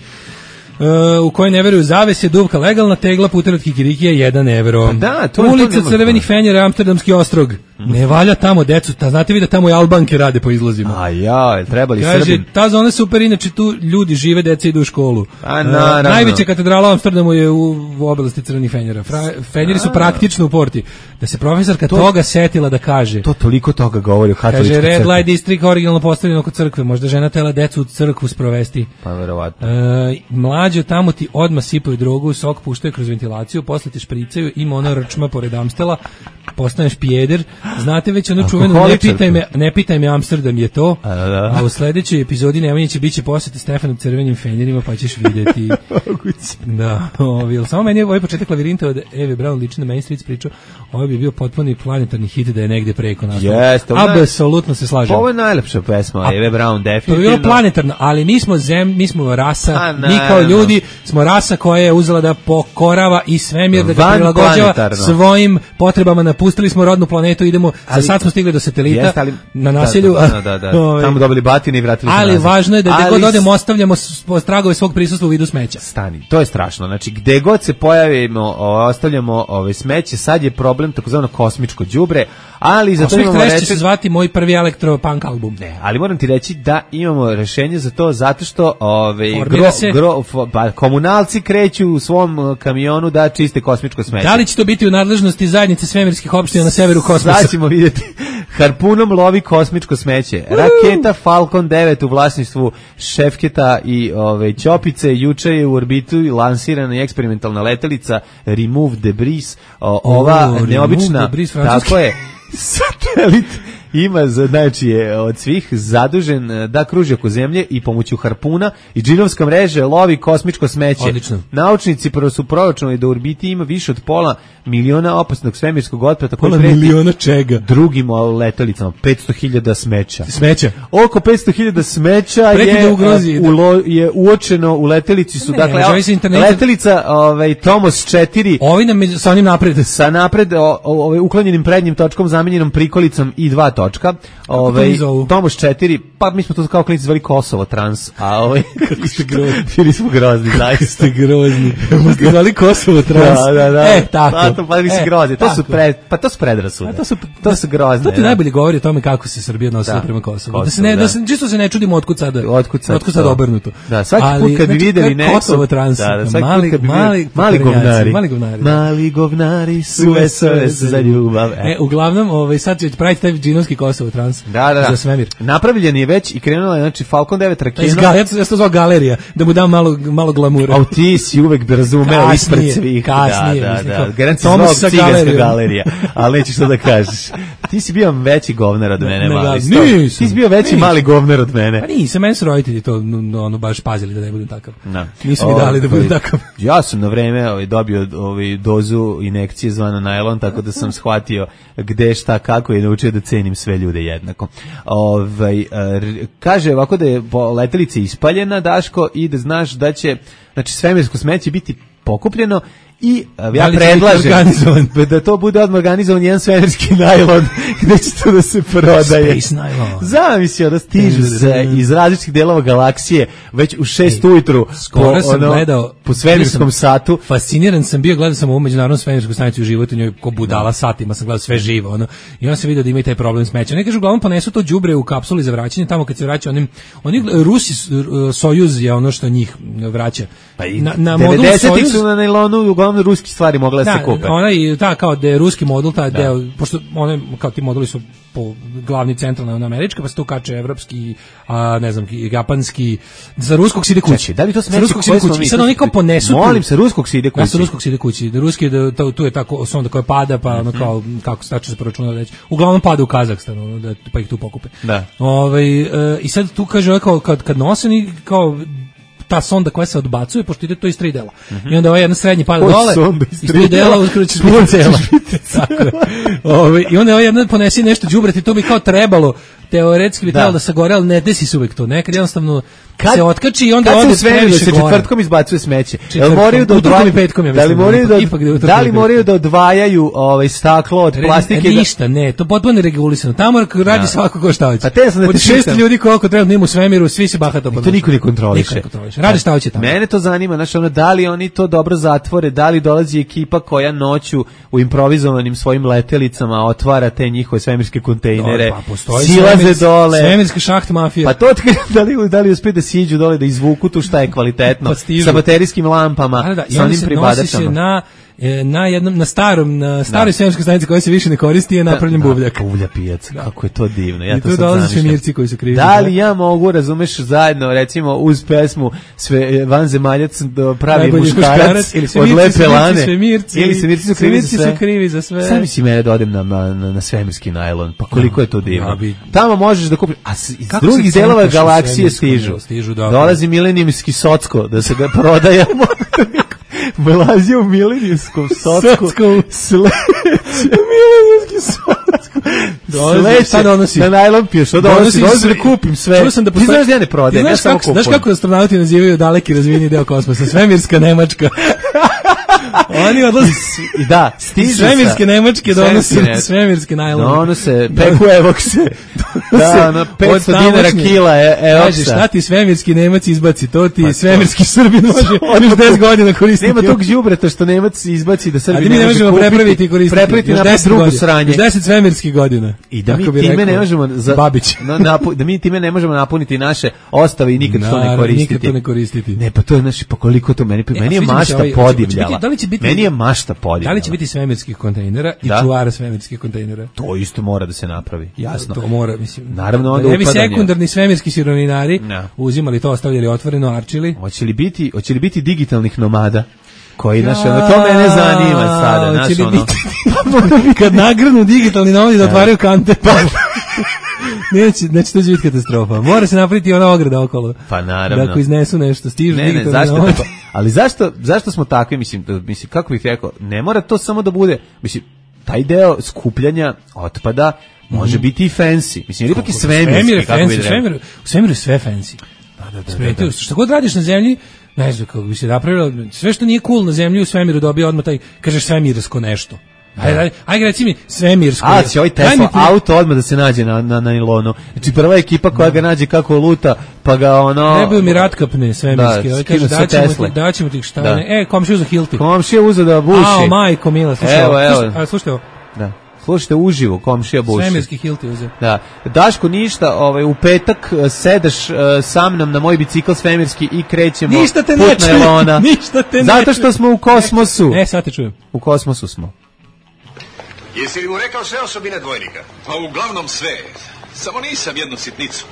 e, u kojoj ne veruju zavese, duvka legalna, tegla, puter od kikirikija, jedan evro. Pa da, to- to Ulica nema- crvenih fenjera, Amsterdamski ostrog. Ne valja tamo, decu, ta, znate vi da tamo i Albanke rade po izlazima. A ja, jel trebali Kaže, Srbin? ta zona je super, inače tu ljudi žive, deca idu u školu. A, E, naravno. najveća katedrala u Amsterdamu je u, u oblasti crvenih fenjera. Fra, fenjeri su praktično u porti. Da se profesorka toga setila da kaže. To toliko toga govori o katoličkoj Kaže, Red crkvi. Light District originalno postavljeno kod crkve. Možda žena tela decu u crkvu sprovesti. Pa verovatno. E, mlađo tamo ti odmah sipaju drogu, sok puštaju kroz ventilaciju, posle te špricaju, ima ona rčma pored Amstela, postaneš pijeder. Znate već ono čuveno, ne Alkoholičar. pitaj me, ne pitaj me Amsterdam je to. A, da, da. A u sledećoj epizodi Nemanjića biće posjeti Stefanu crvenim fenjerima, pa ćeš vidjeti. Da, ovi, jel samo meni je ovaj početak Lavirinta od Eve Braun liči na Main Street priču, ovo bi bio potpuni planetarni hit da je negde preko nas. Jeste, ovo je- Apsolutno se slažem. Ovo je najlepša pesma, A- Eve Braun, To je definitivno. bilo planetarno, ali mi smo zem, mi smo rasa, A, mi kao naravno. ljudi smo rasa koja je uzela da pokorava i svemir, da ga Van prilagođava planetarno. svojim potrebama, napustili smo rodnu planetu, idemo, Ali- za sad smo stigli do satelita, Jeste, ali- na naselju, Da, da, da, da. ovaj, Tamo dobili batine i vratili se ali nazad. važno je da gde Ali god odemo ostavljamo s- tragove svog prisustva u vidu smeća. Stani, to je strašno. Znači, gde god se pojavimo, o, ostavljamo ove smeće, sad je problem takozvano kosmičko đubre, ali za to Kosmic imamo Trash će recept. se zvati moj prvi elektropunk album. Ne, ali moram ti reći da imamo rešenje za to zato što ove Formira gro, se. gro, fo- pa, komunalci kreću u svom uh, kamionu da čiste kosmičko smeće. Da li će to biti u nadležnosti zajednice svemirskih opština na severu kosmosa? Sad ćemo vidjeti. Harpunom lovi kosmičko smeće. Raketa Falcon devet u vlasništvu Šefketa i ove Ćopice juče je u orbitu lansirana i eksperimentalna letelica Remove Debris. O, ova O, Remove neobična, Debris, francuski. tako je, satelit ima, za- znači je od svih zadužen e, da kruži oko zemlje i pomoću harpuna i džinovska mreže lovi kosmičko smeće. Odlično. Naučnici prvo su proračunali da u orbiti ima više od pola miliona opasnog svemirskog otpada koji Pola preti miliona čega? drugim letelicama, petsto hiljada smeća. Smeća. Oko petsto hiljada smeća Preti je, da ugrozi, e, da. ulo, je uočeno u letelici su, Ne, dakle, može o- se interneta- letelica ovaj, Tomos četiri Ovi nam je- sa onim napred. sa napred o, o, ovaj, uklonjenim prednjim točkom, zamenjenom prikolicom i dva točka. Ovaj oni zovu? Tomos četiri, pa mi smo to kao klinici zvali Kosovo Trans, a ovaj Kako ste grozni. bili smo grozni, zaista. Ste grozni. Ste zvali Kosovo Trans. Da, da, da. E, tako. Pa, to, pa, mislim, E, grozni. To su tako. pre, pa to su predrasude. A to su to su grozne. To ti da. najbolje govori o tome kako se Srbija nosila Da. prema Kosovu. Kosovo, da se ne, da. da se, čisto se ne čudimo otkud sada. Otkud sad otkud sad to? obrnuto. Da, svaki Ali, put kad bi znači, videli to je nekog... Kosovo Trans. Da, da, svaki mali, put kad bi mali, videli, mali pokvarenjaci, govnari. Mali govnari. Mali govnari su S O S za ljubav. E, uglavnom, ovaj, sad će praviti taj džinovski Kosovo Trans. Da, da, da. Za svemir. Napravljen je već i krenula je, znači, Falcon devet Taj raketa. zga- ja to ja to zvao galerija, da mu dam malo, malo glamura. A ti si uvek bi razumeo Kasnije, ispred svih. kasnije, Da, da, mislim, da. kao Garant si Tomas zvao sa ciganska galerijom. galerija, ali nećeš to da kažeš. Ti si bio veći govnar od mene, ne, mali. Da, nisam, ti si bio veći nisam. mali govnar od mene. Pa nisam, meni su roditelji to ono, baš pazili da ne budem takav. Da. Nisu mi dali da budem takav. Ja sam na vreme ovaj, dobio ovaj, dozu injekcije zvana najlon, tako da sam shvatio gde, šta, kako i naučio da cenim sve ljude jednako. Ovaj, kaže ovako da je letelica ispaljena, Daško, i da znaš da će, znači, svemirsko smeće biti pokupljeno i ja predlažem da to bude odmah organizovan jedan svemirski najlon gde će to da se prodaje. Space najlon. Zamislio da stižu se iz različitih delova galaksije već u šest ujutru skoro sam ono, gledao po svemirskom satu. Fasciniran sam bio, gledao sam ovu međunarodnu svemirsku stanicu u životu, njoj ko budala satima sam gledao sve živo. Ono. I onda sam vidio da ima i taj problem smeća. Ne kažu, uglavnom ponesu to đubre u kapsuli za vraćanje, tamo kad se vraća onim, oni Rusi, Sojuz je ono što njih vraća. Pa i na, na devedesetih su na nailonu uglavnom ruski stvari mogle da se kupe. Ona i ta kao da je ruski modul, taj deo, pošto one kao ti moduli su po glavni centralna američka, pa se tu kače evropski, a ne znam, japanski, za ruskog se ide kući. Čekaj, da li to smeće ruskog se ide kući? I sad oni kao ponesu. Molim se, ruskog se ide kući. Ja sa ruskog se ide kući. Ruski da to, tu je tako sonda koja pada, pa ono kao kako se tačno se proračuna reći. Uglavnom pada u Kazahstan, ono, da pa ih tu pokupe. Da. Ovaj e, i sad tu kaže kao kad kad noseni kao ta sonda koja se odbacuje, pošto ide to iz tri dela. Mm-hmm. I onda ova jedna srednji pada dole, iz tri dela uskoro ćeš biti cela. Tako je. Ove, I onda ova jedna ponesi nešto đubreti, to bi kao trebalo, teoretski bi trebalo da, da se gore, ali ne desi se uvek to. Nekad jednostavno kad se otkači i onda ode previše se gore. Četvrtkom izbacuje smeće. Jel moraju da odvajaju petkom, ja da li moraju da, da li moraju da odvajaju ovaj staklo od plastike? Ništa, ne, to potpuno regulisano. Tamo radi svako ko šta hoće. A te sam da od šest ljudi koliko treba da ima u svemiru, svi se bahato to niko ne kontroliše. Radi šta hoće tamo. Mene to zanima, znači ono, da li oni to dobro zatvore, da li dolazi ekipa koja noću u improvizovanim svojim letelicama otvara te njihove svemirske kontejnere, pa silaze dole. Svemirska šaht mafija. Pa to da li, da li uspe da siđu dole, da izvuku tu šta je kvalitetno, pa sa baterijskim lampama, da, da, sa onim pribadačama. Na na jednom na starom na staroj svemirskoj stanici koja se više ne koristi je napravljen buvljak. Da, buvlja pijac. Da. Kako je to divno. Ja I to sad dolaze svemirci koji su krivi. Da li ja mogu, razumeš, zajedno recimo uz pesmu sve vanzemaljac pravi muškarac od lepe lane svemirci, ili svemirci su krivi za sve. Su krivi za sve. Sami si mene da odem na, na, na svemirski najlon. Pa koliko je to divno. Tamo možeš da kupiš, a iz drugih delova galaksije stižu. stižu Dolazi milenijumski socko da se ga prodaje. Velazi u milenijskom socku. Sledeće. Milenijski socku. Sledeće. Na najlon piješ. Što donosi? Donosi da kupim sve. Ti znaš da ja ne prodajem, ja samo kupujem. Znaš kako astronauti nazivaju daleki razvijeni deo kosmosa? Svemirska Nemačka. Oni odlaze i da, stižu svemirske Nemačke donose svemirske najlone. Donose, peku evokse. Da, na petsto dinara kila evoksa. Kaže, šta ti svemirski Nemac izbaci, to ti svemirski Srbin može još deset godina koristiti. Nema tog đubreta što Nemac izbaci da Srbin ne može kupiti. Prepraviti i koristiti. Prepraviti na drugu sranje. deset svemirskih godina. I da mi time ne možemo da mi time ne možemo napuniti naše ostave i nikad to ne koristiti. Nikad to ne koristiti. Ne, pa to je naši, pa koliko to meni, meni je mašta podivljala. Meni je mašta podivljala. Da li će biti svemirskih kontejnera i čuvara svemirskih kontejnera? To isto mora da se napravi, jasno. To mora, mislim. Naravno, onda upadanje. Ne bi sekundarni svemirski sirovinari uzimali to, ostavljali otvoreno, arčili. Hoće li biti, hoće li biti digitalnih nomada? Koji, znaš, ono, to mene zanima sada, znaš, ono. Kad nagrnu digitalni nomadi da otvaraju kante, pa... Neće, znači to će biti katastrofa. Mora se napraviti ona ograda okolo. Pa naravno. Da ako iznesu nešto, stižu ne, ne, zašto, ali zašto, zašto smo takvi, mislim, mislim, kako bih rekao, ne mora to samo da bude, mislim, taj deo skupljanja otpada može mm. biti i fancy. Mislim, jer ipak i svemirski, kako bi rekao. U svemiru je sve fancy. Da, da, da, da, da. Što god radiš na zemlji, ne znam kako bi se napravilo, sve što nije cool na zemlji u svemiru dobije odmah taj, kažeš svemirsko nešto. Ajde, ajde, ajde, reci mi svemirsko. A, će ovaj Tesla ti... auto odmah da se nađe na, na, na nilonu. Znači, prva ekipa koja ga nađe kako luta, pa ga ono... Trebaju mi ratkapne svemirske. Da, kaže, daćemo ti, daćemo ti šta. Da. Ne. E, komšija uzeo Hilti. Komšija uzeo da buši. Ao, majko mila, slušaj. Evo, evo. Slušaj, a, slušaj ovo. Da. Slušajte uživo, komšija buši. Svemirski Hilti uzeo. Da. Daško, ništa, ovaj, u petak sedaš uh, sa mnom na moj bicikl svemirski i krećemo ništa te put na Elona. Ništa te zato što smo u kosmosu. E, sad te čujem. U kosmosu smo. Jesi li mu rekao sve osobine dvojnika? Pa uglavnom sve. Samo nisam jednu sitnicu.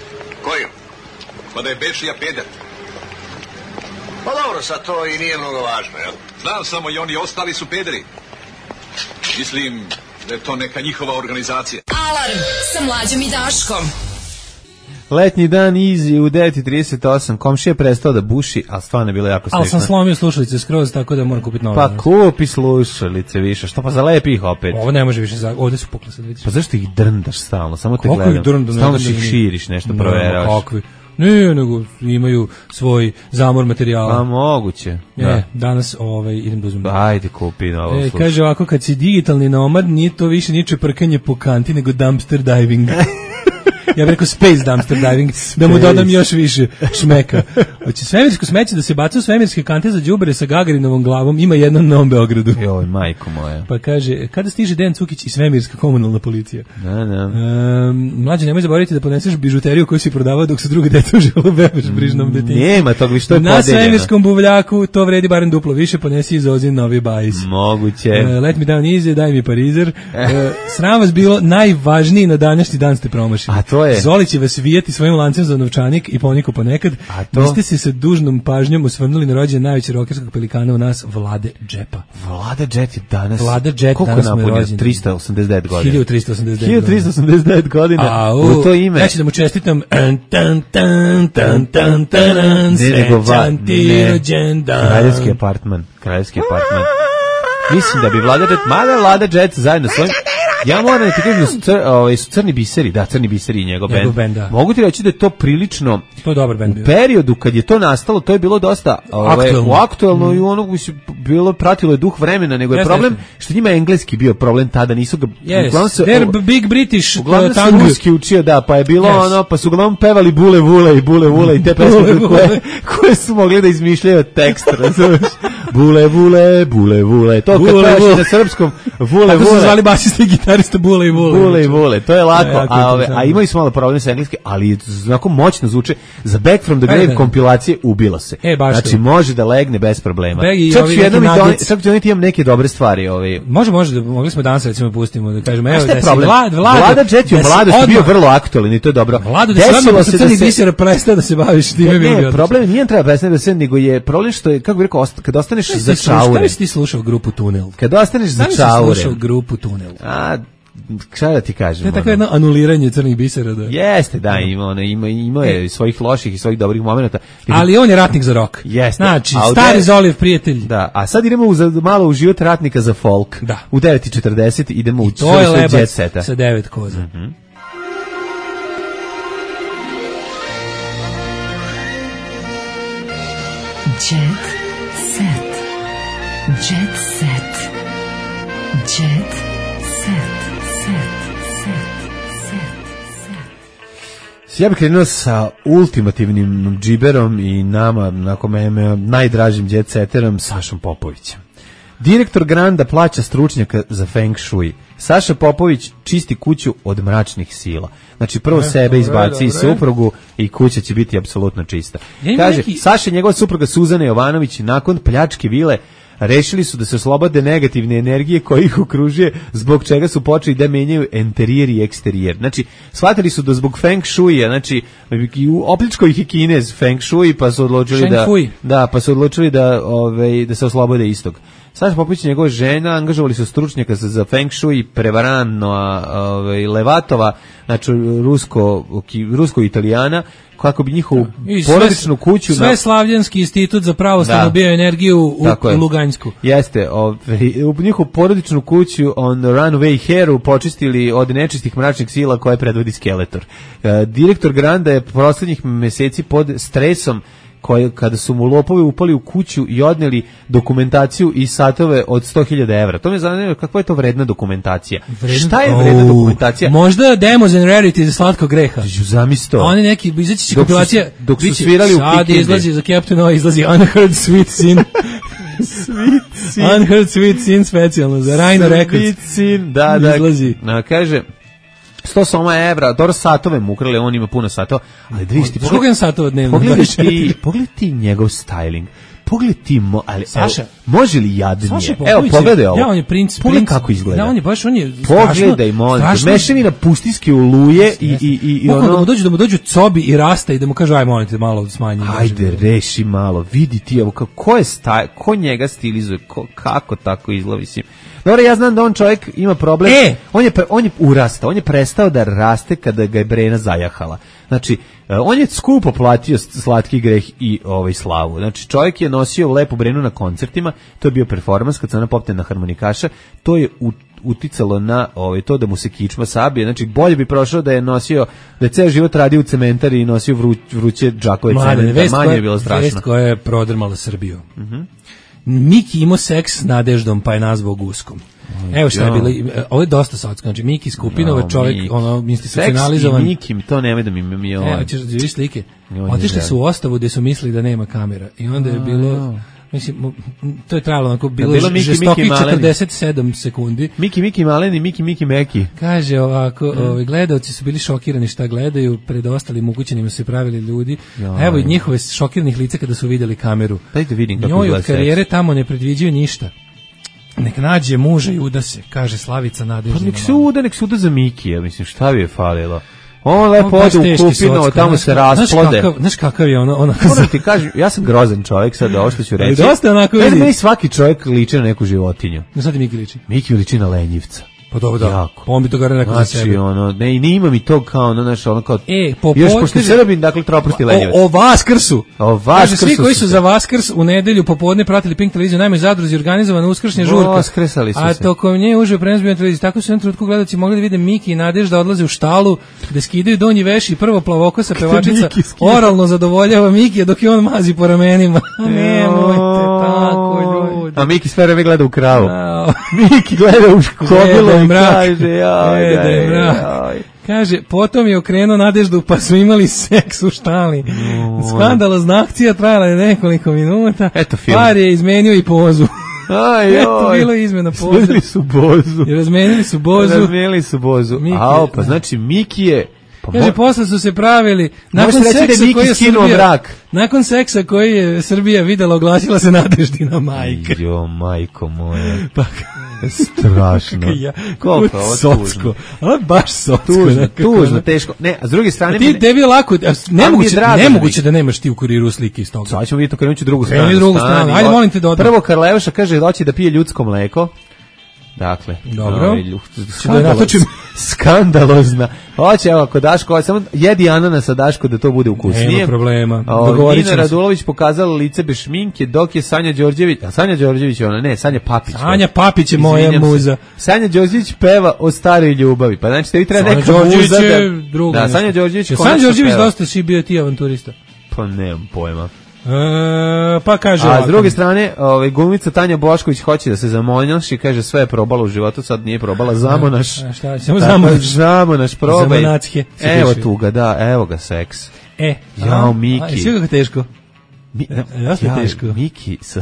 Koju? Pa da je Bešija peder. Pa dobro, sad to i nije mnogo važno, jel? Znam samo i oni ostali su pederi. Mislim da je to neka njihova organizacija. Alarm sa Mlađom i Daškom. Letnji dan Easy u devet i trideset osam. Komšija je prestao da buši, ali stvarno je bilo jako slično. Ali sam slomio slušalice skroz, tako da moram kupiti nove. Pa kupi slušalice više, što pa zalepi ih opet. Ovo ne može više, za... ovde su pukle sad, vidiš. Pa zašto ih drndaš stalno, samo te kako gledam. Ih drndam, stalno ih širiš, nešto no, proveraš. Kakvi? Ne, nego imaju svoj zamor materijala. Pa moguće. E, da. danas ovaj, idem da uzmem. Ajde, kupi novo. E, kaže ovako, kad si digitalni nomad, nije to više niče prkanje po kanti, nego dumpster diving. Ja bih rekao space dumpster diving, space. Da mu dodam još više šmeka. Hoće svemirsko smeće da se baca u svemirske kante za đubre sa Gagarinovom glavom, ima jedno na Novom Beogradu. Joj, majko moja. Pa kaže, kada stiže Dejan Cukić i svemirska komunalna policija? Da, da. Um, mlađe, nemoj zaboraviti da poneseš bižuteriju koju si prodavao dok su druge deca uživalo bebaš brižnom detinjstvu. Nema tog, vi što je na podeljeno. svemirskom buvljaku to vredi barem duplo više, ponesi iz Ozin novi bajs. Moguće. Uh, let me down easy, daj mi parizer. Uh, sram vas bilo najvažniji na današnji dan ste promašili. A to je? Zoli će vas vijati svojim lancem za novčanik i poniko ponekad. A to? Vi ste se sa dužnom pažnjom osvrnuli na rođendan najvećeg rokerskog pelikana u nas, Vlade Džepa. Vlada Džet je danas... Vlada Džet koliko danas mu je napunio? rođendan? trista osamdeset devet godina. hiljadu trista osamdeset devet hiljadu trista osamdeset devet godina. A, u, u to ime. Ja ću da mu čestitam. Tan, tan, tan, tan, tan, tan, ne, nego va, ne. Kraljevski ne. apartman. Kraljevski apartman. Mislim da bi Vlada Džet, mada Vlada Džet zajedno svojim... Ja moram da ti kažem da su, cr, ovaj, su Crni biseri, da, Crni biseri i njegov, njegov bend. bend Mogu ti reći da je to prilično... To je dobar bend bio. U periodu kad je to nastalo, to je bilo dosta ovaj, aktuelno, u aktuelno mm. i ono bilo pratilo je duh vremena, nego je yes, problem yes. što njima engleski bio problem tada, nisu ga... Yes, uglavnom se, they're big British uglavnom se tongue. ruski učio, da, pa je bilo yes. ono, pa su uglavnom pevali bule vule i bule vule i te pesme koje, koje su mogli da izmišljaju tekst, razumiješ? Bule vule, bule vule, to kad pevaš na srpskom, vule vule. Tako su zvali basista i gitarista Bule i Vule. Bule i Vule, to je lako, ja, a, ove, a imaju su malo problem sa engleskim, ali znako moćno zvuče. Za Back from the Grave e, kompilacije ubilo se. E, baš znači to. Može da legne bez problema. Čak ću jednom doneti imam neke dobre stvari. Ove. Može, može, da, mogli smo danas recimo pustimo, da kažemo, evo, da se Vlad, Vlada, Vlada Džet je u mladosti bio vrlo aktualan i to je dobro. Vlada, da se odmah sa Crni biser prestao da se baviš time. Ne, ne problem nije treba prestati da se, nego je problem što je, kako bih rekao, kad ostaneš za čaure. Kada si ti slušao grupu Tunel? Kad ostaneš za čaure. Kada si slušao grupu Tunel? A, šta da ti kažem? To je tako jedno anuliranje crnih bisera. Da. Jeste, da, ima, ono, ima, ima je svojih loših i svojih dobrih momenata. Ali on je ratnik za rock. Jeste. Znači, stari Zolijev prijatelj. Da, a sad idemo u, malo u život ratnika za folk. Da. U devet i četrdeset idemo u to je Lebac sa devet koza. Mm-hmm. Jet set. Jet set. Jet set. Ja bih krenuo sa ultimativnim džiberom i nama, nakon mene, najdražim jet setterom, Sašom Popovićem. Direktor Granda plaća stručnjaka za Feng Shui. Saša Popović čisti kuću od mračnih sila. Znači prvo e, sebe izbaci i suprugu i kuća će biti apsolutno čista. Ja Kaže, neki... Saša i njegova supruga Suzana Jovanović nakon pljačke vile rešili su da se oslobode negativne energije koje ih okružuje, zbog čega su počeli da menjaju interijer i eksterijer. Znači, shvatili su da zbog Feng Shuija, znači, opličko ih je Kinez Feng Shui, pa su odlučili da, da, pa su odlučili da, ove, da se oslobode istog. Saša Popović i njegova žena angažovali su stručnjaka za, za Feng Shui, prevarano ove, Levatova, znači rusko, rusko Italijana, kako bi njihovu porodičnu kuću... Sve na... Slavljanski institut za pravoslavnu bioenergiju u, u Luganjsku. Jeste, ove, u njihovu porodičnu kuću on Runway Heru počistili od nečistih mračnih sila koje predvodi Skeletor. E, direktor Granda je proslednjih meseci pod stresom koje, kada su mu lopovi upali u kuću i odneli dokumentaciju i satove od sto hiljada evra. To me zanima kakva je to vredna dokumentacija. Vredna? Šta je vredna oh, dokumentacija? Možda Demos and Rarity za slatko greha. Zamisto. Oni neki, izaći će kompilacija. Dok su svirali u Sad izlazi za Captain O, izlazi Unheard Sweet Sin. Sweet Sin. Unheard Sweet Sin specijalno za Rhino Records. Sweet Sin, da, da. Izlazi. Na, kaže... sto soma evra, dobro satove mu ukrali, on ima puno satova, ali da vidiš ti... Koliko je satova dnevno? Pogledaj ti, pogledaj ti njegov styling. pogledaj ti, mo, ali, Saša, može li jadnije? Saša Evo, pogledaj ovo. Ja, on je princ, pogledaj princ, kako izgleda. Ja, on je baš, on je pogledaj, molim te, mešavina pustinske oluje i, i, i, i ono... Da mu dođu, da mu dođu cobi i rasta i da mu kažu, aj, molim te, malo smanji. Ajde, reši malo, vidi ti, evo, ko je staj, ko njega stilizuje, ko, kako tako izgleda, mislim. Dobro, ja znam da on čovjek ima problem, e! on, je, on je urastao, on je prestao da raste kada ga je Brena zajahala. Znači, on je skupo platio slatki greh i ovaj slavu. Znači, čovjek je nosio lepu Brenu na koncertima, to je bio performans kad se ona popne na harmonikaša, to je u uticalo na ovaj to da mu se kičma sabije. Znači bolje bi prošao da je nosio, da je ceo život radio u cementari i nosio vru, vruće džakove cementa, manje je bilo strašno. Vest koja je prodrmala Srbiju. Mhm. Mm Miki imao seks s Nadeždom, pa je nazvao Guskom. Evo šta je bilo, ovo je dosta socko, znači Miki Skupinova, no, čovjek, Miki. Ono, institucionalizovan. Seks i Miki, to nemoj da mi mi je ovo. Evo, ćeš da vidiš slike. Otišli su u ostavu gdje su mislili da nema kamera i onda je bilo... Mislim, to je trajalo onako, bilo, bilo Miki, žestokih Miki četrdeset sedam sekundi. Miki, Miki Maleni, Miki, Miki Meki. Kaže ovako, mm. ovi, gledalci su bili šokirani šta gledaju, pred ostalim ugućenima su pravili ljudi. Ja, evo i njihove šokiranih lica kada su vidjeli kameru. Dajte vidim kako njoj od karijere seks. Tamo ne predviđaju ništa. Nek nađe muža i uda se, kaže Slavica Nadeždina. Pa nek se uda, nek se uda za Miki, ja mislim, šta bi je falilo? On lepo ode u kupinu, tamo se rasplode. Znaš kakav je ono? ono Moram ti kažem, ja sam grozan čovjek, sad ovo što ću reći. Dosta onako vidi. Meni svaki čovjek liči na neku životinju. Na sad ti Miki liči? Miki liči na lenjivca. Pa dobro da, jako. Pa on bi to gara rekao znači, za sebe. Ono, ne, i nima mi to kao, ono, znaš, ono kao, e, po još pošto Srbin, dakle, troprosti lenjevac. O, o Vaskrsu. O Vaskrsu. Kaže, svi koji su za Vaskrs u nedelju popodne pratili Pink televiziju, najmoj zadruzi organizovana uskršnja žurka. Vaskrsali su se. A tokom nje uživo prenos bio na televiziji. Tako su jednom trenutku gledalci mogli da vide Miki i Nadežda odlaze u štalu, da skidaju donji veš i prvo plavokosa pevačica oralno zadovoljava Mikija dok je on mazi po ramenima. Nemojte tako, ljudi. A Miki sve vreme gleda u kravu. Miki gleda u škobilo i kaže, jaj, jaj, jaj. Kaže, potom je okrenuo Nadeždu pa su imali seks u štali. Skandalozna akcija trajala je nekoliko minuta. Eto film. Par je izmenio i pozu. Aj, eto, bilo izmena pozu. Razmenili su bozu. I razmenili su bozu. Razmenili su bozu. Ao, pa znači Miki je... Pa kaže, posle su se pravili nakon seksa da koji je Srbija, brak. nakon seksa koji je Srbija videla, oglasila se Nadeždina majka. Jo, majko moja. Pa strašno. Ja, koliko socko. Ali baš socko. Tužno, tužno, teško. Ne, a s druge strane... A ti tebi je lako, nemoguće, nemoguće da nemaš ti u kuriru slike iz toga. Sad ćemo vidjeti kad ću drugu stranu. Kreni drugu stranu, ajde molim te da odam. Prvo Karleuša kaže doći da pije ljudsko mleko. Dakle, dobro. Skandalozna. Skandalozna. Hoće, evo, ako Daško, samo jedi ananasa Daško da to bude ukusnije. Nema problema. Nina Radulović pokazala lice bez šminke, dok je Sanja Đorđević, a Sanja Đorđević je ona, ne, Sanja Papić. Sanja Papić je moja muza. Sanja Đorđević peva o staroj ljubavi, pa znači tebi treba neka muza da... Da, Sanja Đorđević konačno peva. Sanja Đorđević dosta si bio ti avanturista. Pa nemam pojma. E, pa kaže a s druge strane, ovaj glumica Tanja Bošković hoće da se zamonjaš i kaže sve je probala u životu, sad nije probala, zamonaš. A šta, samo zamonaš. Zamonaš, probaj. Evo tu ga, da, evo ga seks. E, jao Miki. A sve kako teško. Mi, dosta teško. Miki sa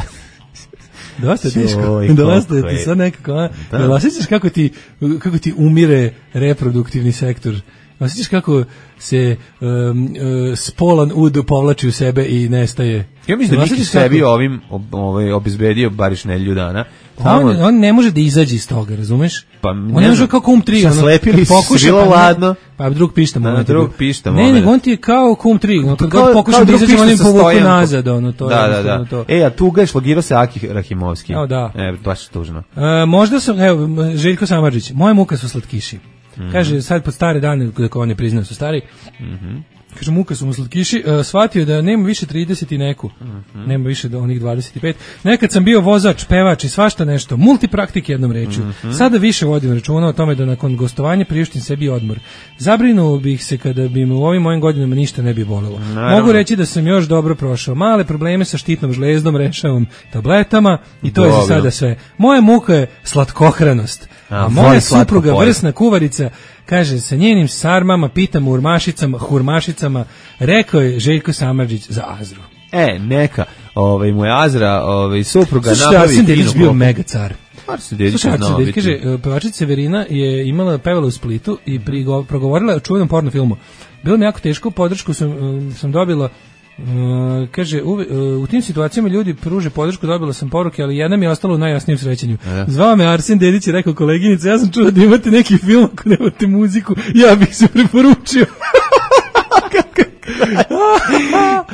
dosta teško. Dosta ti sad nekako, da osjećaš kako ti kako ti umire reproduktivni sektor. Osjećaš kako se um, uh, spolan ud povlači u sebe i nestaje. Ja mislim da Miki sebi kako... ovim ovaj, obezbedio bariš nedjelju dana. Tamo... On, on ne može da izađe iz toga, razumeš? Pa, on ne može kao kum tri. Slepili su, bilo pa ladno. Pa drug pišta moment. Da, drug pišta moment. Ne, nego on ti je kao kum tri. No, kad god pokušam da izađem, on im povuku nazad. Ono, to da, da, da. To. E, a tuga je šlogirao se Aki Rahimovski. Evo, da. E, baš tužno. E, možda sam, evo, Željko Samardžić, moje muka su slatkiši. Mm-hmm. Kaže, sad pod stare dane, kako on je priznao su stari, mm-hmm. kaže, muka su mu slatkiši, uh, shvatio da nema više trideset i neku, mm-hmm. nema više do onih dvadeset pet. Nekad sam bio vozač, pevač i svašta nešto, multipraktik jednom rečju. Mm-hmm. Sada više vodim računa o tome da nakon gostovanja priuštim sebi odmor. Zabrinuo bih se kada bi me u ovim mojim godinama ništa ne bi bolelo. Naravno. Mogu reći da sam još dobro prošao. Male probleme sa štitnom žlezdom rešavam tabletama i to dobro. Je za sada sve. Moja muka je slatkohranost. A, a moja supruga, vrsna kuvarica, kaže, sa njenim sarmama, pitama, urmašicama, hurmašicama, rekao je Željko Samardžić za Azru. E, neka, ovaj, moja Azra, ovaj, supruga napravi... Slušaj, Arsen Dedić bio mega car. Arsen Dedić je znao biti. Kaže, pevačica Severina je imala, pevala u Splitu i prigo, progovorila o čuvenom porno filmu. Bilo mi jako teško, podršku sam, sam dobila Uh, kaže, u, uh, u tim situacijama ljudi pruže podršku, dobila sam poruke, ali jedna mi je ostala u najjasnijem srećenju. E. Zvao me Arsen Dedić i rekao, koleginica, ja sam čuo da imate neki film, ako nemate muziku, ja bih se preporučio.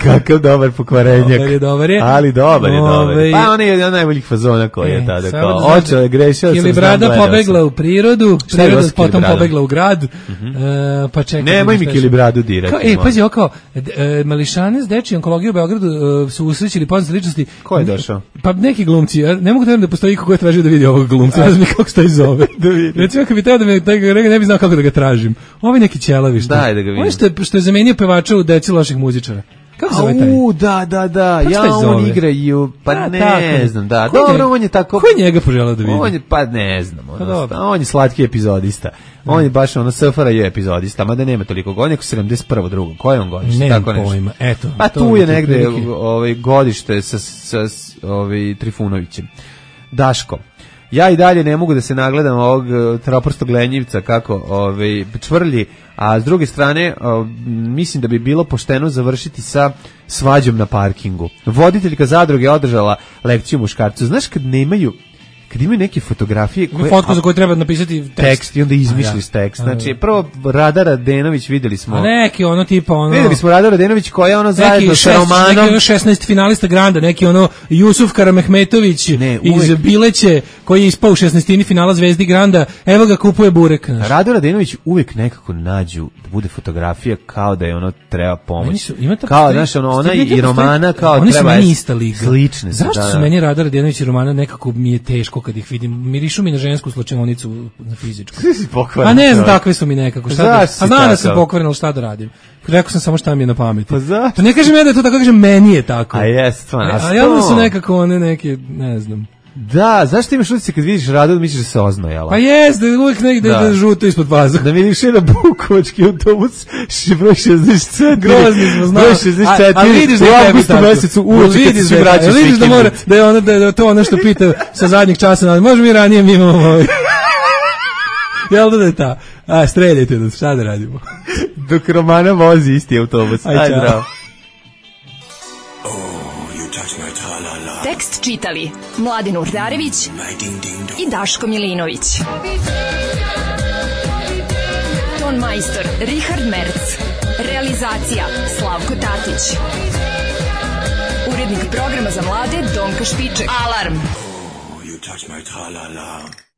Kakav dobar pokvarenjak. Dobar je, dobar je. Ali dobar je, dobar. Ove... Pa on je jedan od najboljih fazona koji e, je tada. Kao, da očeo je grešio. Ili brada pobegla u prirodu, priroda potom pobegla u grad. Mm-hmm. e, pa čekaj. Nemoj mi Kili bradu dirati. E, pazi, ovo kao, e, mališane s dečije onkologije u Beogradu e, su usrećili poznate ličnosti. Ko je došao? Pa neki glumci. Ja ne mogu da da postoji iko ko je tražio da vidi ovog glumca. Ne znam kako se taj zove. Da vidi. Recimo, kad bi teo da me taj ne bi znao kako da ga tražim. Ovo je neki ćelavi što. Daj da ga vidim. On što je, što je zamenio pevača u Deci loših muzičara. Kako se zove taj? U, da, da, da. Ja, on igraju, pa da, ne tako. znam, da. Ko Dobro, je, on je tako... Ko je njega poželao da vidi? On je, pa ne znam. Ono, pa on je slatki epizodista. On je baš ono S F R J epizodista, mada nema toliko godina, neko sedamdeset prvo drugo. Ko je on godište? Nemam pojma, eto. Pa tu je negde ovaj, godište sa, sa, sa ovaj, Trifunovićem. Daško. Ja i dalje ne mogu da se nagledam ovog troprstog lenjivca kako ovaj, čvrlji, a s druge strane o, mislim da bi bilo pošteno završiti sa svađom na parkingu. Voditeljka zadruge je održala lekciju muškarcu. Znaš kad nemaju kad imaju neke fotografije koje fotku za koju treba napisati tekst, tekst i onda izmišliš ja. tekst. Znači prvo Rada Radenović videli smo. A neki ono tipa ono. Videli smo Rada Radenović koja je ono zajedno sa Romanom. Neki ono šesnaest finalista Granda, neki ono Jusuf Karamehmetović ne, iz Bileće koji je ispao u šesnaestini finala Zvezdi Granda. Evo ga kupuje burek. Znaš. Rada Radenović uvek nekako nađu da bude fotografija kao da je ono treba pomoć. Su, ima kao znaš ono ona i Romana kao oni treba. Oni su ista liga. Slične. Zašto su meni Rada Radenović i Romana nekako mi je teško kad ih vidim, mirišu mi na žensku slučajnicu na fizičku. A ne znam, takve su mi nekako. Šta da, a znam da sam pokvaren, ali šta da radim? Rekao sam samo šta mi je na pameti. Pa zašto? To ne kažem ja da je to tako, kažem meni je tako. A jest, stvarno. A javno su nekako one neke, ne znam. Da, zašto imaš utisak kad vidiš Radu da misliš da se oznojala? Pa jes, da uvijek negde da, da žuto ispod paza. Da vidiš jedan bukovački autobus, broj šezdeset četiri. Grozni smo, znao. Broj šezdeset četiri. A, a vidiš da u augustu mesecu uoči kad se svi vraćaš. Vidiš da mora, da je, ono, da je to ono što pita sa zadnjeg časa, može mi ranije mi imamo ovaj. Jel da je ta? A, streljajte nas, šta da radimo? Dok Romana vozi isti autobus. Aj, Aj zdravo. Tekst čitali Mladin Urdarević i Daško Milinović. Ton majstor Richard Merc. Realizacija Slavko Tatić. Urednik programa za mlade Donka Špiček. Alarm! Oh, you touch my tra-la-la.